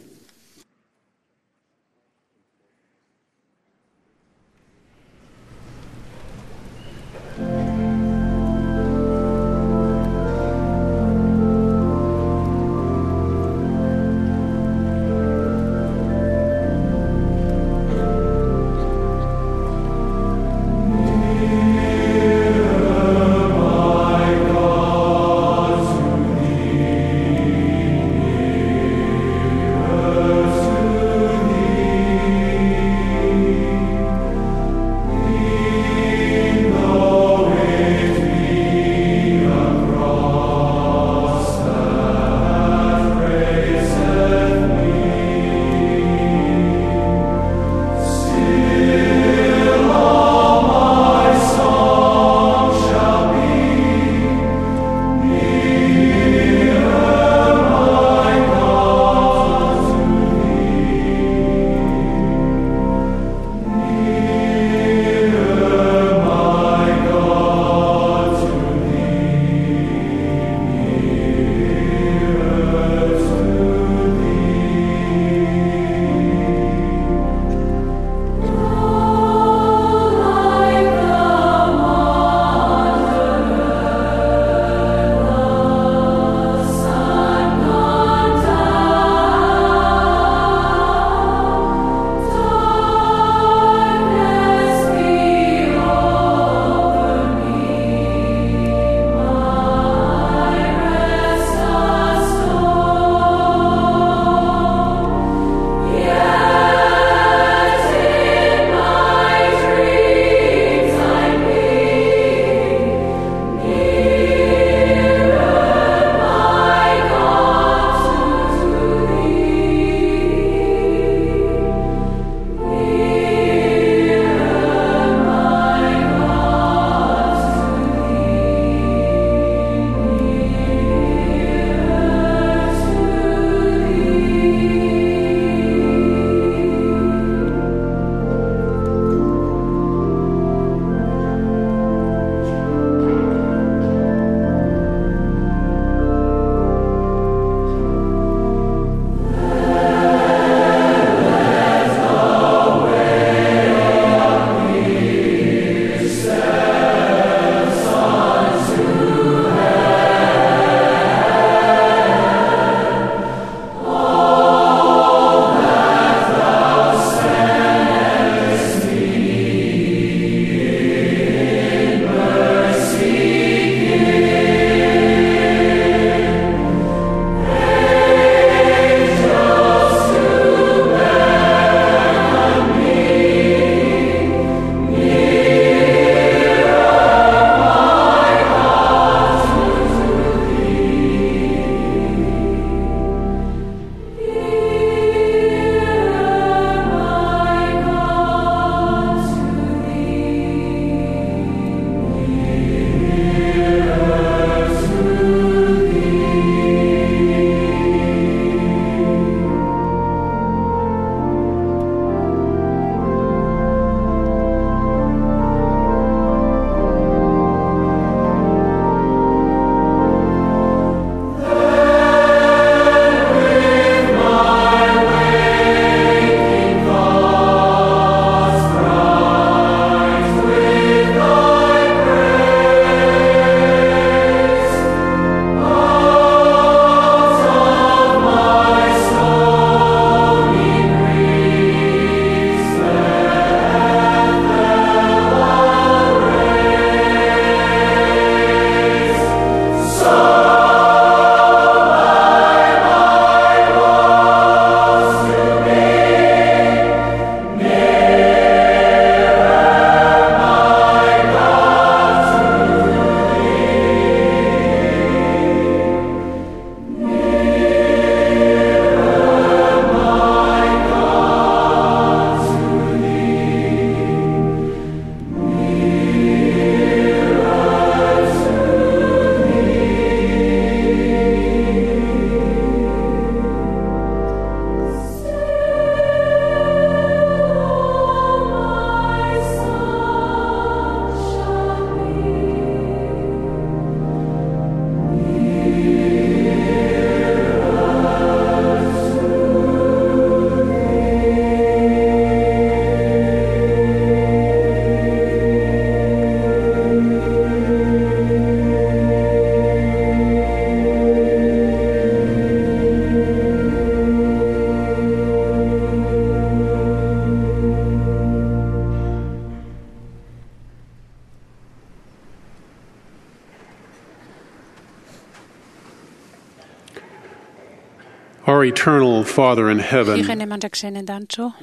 Our eternal Father in Ry heaven, Rainay mandrakizay any an-danitra ô,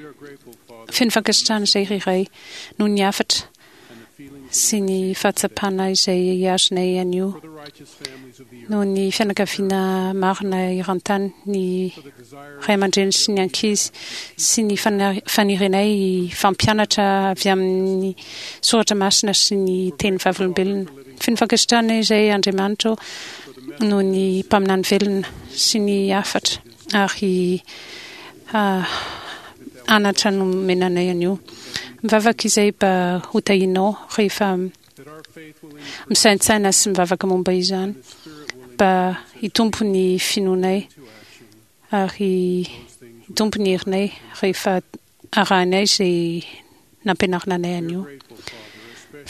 feno fankasitrahana izay ry Ray noho ny hafatra sy ny fahatsapana izay azonay anio, noho ny fianakaviana marina eran-tany, ny ray aman-dreny sy ny ankizy, sy ny fanirianay hifampianatra avy amin'ny Soratra Masina sy ny teny vavolombelona. Feno fankasitrahana izay Andriamanitra ô, noho ny mpaminany velona sy ny hafatra ary anatra nomena anay anio. Mivavaka izay mba ho tahianao rehefa misaintsaina sy mivavaka momba izany, mba hitombo ny finoanay ary hitombo ny herinay rehefa arahinay izay nampianarina anay anio.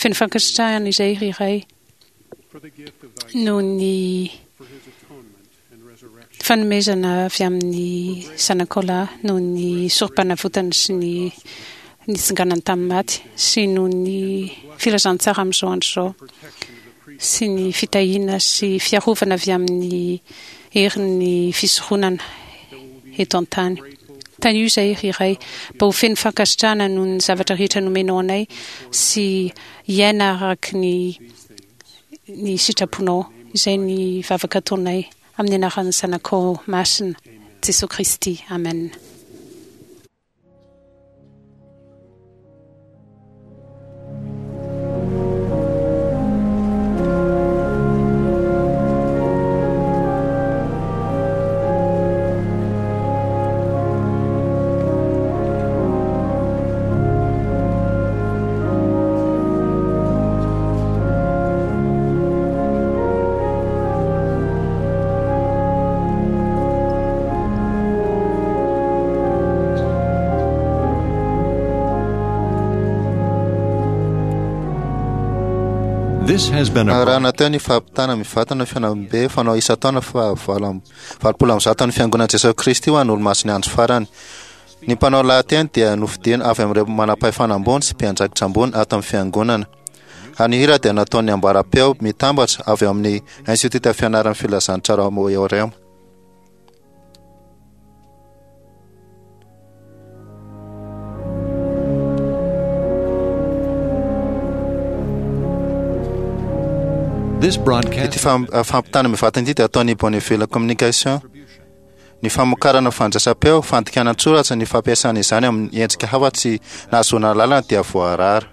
Feno fankasitrahana izay ry Ray noho ny fanomezana avy amin'ny Zanakao lahy noho ny sorompanavotana sy ny nitsanganany tamin'ny maty sy noho ny filazantsara amin'izao andro izao sy ny fitahiana sy fiarovana avy amin'ny herin'ny fisoronana eto an-tany. Tahio izahay ry Ray mba ho feno fankasitrahana noho ny zavatra rehetra nomenao anay sy hiaina araka ny ny sitraponao. Izay ny vavaka ataonay amin'ny anaran'ny Zanakao masina, Jesoa Kristy. Amen. This has been a Arahana teo ny fampitana mivantana fihaonambe fanao isan-taona faha 188 ny Fiangonan'i Jesoa Kristy ho an'ny Olomasin'ny Andro Farany. Ny mpanao lahateny dia nofidina avy amin'ireo manam-pahefana ambony sy mpiandraikitra ambony ato amin'ny Fiangonana. Ary ny hira dia nataon'ny ambaram-peo mitambatra avy ao amin'ny Institiota Fianaran'ny Filazantsara ao Orema. This broadcast Ity fampitana mivantana ity dia ataon'ny Bonneville Communication. Ny famokarana fandraisam-peo, fandikana an-tsoratra, ny fampiasana izany amin'ny endrika hafa tsy nahazoana alalana dia voarara.